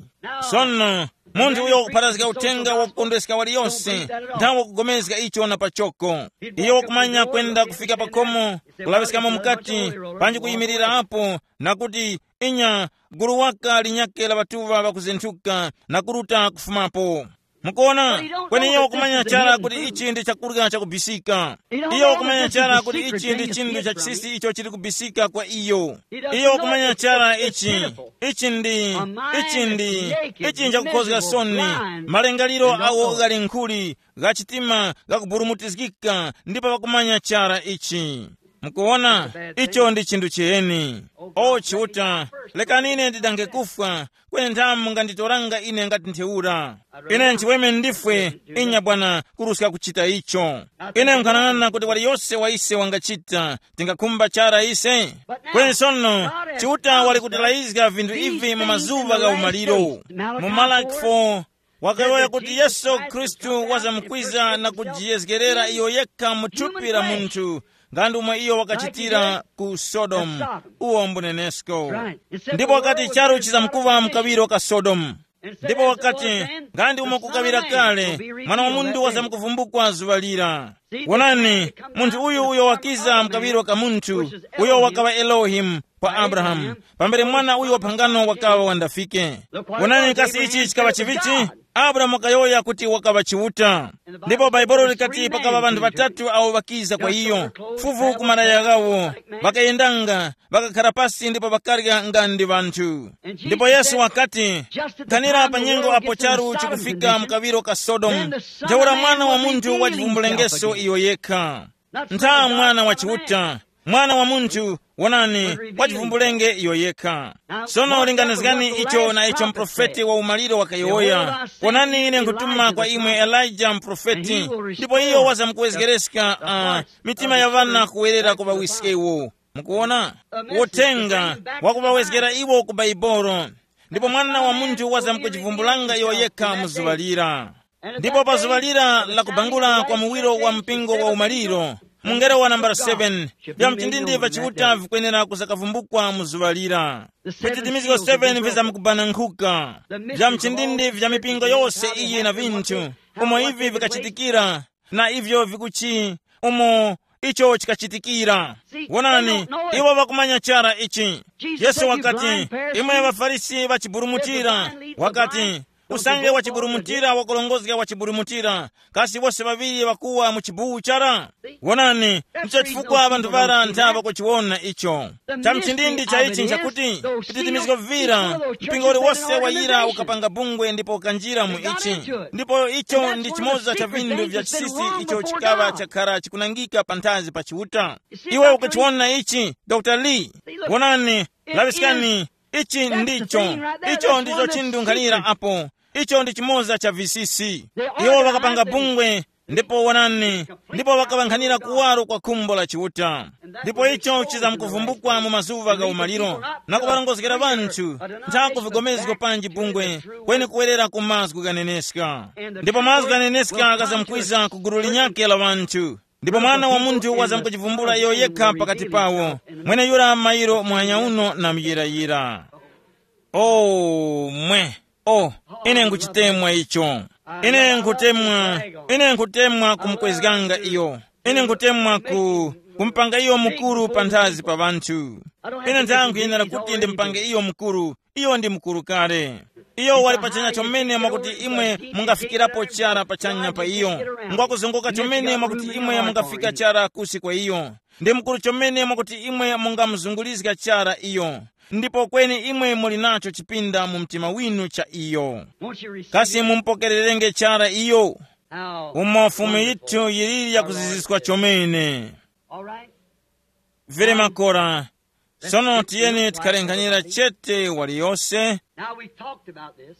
Sono, munthu uyo wakupharazga uthenga wakukondweska waliyose, nthawe wakugomezga icho na pachoko. Iyo wakumanya kwenda kufika pakhomo, kulaŵiskamo mukati, panji kuyimirira apo, na kuti, inya, gulu waka linyakhe la ŵatuŵa ŵakuzinthuka na kuruta kufumapo. Mukuona, kweni iyo wakumanya chara kuti ichi ndi chakurya chakubisika. Iyo wakumanya chara kuti ichi ndi chinthu cha chisisi icho chili kubisika kwa iyo. Iyo wakumanya chara ichi, ichi ndi, ichi ndi, ichi nchakukhozga soni, malingaliro awo ghali nkhuli, gha chitima ghakuburumutizgika, ndipo wakumanya chara ichi. Mukuona, icho ndi chinthu chiyeni. O Chiuta, lekani ine ndidange kufwa, kweni nthamu munganditoranga ine ngati ntheura. Ine nchiweme ndifwe, inya Bwana, kuruska kuchita icho. Ine nkhanang'ana kuti waliyose wa ise wangachita, tingakhumba chara ise. Kweni sono, Chiuta wali kutilayizga vinthu ivi mu mazuŵa gha umaliro. Mu Malaki four, wakayowoya kuti Yesu Khristu wazamkwiza na kujiyezgerera iyo yekha mu thupi la munthu, nga ndi umo iyo wakachitira ku Sodomu, uwo mbunenesko. Ndipo wakati charu chizamkuŵa mkaŵiro ka Sodomu. Ndipo wakati, nga ndi umo kukaŵira kale, mwana wa munthu wazamkuvumbukwa zuŵa lira. Wonani, munthu uyu uyo wakiza mkaŵiro ka munthu, uyo wakaŵa Elohimu kwa Abrahamu, pambere mwana uyu wa phangano wakaŵa wandafike. Wonani kasi ichi chikaŵa chivichi? Abrahamu wakayowoya kuti wakaŵa Chiuta. Ndipo Bhaibuli likati pakaŵa ŵanthu ŵatatu awo ŵakiza kwa iyo, fuvu ku malaya ghawo, ŵakayendanga, ŵakakhara pasi ndipo ŵakarya nga ndi ŵanthu. Ndipo Yesu wakati, khanira pa nyengo apo charu chikufika mkaŵiro ka Sodomu, ntheura Mwana wa Munthu wachivumbulengeso iyo yekha. Ntha Mwana wa Chiuta, Mwana wa Munthu, wonani, wachivumbulenge iyo yekha. Sono linganizgani icho na icho mprofeti wa umaliro wakayowoya. Wonani, ine nkutuma kwa imwe Elija mprofeti, ndipo iyo wazamkuwezgereska uh, mitima ya ŵana kuwerera ku ŵawiskewo. Mukuona, uthenga wakuŵawezgera iwo ku Baibolo. Ndipo Mwana wa Munthu wazamkuchivumbulanga iyo yekha mu zuŵa lira. Ndipo pa zuŵa lira la kubangula kwa muwiro wa mpingo wa umaliro, mungelo wa nambala seven, vya mchindindi va Chiuta vikwenera kuzakavumbukwa mu zuŵa lira. Vititimizgo seven vizamkubananghuka. Vya mchindindi vya mipingo yose iyi na vinthu, umo ivi vikachitikira, na ivyo vikuchi, umo icho chikachitikira. Wonani, iwo ŵakumanya chara ichi. Yesu wakati, imwe ŵaFarisi ŵachiburumutira, wakati, usange wachiburumutira wakulongozga wachiburumutira, kasi wose ŵaŵiri ŵakuwa mu chibuwu chara? Wonani, ndicho chifukwa ŵanthu ŵara ntha ŵakuchiwona icho. Cha mchindindi cha ichi nchakuti, vititimizgo vira, mpingo uliwose wayira ukapanga bungwe ndipo ukanjira mu ichi. Ndipo icho ndi chimoza cha vinthu vya chisisi icho chikaŵa chakhara chikunangika panthazi pa Chiuta. Iwe ukuchiwona ichi, Dr Lee? Wonani, laŵiskani, ichi ndicho, icho ndicho chinthu nkhalira apo. Icho ndi chimoza cha visisi. Iwo ŵakapanga bungwe, Ndipo wonani, ndipo wakaŵankhanira kuwaro kwa khumbo la Chiuta. Ndipo icho chizamkuvumbukwa mu mazuŵa gha umaliro, na kuŵarongozgera ŵanthu ntha ku vigomezgo panji bungwe, kweni kuwerera ku mazgu ghaneneska. Ndipo mazgu ghaneneska ghazamkwiza ku gulu linyakhe la ŵanthu, ndipo Mwana wa Munthu wazamkuchivumbula iyo yekha pakati pawo, mweneyura mairo muhanya uno na muyirayira. Oh, mwe. Oh, ine nkuchitemwa icho. Ine nkutemwa, ine nkutemwa kumukwezganga iyo. Ine nkutemwa ku, kumpanga iyo mukuru panthazi pa ŵanthu. Ine nthanga nkuyenera kuti ndimpange iyo mukuru. Iyo ndi mukuru kale. Iyo wali pachanya chomene mwakuti imwe mungafikirapo chara pachanya pa iyo. Ngwakuzunguka chomene mwakuti imwe mungafika chara kusi kwa iyo. Ndi mukuru chomene mwakuti imwe mungamuzungulizga chara iyo. Ndipo kweni imwe muli nacho chipinda mu mtima winu cha iyo. Kasi mumupokererenge chara iyo? Umo Fumu yithu yiliri yakuziziswa chomene. Vili makora. Sono tiyeni tikhalenganyira chete waliyose. Now we've talked about this.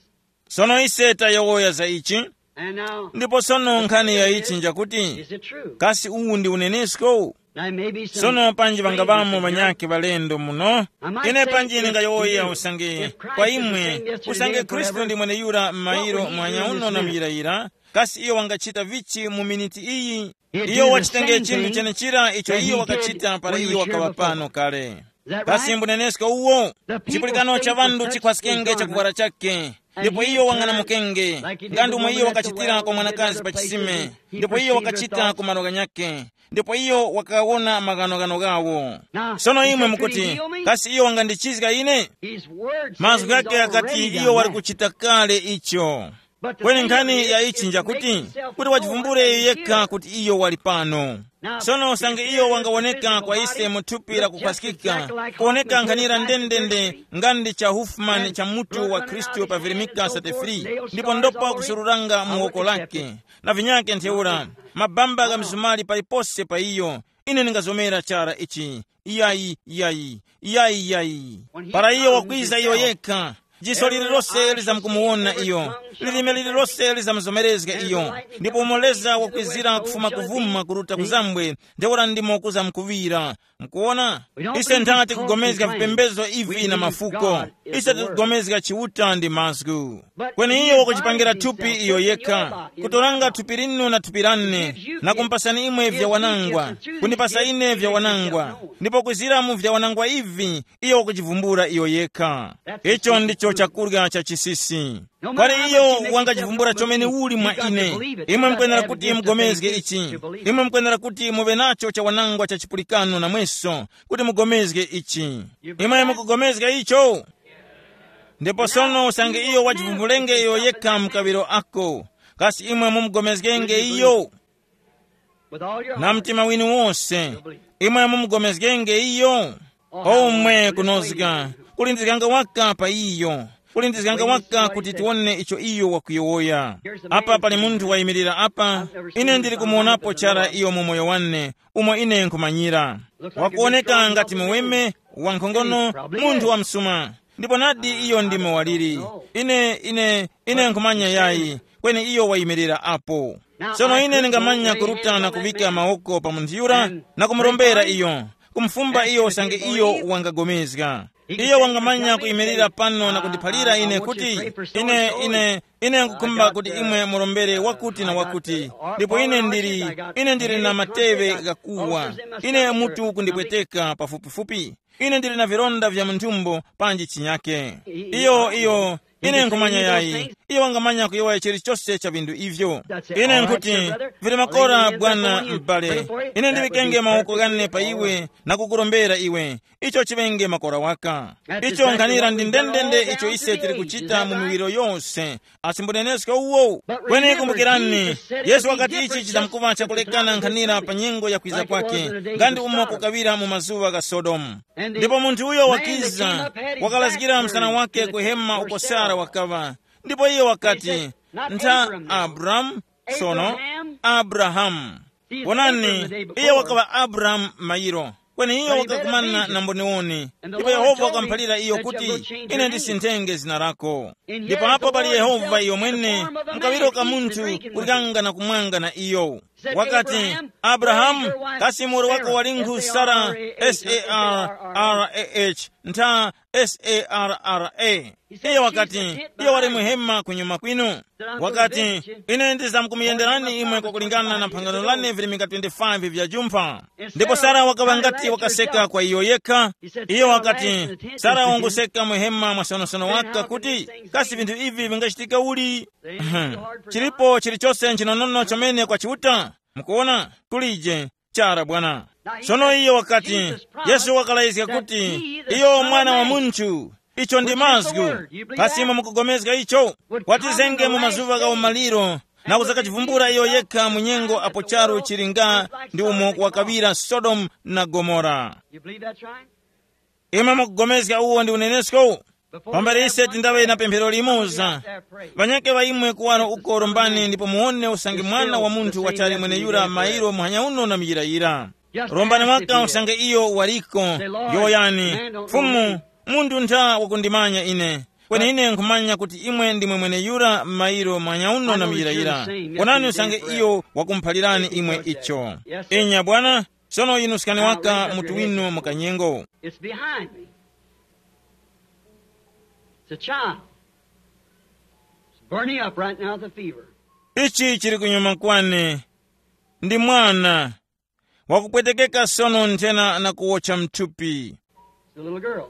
Sono ise tayowoya za ichi. And now, ndipo sono nkhani ya ichi njakuti, is it true? Kasi uwu ndi unenesko? Now, maybe some sono panji vangavamo vanyakhe valendo muno. Ine panji ndingayowoya usange kwa imwe, usange khristu ndi mweneyura m'mayiro mwanya uno na muyirayira, kasi iyo wangachita vichi mu miniti iyi? Iyo wachitenge chinthu chenechira icho iyo wakachita para iyo wakaŵa pano kale. Kasi mbunenesko uwo? Chipulikano cha ŵanthu chikhwaskenge chakuvwara chake, ndipo iyo wang'anamukenge, nga ndi umo iyo wakachitira kwa mwanakazi pa chisime, ndipo iyo wakachita ku malo ghanyakhe, ndipo iyo wakawona maghanoghano ghawo. Sono imwe mukuti, kasi iyo wangandichizga ine? Mazgu ghake ghakati iyo wali kuchita kale icho. Kweni nkhani ya ichi njakuti, kuti wachivumbule yekha kuti iyo wali pano. Sono usange iyo wangawoneka kwa ise mu thupi la kukhwaskika, kuwoneka nkhanira ndendende nga ndi cha Huffman cha mutu wa Khristu pa Veronika thirty-three, ndipo ndopa kusururanga mu woko lake, na vinyake ntheura, mabamba gha mizumali palipose pa iyo, ine ndingazomera chara ichi. Iyayi, iyayi, iyayi, iyayi. Para iyo wakwiza iyo yekha, jiso lililose lizamkumuwona iyo, lilime lililose lizamuzomerezga iyo, ndipo umo Leza wakwizira kufuma kuvuma kuruta kuzambwe, ntheura ndimo kuzamkuŵira. Mukuwona, ise nthati kugomezga vipembezo ivi na mafuko. Ise tikugomezga Chiuta ndi mazgu. Kweni iyo wakuchipangira thupi iyo yekha, kutoranga thupi linu na thupi lane, na kumpasani imwe vya wanangwa, kundipasa ine vya wanangwa, ndipo kwizira mu vya wanangwa ivi, iyo wakuchivumbula iyo yekha. Icho ndicho chakurya cha chisisi. Kwali iyo wangachivumbula chomene uli mwa ine. Imwe mukwenera kuti mugomezge ichi. Imwe mukwenera kuti muve nacho cha wanangwa cha chipulikano namweso, kuti mugomezge ichi. Imwe mukugomezga icho? Ndipo sono usange iyo wachivumbulenge iyo yekha mkaŵiro ako, kasi imwe mumugomezgenge iyo? Na mtima winu wose, imwe mumugomezgenge iyo? Omwe kunozga, kulindizganga waka pa iyo, kulindizganga waka kuti tiwone icho iyo wakuyowoya. Apa pali munthu wayimirira apa, ine ndili kumuwonapo chara iyo mu moyo wane, umo ine nkhumanyira. Wakuwoneka ngati muweme, wankhongono, munthu wa msuma. Ndipo nadi iyo ndimo waliri. Ine, ine, ine nkhumanya yayi, kweni iyo wayimirira apo. Sono ine ndingamanya kuruta na kuŵika mawoko pa munthu yura na kumurombera iyo, kumufumba iyo usange iyo wangagomezga. Iyo wangamanya kuyimirira pano na kundiphalira ine kuti, ine, ine, ine nkukhumba kuti imwe murombere wakuti na wakuti. Ndipo ine ndili, ine ndili na mateŵe ghakuwa. Ine mutu kundipweteka pafupifupi. Ine ndili na vilonda vya mu nthumbo panji chinyake. Iyo, iyo, ine nkhumanya yayi. Iyo wangamanya kuyowoya chilichose cha vinthu ivyo. Ine nkuti, vili makora bwana m'bale. Ine ndiŵikenge mawoko ghane pa iwe na kukurombera iwe. Icho chiŵenge makora waka. Icho nkhanira ndi ndendende icho ise tili kuchita mu miwiro yose. Asimbunenesko uwo. Kweni kumbukirani, Yesu wakati ichi chizamkuŵa chakulekana nkhanira pa nyengo ya kwiza kwake, nga ndi umo kukaŵira mu mazuŵa gha Sodomu. Ndipo munthu uyo wakiza, wakalazgira msana wake ku hema uko Sara wakaŵa. Ndipo iye wakati, ntha Abramu, sono Abrahamu. Wonani, iye wakaŵa Abrahamu mayiro. Kweni iyo wakakumana na mboniwoni, ndipo Yehova wakamuphalira iyo kuti, "Ine ndisinthenge zina lako." Ndipo apo pali Yehova iyo mwene, mukawiro ka munthu kulikanga na kumwanga na iyo. Wakati, "Abrahamu, kasi muwoli wako walinkhu Sara?" Sarrah, ntha, Sarra. Iyo wakati, "Iyo wali muhema kunyuma kwinu." Wakati, "Ine ndizamkumuyenderani imwe kwakulingana na phangano lane virimika twenty-five vya jumpha." Ndipo Sara wakaŵa ngati wakaseka kwa iyo yekha. Iyo wakati, "Sara wanguseka muhema mwasonosono waka kuti, kasi vinthu ivi vingachitika uli?" Chilipo chilichose nchinonono chomene kwa Chiuta? Mukuona? Kulije. Chara bwana. Sono iyo wakati, Yesu wakalayizga kuti, iyo mwana wa munthu, icho ndi mazgu. Kasi imwe mukugomezga icho? Watizenge mu mazuva gha umaliro, na kuzakachivumbula iyo yekha mu nyengo apo charu chili nga ndi umo wakaŵira Sodomu na Gomora. You believe that's right? Imwe mukugomezga uwo ndi unenesko? Pambere ise tindaŵe na pemphero limoza, ŵanyakhe ŵa imwe kuwaro uko rombani ndipo muwone usange mwana wa munthu wachali mweneyura mairo muhanya uno na muyirayira. Rombani waka usange iyo wariko. Yowoyani, Fumu, munthu ntha wakundimanya ine, kweni ine nkhumanya kuti imwe ndimwe mweneyura mairo muhanya uno na muyirayira. Wonani usange iyo wakumuphalirani imwe icho. Inya bwana. Sono yinuskani waka mutu winu mu kanyengo. It's behind me. It's a child. It's burning up right now with a fever. Ichi chili kunyuma kwane. Ndi mwana wakupwetekeka sono nthena na kuwotcha mthupi. It's a little girl.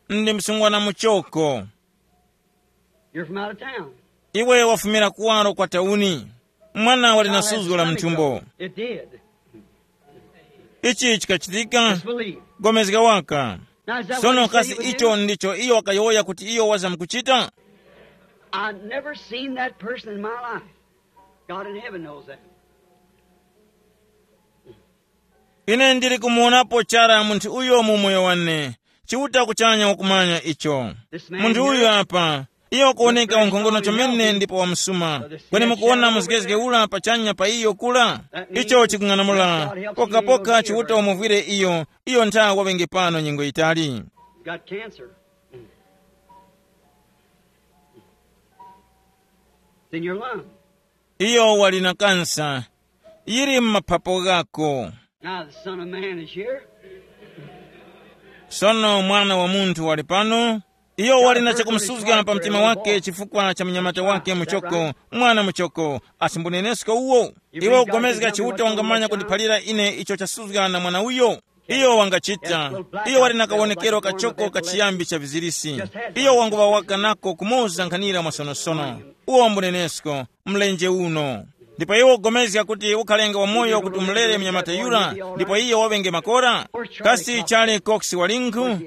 Ndi msungwana muchoko. You're from out of town. Iwe wafumira kuwaro kwa tauni. Mwana wali na suzgo la mthumbo. It did. Ichi chikachitika. Just believe. Gomezga waka. Now, is that what sono he said he kasi would icho do? Ndicho iyo wakayowoya kuti iyo wazamkuchita. I've never seen that person in my life. God in heaven knows that. Ine ndili kumuwonapo chara munthu uyo mu moyo wane. Chiuta kuchanya wakumanya icho. Munthu uyu apa, iyo kuwoneka wankhongono chomene ndipo wamsuma. Kweni mukuwona muzgezge ula pachanya pa iyo kula? Icho chikung'anamula pokapoka Chiuta umuvwire iyo. Iyo ntha wawenge pano nyengo yitali. Got cancer. It's in your lung. Iyo wali na kansa yili m'maphapo ghako. Now the Son of Man is here. Sono mwana wa munthu wali pano. Iyo wali na chakumsuzga pa mtima wake chifukwa cha mnyamata wake muchoko, mwana muchoko. Asimbunenesko uwo. Iwe ugomezga Chiuta wangamanya kundiphalira ine icho chasuzga na mwana uyo. Iyo wangachita. Iyo wali na kawonekero kachoko ka chiyambi cha vizirisi. Iyo wanguŵa waka nako kumoza nkhanira mwasonosono. Uwo mbunenesko, mlenje uno. Ndipo iwo ugomezga kuti ukhalenga wamoyo kuti umulere mnyamata yura, ndipo iyo waŵenge makora? Kasi chali Cox walinkhu?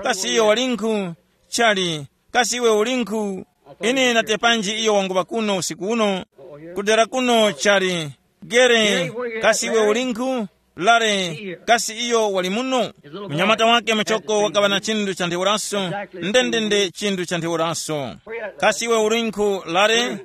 Kasi iyo walinkhu? Chali, kasi iwe ulinkhu? Ine natepanji iyo wanguŵa kuno usiku uno? Kudera kuno chali, Gere, kasi iwe ulinkhu? Lare, kasi iyo wali muno? Mnyamata wake muchoko wakaŵa na chinthu cha ntheuraso, ndendende chinthu cha ntheuraso. Kasi iwe ulinkhu, Lare?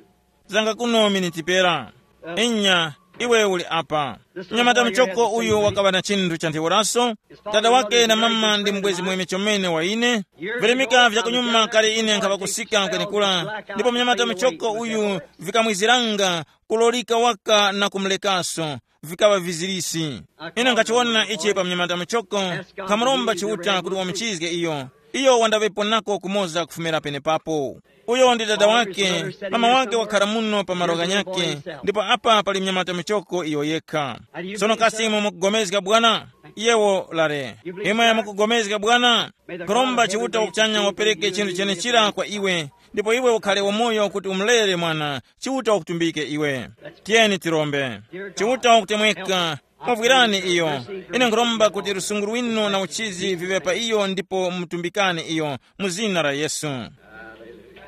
Zanga kuno miniti pera. Inya, iwe uli apa. Mnyamata muchoko uyu wakaŵa na chinthu cha ntheuraso. Dada wake na mama ndi mbwezi mweme chomene wa ine. Virimika vya kunyuma kale ine nkhaŵa kusika kwenekura, ndipo mnyamata muchoko uyu vikamwiziranga kulolika waka na kumulekaso, vikaŵa vizirisi. Ine nkhachiwona ichi pa mnyamata muchoko, nkhamuromba Chiuta kuti wamuchizge iyo. Iyo wandaŵepo nako kumoza kufumira penepapo. Uyo ndi dada wake, mama wake wakhala muno pa malo ghanyakhe, ndipo apa pali mnyamata muchoko iyo yekha. Sono kasi imwe mukugomezga bwana? Yewo lare. Imwe mukugomezga bwana? Kuromba Chiuta wakuchanya wapereke chinthu chenechira kwa iwe, ndipo iwe ukhale wamoyo kuti umulere mwana. Chiuta wakutumbike iwe. Tiyeni tirombe. Chiuta wakutemweka, muvwirani iyo. Ine nkhuromba kuti lusungu lwinu na uchizi viŵe pa iyo ndipo mutumbikane iyo mu zina la Yesu.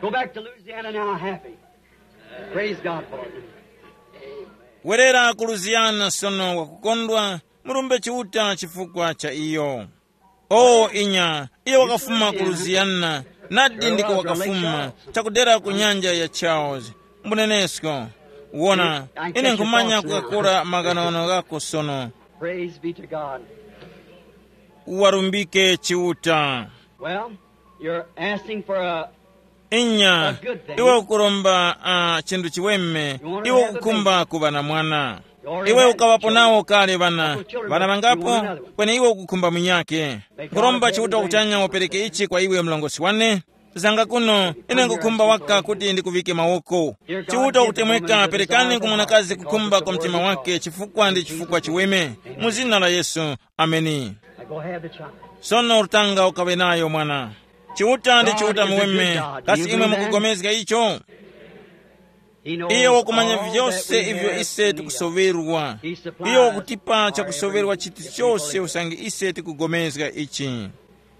Go back to Louisiana now happy. Praise God for it. Werera ku Louisiana sono wakukondwa, murumbe Chiuta chifukwa cha iyo. O inya, iyo wakafuma ku Louisiana, nadi ndiko wakafuma, chakudera ku nyanja ya Charles. Mbunenesko, wona, ine nkhumanya kukakora maghanoghano ghako sono. Praise be to God. Uwarumbike Chiuta. Well, you're asking for a, inya, a good thing. Iwe ukuromba uh, chinthu chiweme. Iwe ukukhumba kuva na mwana. Iwe ukaŵapo nawo kale vana, vana vangapo? Kweni iwe ukukhumba munyake. Nkhuromba Chiuta kuchanya upereke ichi kwa iwe mlongosi wane. Zanga kuno, ine nkukhumba waka kuti ndikuvike mawoko. Chiuta ukutemweka, perekani ku mwanakazi kukhumba kwa mtima wake, chifukwa ndi chifukwa chiweme. Mu zina la Yesu. Ameni. Now go ahead, the child. Sono urutanga ukawe nayo mwana. Chiuta ndi Chiuta muweme. Kasi imwe mukugomezga icho? Iye wakumanya vyose ivyo ise tikusoverwa. Iye wakutipa chakusoverwa chiti chose usange ise tikugomezga ichi.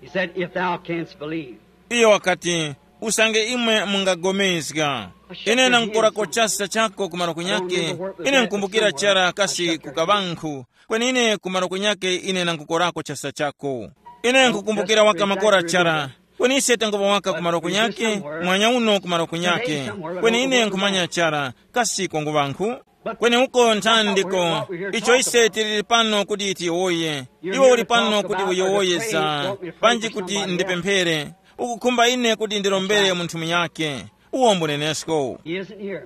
He said, "If thou canst believe." Iyo wakati, usange imwe mungagomezga. Ine nangukora kochasa chako ku malo kunyake. Ine nkumbukira chara kasi ku kaŵankhu. Kweni ine ku malo kunyake ine nangukorako chasa chako. Ine nkukumbukira waka makora chara. Kweni ise tangoŵa waka ku malo kunyake, mwanya uno ku malo kunyake. Kweni ine nkhumanya chara, kasi kwangu ŵankhu. Kweni uko nthani ndiko, icho ise tili pano kuti tiyowoye. Iwe uli pano kuti uyowoye za, panji kuti ndipemphere. Ukukhumba ine kuti ndirombere munthu munyake. Uwo mbunenesko. He isn't here.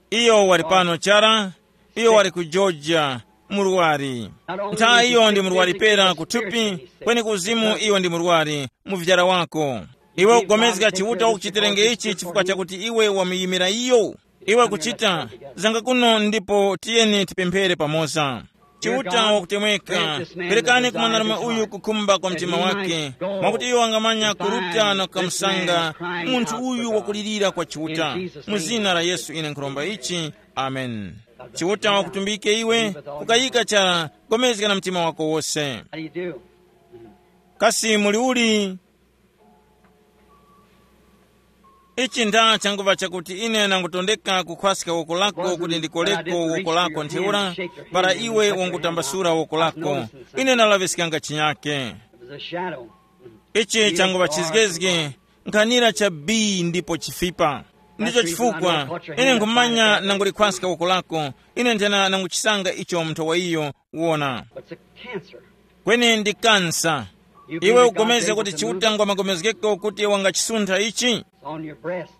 Iyo wali pano chara. Iyo wali ku Georgia, murwari. Ntha iyo ndi murwari pera kuthupi, kweni kuzimu iyo ndi murwari, muvyara wako. Iwe ukugomezga Chiuta ukuchiterenge ichi chifukwa chakuti iwe wamuyimira iyo. Iwe kuchita, zanga kuno ndipo tiyeni tipemphere pamoza. Chiuta wakutemweka, perekani ku mwanarume uyu kukhumba kwa mtima wake, mwakuti iyo wangamanya kuruta na kukamusanga munthu uyu wakulirira kwa Chiuta. Mu zina la Yesu ine nkhuromba ichi. Amen. Chiuta wakutumbike iwe, kukayika chara, gomezga na mtima wako wose. How do you do? Kasi muli uli? Ichi nda changuva chakuti ine nangutondeka kukhwaska woko lako kuti ndikoleko woko lako ntheura, para iwe wangutambasura woko lako. Ine nalaŵiskanga chinyake. It was a shadow. Ichi changuva chizgezge, nkhanira cha bii ndipo chifipa. Ndicho chifukwa ine nkhumanya nangulikhwaska woko lako. Ine nthena nanguchisanga icho mnthowa iyo. Wona. But it's a cancer. Kweni ndi kansa. Iwe ugomeze kuti Chiuta ngwa magomezgeko kuti wangachisuntha ichi. It's on your breast.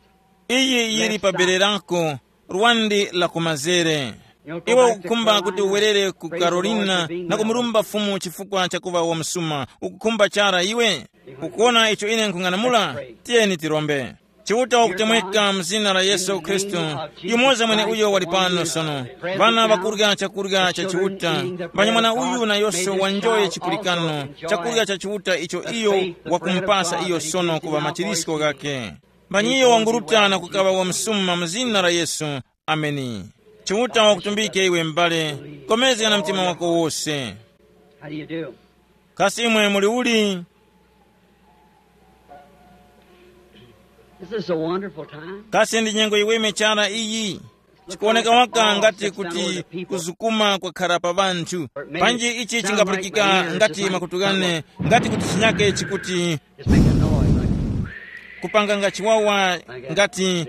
Iyi yili pa bere lako, lwandi la kumazere. Iwe ukukhumba kuti uwerere ku Carolina na kumurumba Fumu chifukwa chakuva wamsuma. Ukukhumba chara iwe? Ukuona icho ine nkhung'anamula? Tiyeni tirombe. Chiuta wakutemweka mu zina la Yesu Khristu, yumoza mwene uyo wali pano sono. Vana vakurya chakurya cha Chiuta, manyamwana uyu na yose wanjoye chipulikano, chakurya cha Chiuta icho iyo wakumupasa iyo sono kuva machirisko ghake. Mbanyiyo wanguruta na kukaŵa wamsuma mu zina la Yesu. Ameni. Chiuta wakutumbike iwe m'bale, komezga na mtima wako wose. How do you do? Kasi imwe muli uli? This is a wonderful time. Kasi ndi nyengo yiweme chara iyi. Chikuwoneka waka ngati kuti kuzukuma kwakhara pa ŵanthu. Panji ichi chingapulikika ngati makutukane, ngati kuti chinyake chikuti It's making a noise like kupanganga chiwawa, ngati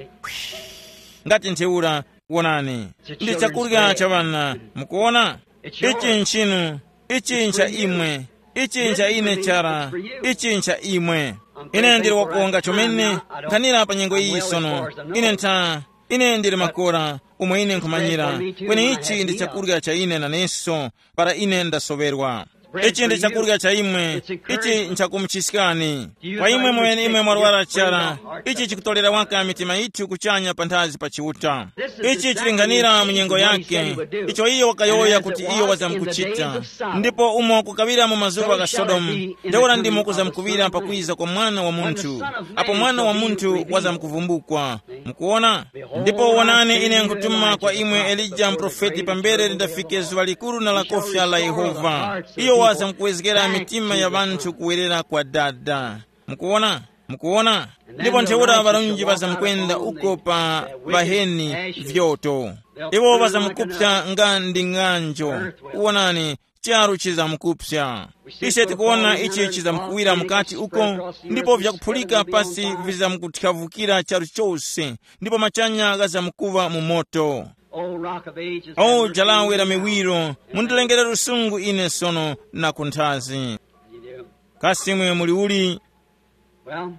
ngati ntheura. Wonani, ndi chakurya cha ŵana. Mukuona? Ichi nchinu. Ichi ncha imwe. Ichi ncha ine chara. Ichi ncha imwe. Ine ndili wakuwonga chomene. Nkhanira pa nyengo iyi sono. Ine ntha. Ine ndili makora, umo ine nkhumanyira. Kweni ichi ndi chakurya cha ine naneso, para ine ndasoŵerwa. Ichi ndi chakurya cha imwe. Ichi nchakumuchiskani. Kwa imwe mweneimwe mwarwara chara, ichi chikutolera waka mitima yithu kuchanya panthazi pa Chiuta. Ichi chilinghanira mu nyengo yake, icho iyo wakayowoya kuti iyo wazamkuchita. Ndipo umo kukaŵira mu mazuŵa gha Sodomu, ntheura ndimo kuzamkuŵira pakwiza kwa Mwana wa Munthu, apo Mwana wa Munthu wazamkuvumbukwa. Mukuwona? Ndipo wonani, ine nkutuma kwa imwe Elija muprofeti pambere lindafike zuŵa likuru na lakofya la Yehova. Iyo wazamkuwezgera mitima ya ŵanthu kuwerera kwa Dada. Mukuwona? Mukuwona? Ndipo ntheura ŵarunji ŵazamkwenda uko pa ŵaheni vyoto. Iwo ŵazamkupsa nga ndi ng'anjo. Wonani, charu chizamkupsa. Ise tikuwona ichi chizamkuwira mukati uko, ndipo vyakuphulika pasi vizamkuthyavukira charu chose, ndipo machanya ghazamkuŵa mu moto. Oh, Rock of Ages, O have mercy jalawe on la me now. Miwiro, mundilengere lusungu ine sono na kunthazi. You do. Kasi imwe muli uli? Well,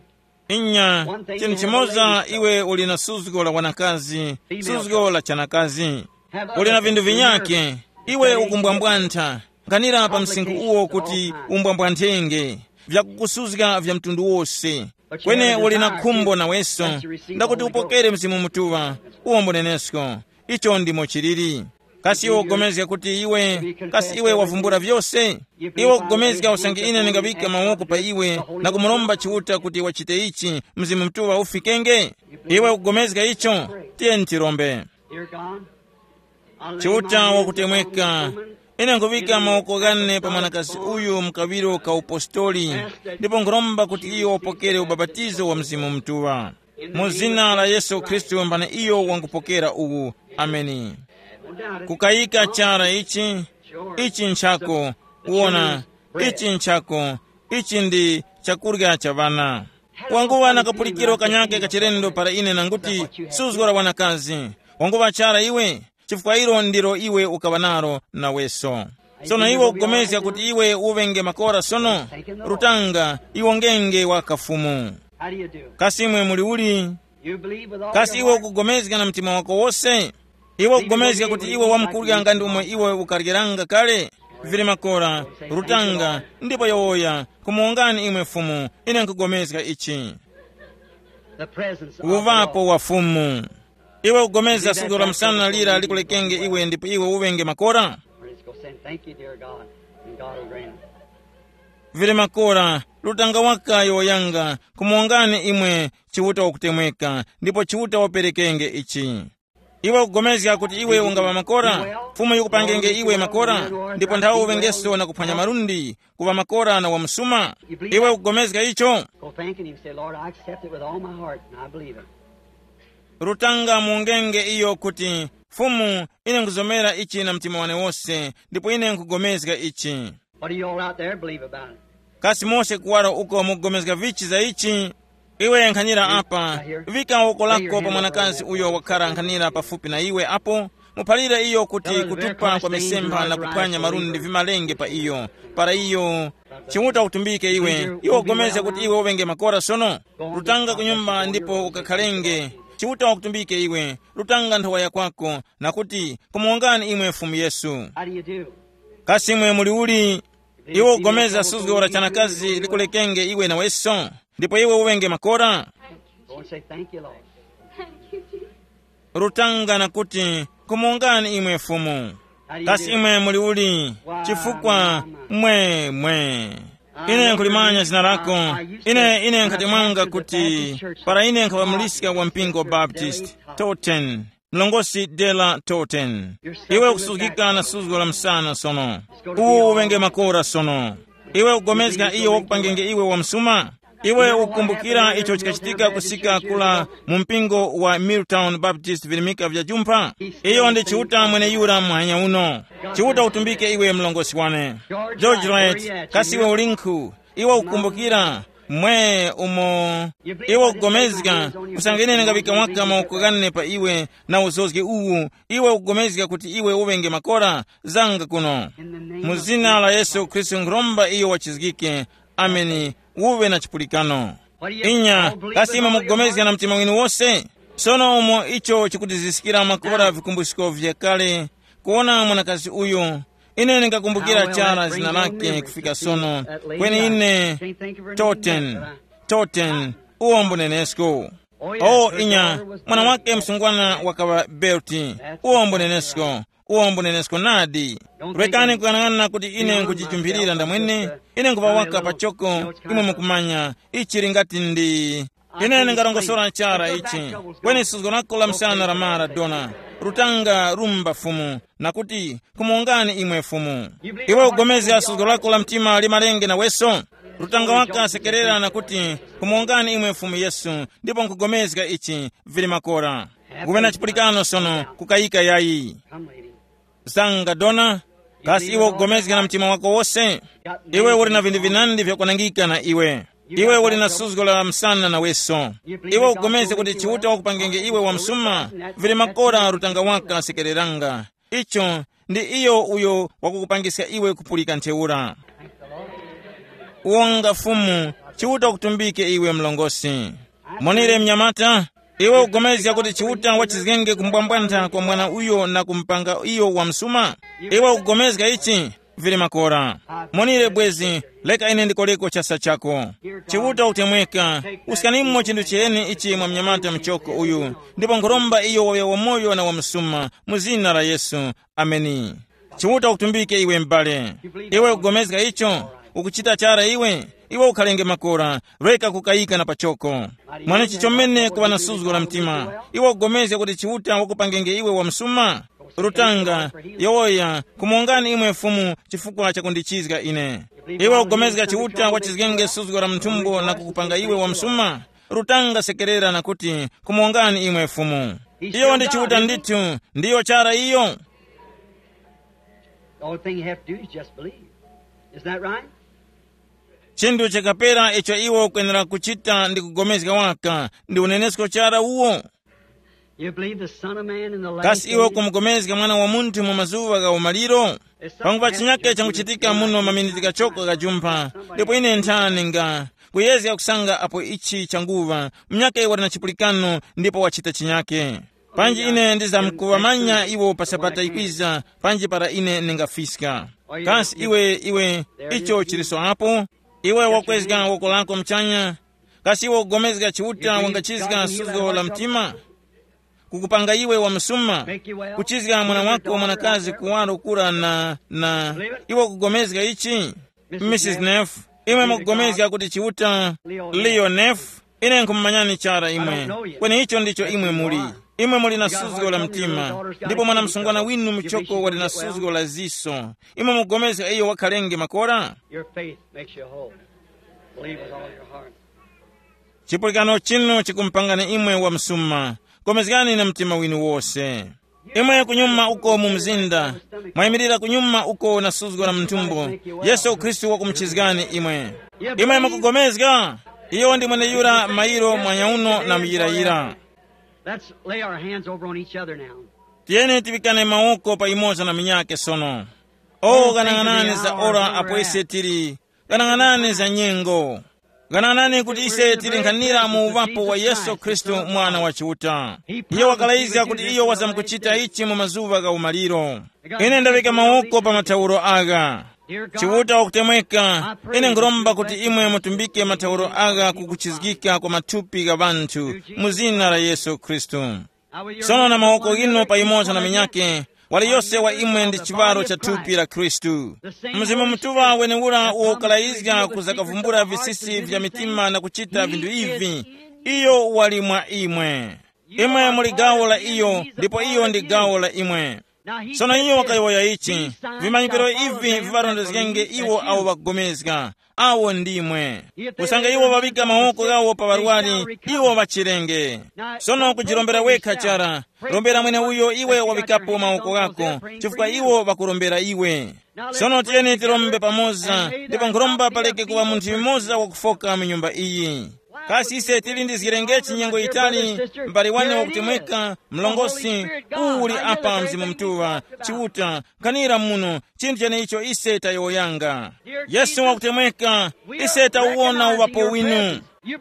Inya, one thing, chinthu you have a chimoza lady, iwe uli na suzgo la wanakazi, suzgo la chanakazi. Have other uli na vinthu things in your vinyake, iwe ukumbwambwantha. Nkhanira pa msinkhu uwo kuti umbwambwanthenge vyakukusuzga vya mtundu wose. Kwene uli na khumbo naweso ndakuti upokere Mzimu Mutuŵa, uwo mbunenesko. Icho ndimo chiliri. Kasi iwe ukugomezga kuti iwe, kasi iwe wavumbula vyose? Iwe ukugomezga usange ine ndingaŵika mawoko pa iwe na kumuromba Chiuta kuti wachite ichi, Mzimu Mutuŵa ufikenge? Iwe ukugomezga icho? Tiyeni tirombe. Dear God, I lay Chiuta my hands wakutemweka, upon this woman. Ine nkuŵika mawoko ghane pa mwanakazi uyu mu kaŵiro ka upostoli, ndipo nkhuromba kuti iyo wapokere ubapatizo wa Mzimu Mutuŵa. Mu zina la Yesu Khristu mbana iyo wangupokera uwu. Ameni. Kukayika chara ichi, ichi nchako, kuona, ichi nchako, ichi ndi chakurya cha ŵana. Wanguŵa na kapulikiro kanyake kachilendo para ine nanguti, suzgo la wanakazi. Wanguŵa chara iwe, chifukwa ilo ndilo iwe ukaŵa nalo naweso. Sono iwe ukugomezga kuti iwe uŵenge makora sono? Rutanga, iwo ngenge wa kafumu. How do you do? Kasi imwe muli uli? You believe with all kasi your iwe heart? Ukugomezga na mtima wako wose? Iwe ukugomezga kuti iwe wamkurya nga ndi umo iwe ukaryeranga kale? Vili makora, rutanga, ndipo yowoya, kumuwongani imwe Fumu, ine nkugomezga ichi. The presence of the Lord. Kuvapo wa Fumu. Iwe ugomeza sudo la msana lira likulekenge iwe ndipo iwe uŵenge makora. Praise God, saying, "Thank you, dear God," and God will grant it. Vili makora, lutanga wakayo yanga, kumuwongani imwe Chiuta wakutemweka, ndipo Chiuta waperekenge ichi. Iwe ukugomezga kuti iwe ungaŵa makora, Fumu yikupangenge iwe makora, ndipo nthawe uŵengeso na kuphwanya malundi, kuŵa makora na wamusuma. Iwe ukugomezga icho? Go thanking him, say, "Lord, I accept it with all my heart, and I believe it." Rutanga mungenge iyo kuti, Fumu, ine nkuzomera ichi na mtima wane wose, ndipo ine nkugomezga ichi. What do you all out there believe about it? Kasi mose kuwaro uko mukugomezga vichi za ichi? Iwe nkhanira apa, vika woko lako pa mwanakazi uyo wakhara nkhanira pafupi na iwe apo, muphalire iyo kuti kutupa kwa misempha na kuphwanya malundi vimalenge pa iyo, para iyo Chiuta ukutumbike iwe, iwe ugomezga kuti iwe uŵenge makora sono? Rutanga ku nyumba ndipo ukakhalenge. Chiuta wakutumbike iwe, rutanga nthowa ya kwako, na kuti, kumuwongani imwe Fumu Yesu. How do you do? Kasi imwe muli uli? Iwe ugomeza suzgo la chanakazi likulekenge iwe naweso, ndipo iwe uŵenge makora? Go and say, "Thank you, Lord." Rutanga na kuti, kumuwongani imwe Fumu. Kasi imwe muli uli? Chifukwa mwe mwe ine nkulimanya zina lako. Ine ine nkhatemwanga kuti para ine nkhaŵamuliska wa mpingo Baptist, Totten, mlongosi Dela Totten. Iwe ukusuzgika na suzgo la msana sono. Uwu uŵenge makora sono. Iwe ukugomezga iyo wakupangenge iwe wa msuma? Iwe ukukumbukira icho chikachitika kusika kula mu mpingo wa Milltown Baptist virimika vya jumpha? Iyo ndi Chiuta mweneyura muhanya uno. Chiuta utumbike iwe mlongosi wane. George Wright, kasi iwe ulinkhu? Iwe ukukumbukira mwe umo iwe ukugomezga, usange ine ndingavika waka mawoko ghane pa iwe na uzozge uwu, iwe ukugomezga kuti iwe uŵenge makora? Zanga kuno. Mu zina la Yesu Khristu nkhuromba iyo wachizgike. Ameni. Uwe na chipulikano. Inya, kasi imwe mukugomezga na mtima winu wose? Sono umo icho chikutiziskira makora vikumbusko vyakale, kuwona mwanakazi uyu, ine ndingakumbukira chara zina lake kufika sono. Kweni ine, Toten, Toten, uwo mbunenesko. O inya, mwana wake msungwana wakaŵa Berti, uwo mbunenesko. Uwo mbunenesko nadi. Rekani kuyang'ana kuti ine nkujijumpirira ndamwene. Ine nkuŵa waka pachoko. Imwe mukumanya, ichi lingati ndi, ine ndingarongosora chara ichi. Kweni suzgo lako la msana la Maradona, lutanga rumba Fumu, na kuti, kumuwongani imwe Fumu. Iwe ugomezga suzgo lako la mtima limalenge naweso? Lutanga waka asekerera na kuti, kumuwongani imwe Fumu Yesu, ndipo nkugomezga ichi. Vili makora. Kuŵena chipulikano sono, kukayika yayi. Zanga dona. Kasi iwe ukugomezga na mtima wako wose? Iwe uli na vinthu vinandi vyakwanangika na iwe. Iwe uli na suzgo la msana naweso. Iwe ukupulikana kuti Chiuta wakupangenge iwe wamsuma? Vili makora lutanga waka sekereranga. Icho ndi iyo uyo wakukupangiska iwe kupulika ntheura. Wonga Fumu, Chiuta wakutumbike iwe mlongosi. Monire mnyamata, iwe ukugomezga kuti Chiuta wachizgenge kumbwambwantha kwa mwana uyo na kumupanga iyo wamsuma? Iwe ukugomezga ichi? Vili makora. Monire bwezi, leka ine ndikoreko chasa chako. Chiuta ukutemweka, uskanimo chinthu chiheni ichi mwa mnyamata mchoko uyu, ndipo nkhuromba iyo waŵe wamoyo na wamsuma, mu zina la Yesu. Ameni. Chiuta ukutumbike iwe m'bale. Iwe ukugomezga icho? Ukuchita chara iwe? Iwe ukhalenge makora, reka kukayika na pachoko. Mwanechi chomene kuŵa na suzgo la mtima. Iwe ukugomezga kuti Chiuta wakupangenge iwe wamsuma? Rutanga, yowoya, kumongani imwe Fumu chifukwa chakundichizga ine. Iwe ukugomezga Chiuta wachizgenge suzgo la mthumbo na kukupanga iwe wamsuma? Rutanga sekerera na kuti, kumongani imwe Fumu. Iyo ndi Chiuta ndithu, ndiyo chara iyo. The only thing you have to do is just believe. Isn't that right? Chinthu chakapera icho iwo ukwenera kuchita ndi kugomezga waka, ndi unenesko chara uwo. You believe the Son of Man in the last Kasi iwe days? Ukumugomezga Mwana wa Munthu mu mazuŵa gha umaliro? Pangupa chinyake changuchitika muno maminiti kachoko kajumpha, ndipo ine nthani nga kuyezga kusanga apo ichi changuŵa, munyake wali na chipulikano ndipo wachita chinyake. Panji ine ndizamkuŵamanya iwo pa Sabata ikwiza, panji para ine ndingafiska. Kasi iwe, iwe, icho chiliso apo? Iwe wakwezga woko lako mchanya? Kasi iwe ukugomezga Chiuta wangachizga suzgo la mtima? Kukupanga iwe wamsuma, kuchizga mwana wako mwanakazi kuwaro kura na, na, iwe ukugomezga ichi? Missus Neff, imwe mukugomezga kuti Chiuta? Leo Neff, ine nkhumumanyani chara imwe. Kweni icho ndicho imwe muli. Imwe muli na suzgo la mtima, ndipo mwana msungwana winu muchoko wali na suzgo la ziso. Imwe mukugomezga iyo wakhalenge makora? Your faith makes you whole. Believe with all your heart. Chipulikano chinu chikumpangani imwe wamsuma. Gomezgani na mtima winu wose. Imwe kunyuma uko mu mzinda, mwayimirira kunyuma uko na suzgo la mthumbo, Yesu Khristu wakumuchizgani imwe. Imwe mukugomezga? Iyo ndi mweneyura mayiro mwanyauno na muyirayira. Let's lay our hands over on each other now. Tiyeni tiŵikane mawoko pa imoza na minyake sono. O ghanang'anani za ora apo ise tili. Ghanang'anani za nyengo. Ghanang'anani kuti ise tili nkhanira mu uŵapo wa Yesu Khristu, Mwana wa Chiuta. Iye wakalayizga kuti iyo wazamkuchita ichi mu mazuŵa gha umaliro. Ine ndaŵika mawoko pa mathawuro agha. Chiuta wakutemweka, ine nkhuromba kuti imwe mutumbike mathawuro agha ku kuchizgika kwa mathupi gha ŵanthu, mu zina la Yesu Khristu. Sono na mawoko ghinu paimoza na minyake, wali yose wa imwe ndi chiŵaro cha thupi la Khristu. Mzimu Mutuŵa wenewura uwo ukalayizga kuzakavumbula visisi vya mitima na kuchita vinthu ivi, iyo wali mwa imwe. Imwe muli gawo la iyo, ndipo iyo ndi gawo la imwe. Sono iyo wakayowoya ichi, vimanyikiro ivi viŵarondezgenge iwo awo ŵakugomezga. Awo ndimwe. Kusanga iwo ŵaŵika mawoko ghawo pa ŵarwari, iwo ŵachirenge. Sono kujirombera wekha chara. Rombera mweneuyo iwe waŵikapo mawoko ghako, chifukwa iwo ŵakurombera iwe. Sono tiyeni tirombe pamoza, ndipo nkhuromba paleke kuŵa munthu yumoza wakufoka mu nyumba iyi. Kasi ise tili ndi zirengechi nyengo yitali, m'bale wane wakutemweka, mlongosi, uwu uli apa Mzimu Mutuŵa, Chiuta, nkhanira muno, chinthu chenecho ise tayowoyanga. Yesu wakutemweka, ise tawuwona uŵapo winu.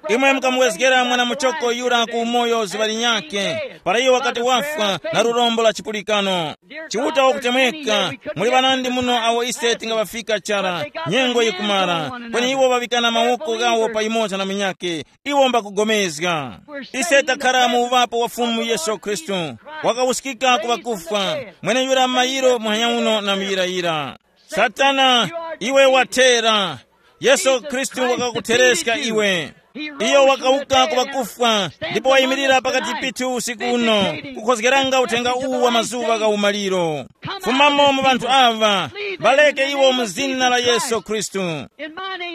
Imwe mukamwezgera mwana muchoko yura ku umoyo zuŵa linyakhe, para iyo wakati wafwa na lurombo la chipulikano. Chiuta wakutemweka, muli ŵanandi muno awo ise tingaŵafika chara, nyengo yikumara, kweni iwo ŵaŵikana mawoko ghawo pa yumoza na munyakhe, iwo mbakugomezga. Ise takhara mu uŵapo wa Fumu Yesu Khristu, wakawuskika ku ŵakufwa, mweneyura mayiro muhanya uno na muyirayira. Satana, iwe wathera. Yesu Khristu wakakuthereska iwe. Iyo wakawuka ku ŵakufwa, ndipo wayimirira pakati pithu usiku uno, kukhozgeranga uthenga uwu wa mazuŵa gha umaliro. Fumamo mu ŵanthu awa, ŵaleke iwo mu zina la Yesu Khristu.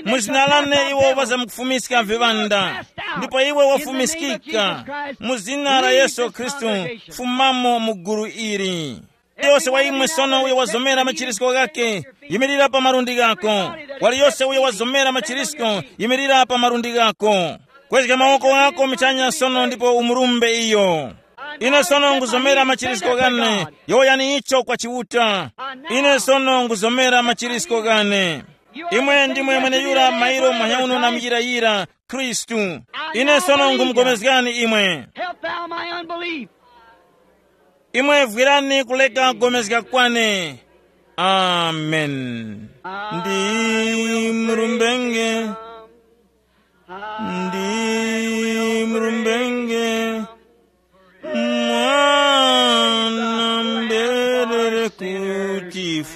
Mu zina lane iwo ŵazamkufumiska viŵanda, ndipo iwe wafumiskika. Mu zina la Yesu Khristu, fumamo mu gulu ili. Yose wa imwe sono uyo wazomera machirisko ghake, yimirira pa malundi ghako. Wali yose uyo wazomera machirisko, yimirira pa malundi ghako. Kwezga mawoko ghako michanya sono ndipo umurumbe iyo. Ine sono nguzomera machirisko ghane. Yowoyani icho kwa Chiuta. Ine sono nguzomera machirisko ghane. Imwe ndimwe mweneyura mairo manyauno na muyirayira, Khristu. Ine sono ngumupulikani imwe. Help thou my unbelief. Imwe vwirani kuleka kugomezga kwane. Amen. Ndi mrumbenge, ndi mrumbenge, mwana mberere kutifwira.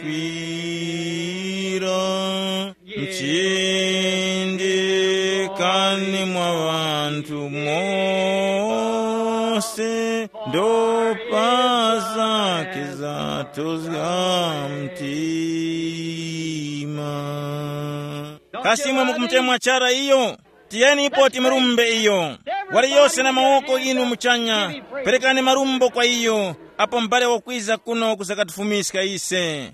Mchindikani mwa ŵanthu mose, ndopa zake zatozga mtima. Kasi imwe mukumutemwa chara iyo? Tiyeni ipo timurumbe iyo. Wali yose na mawoko inu muchanya, perekani marumbo kwa iyo, apo m'bale wakwiza kuno kuzakatifumiska ise.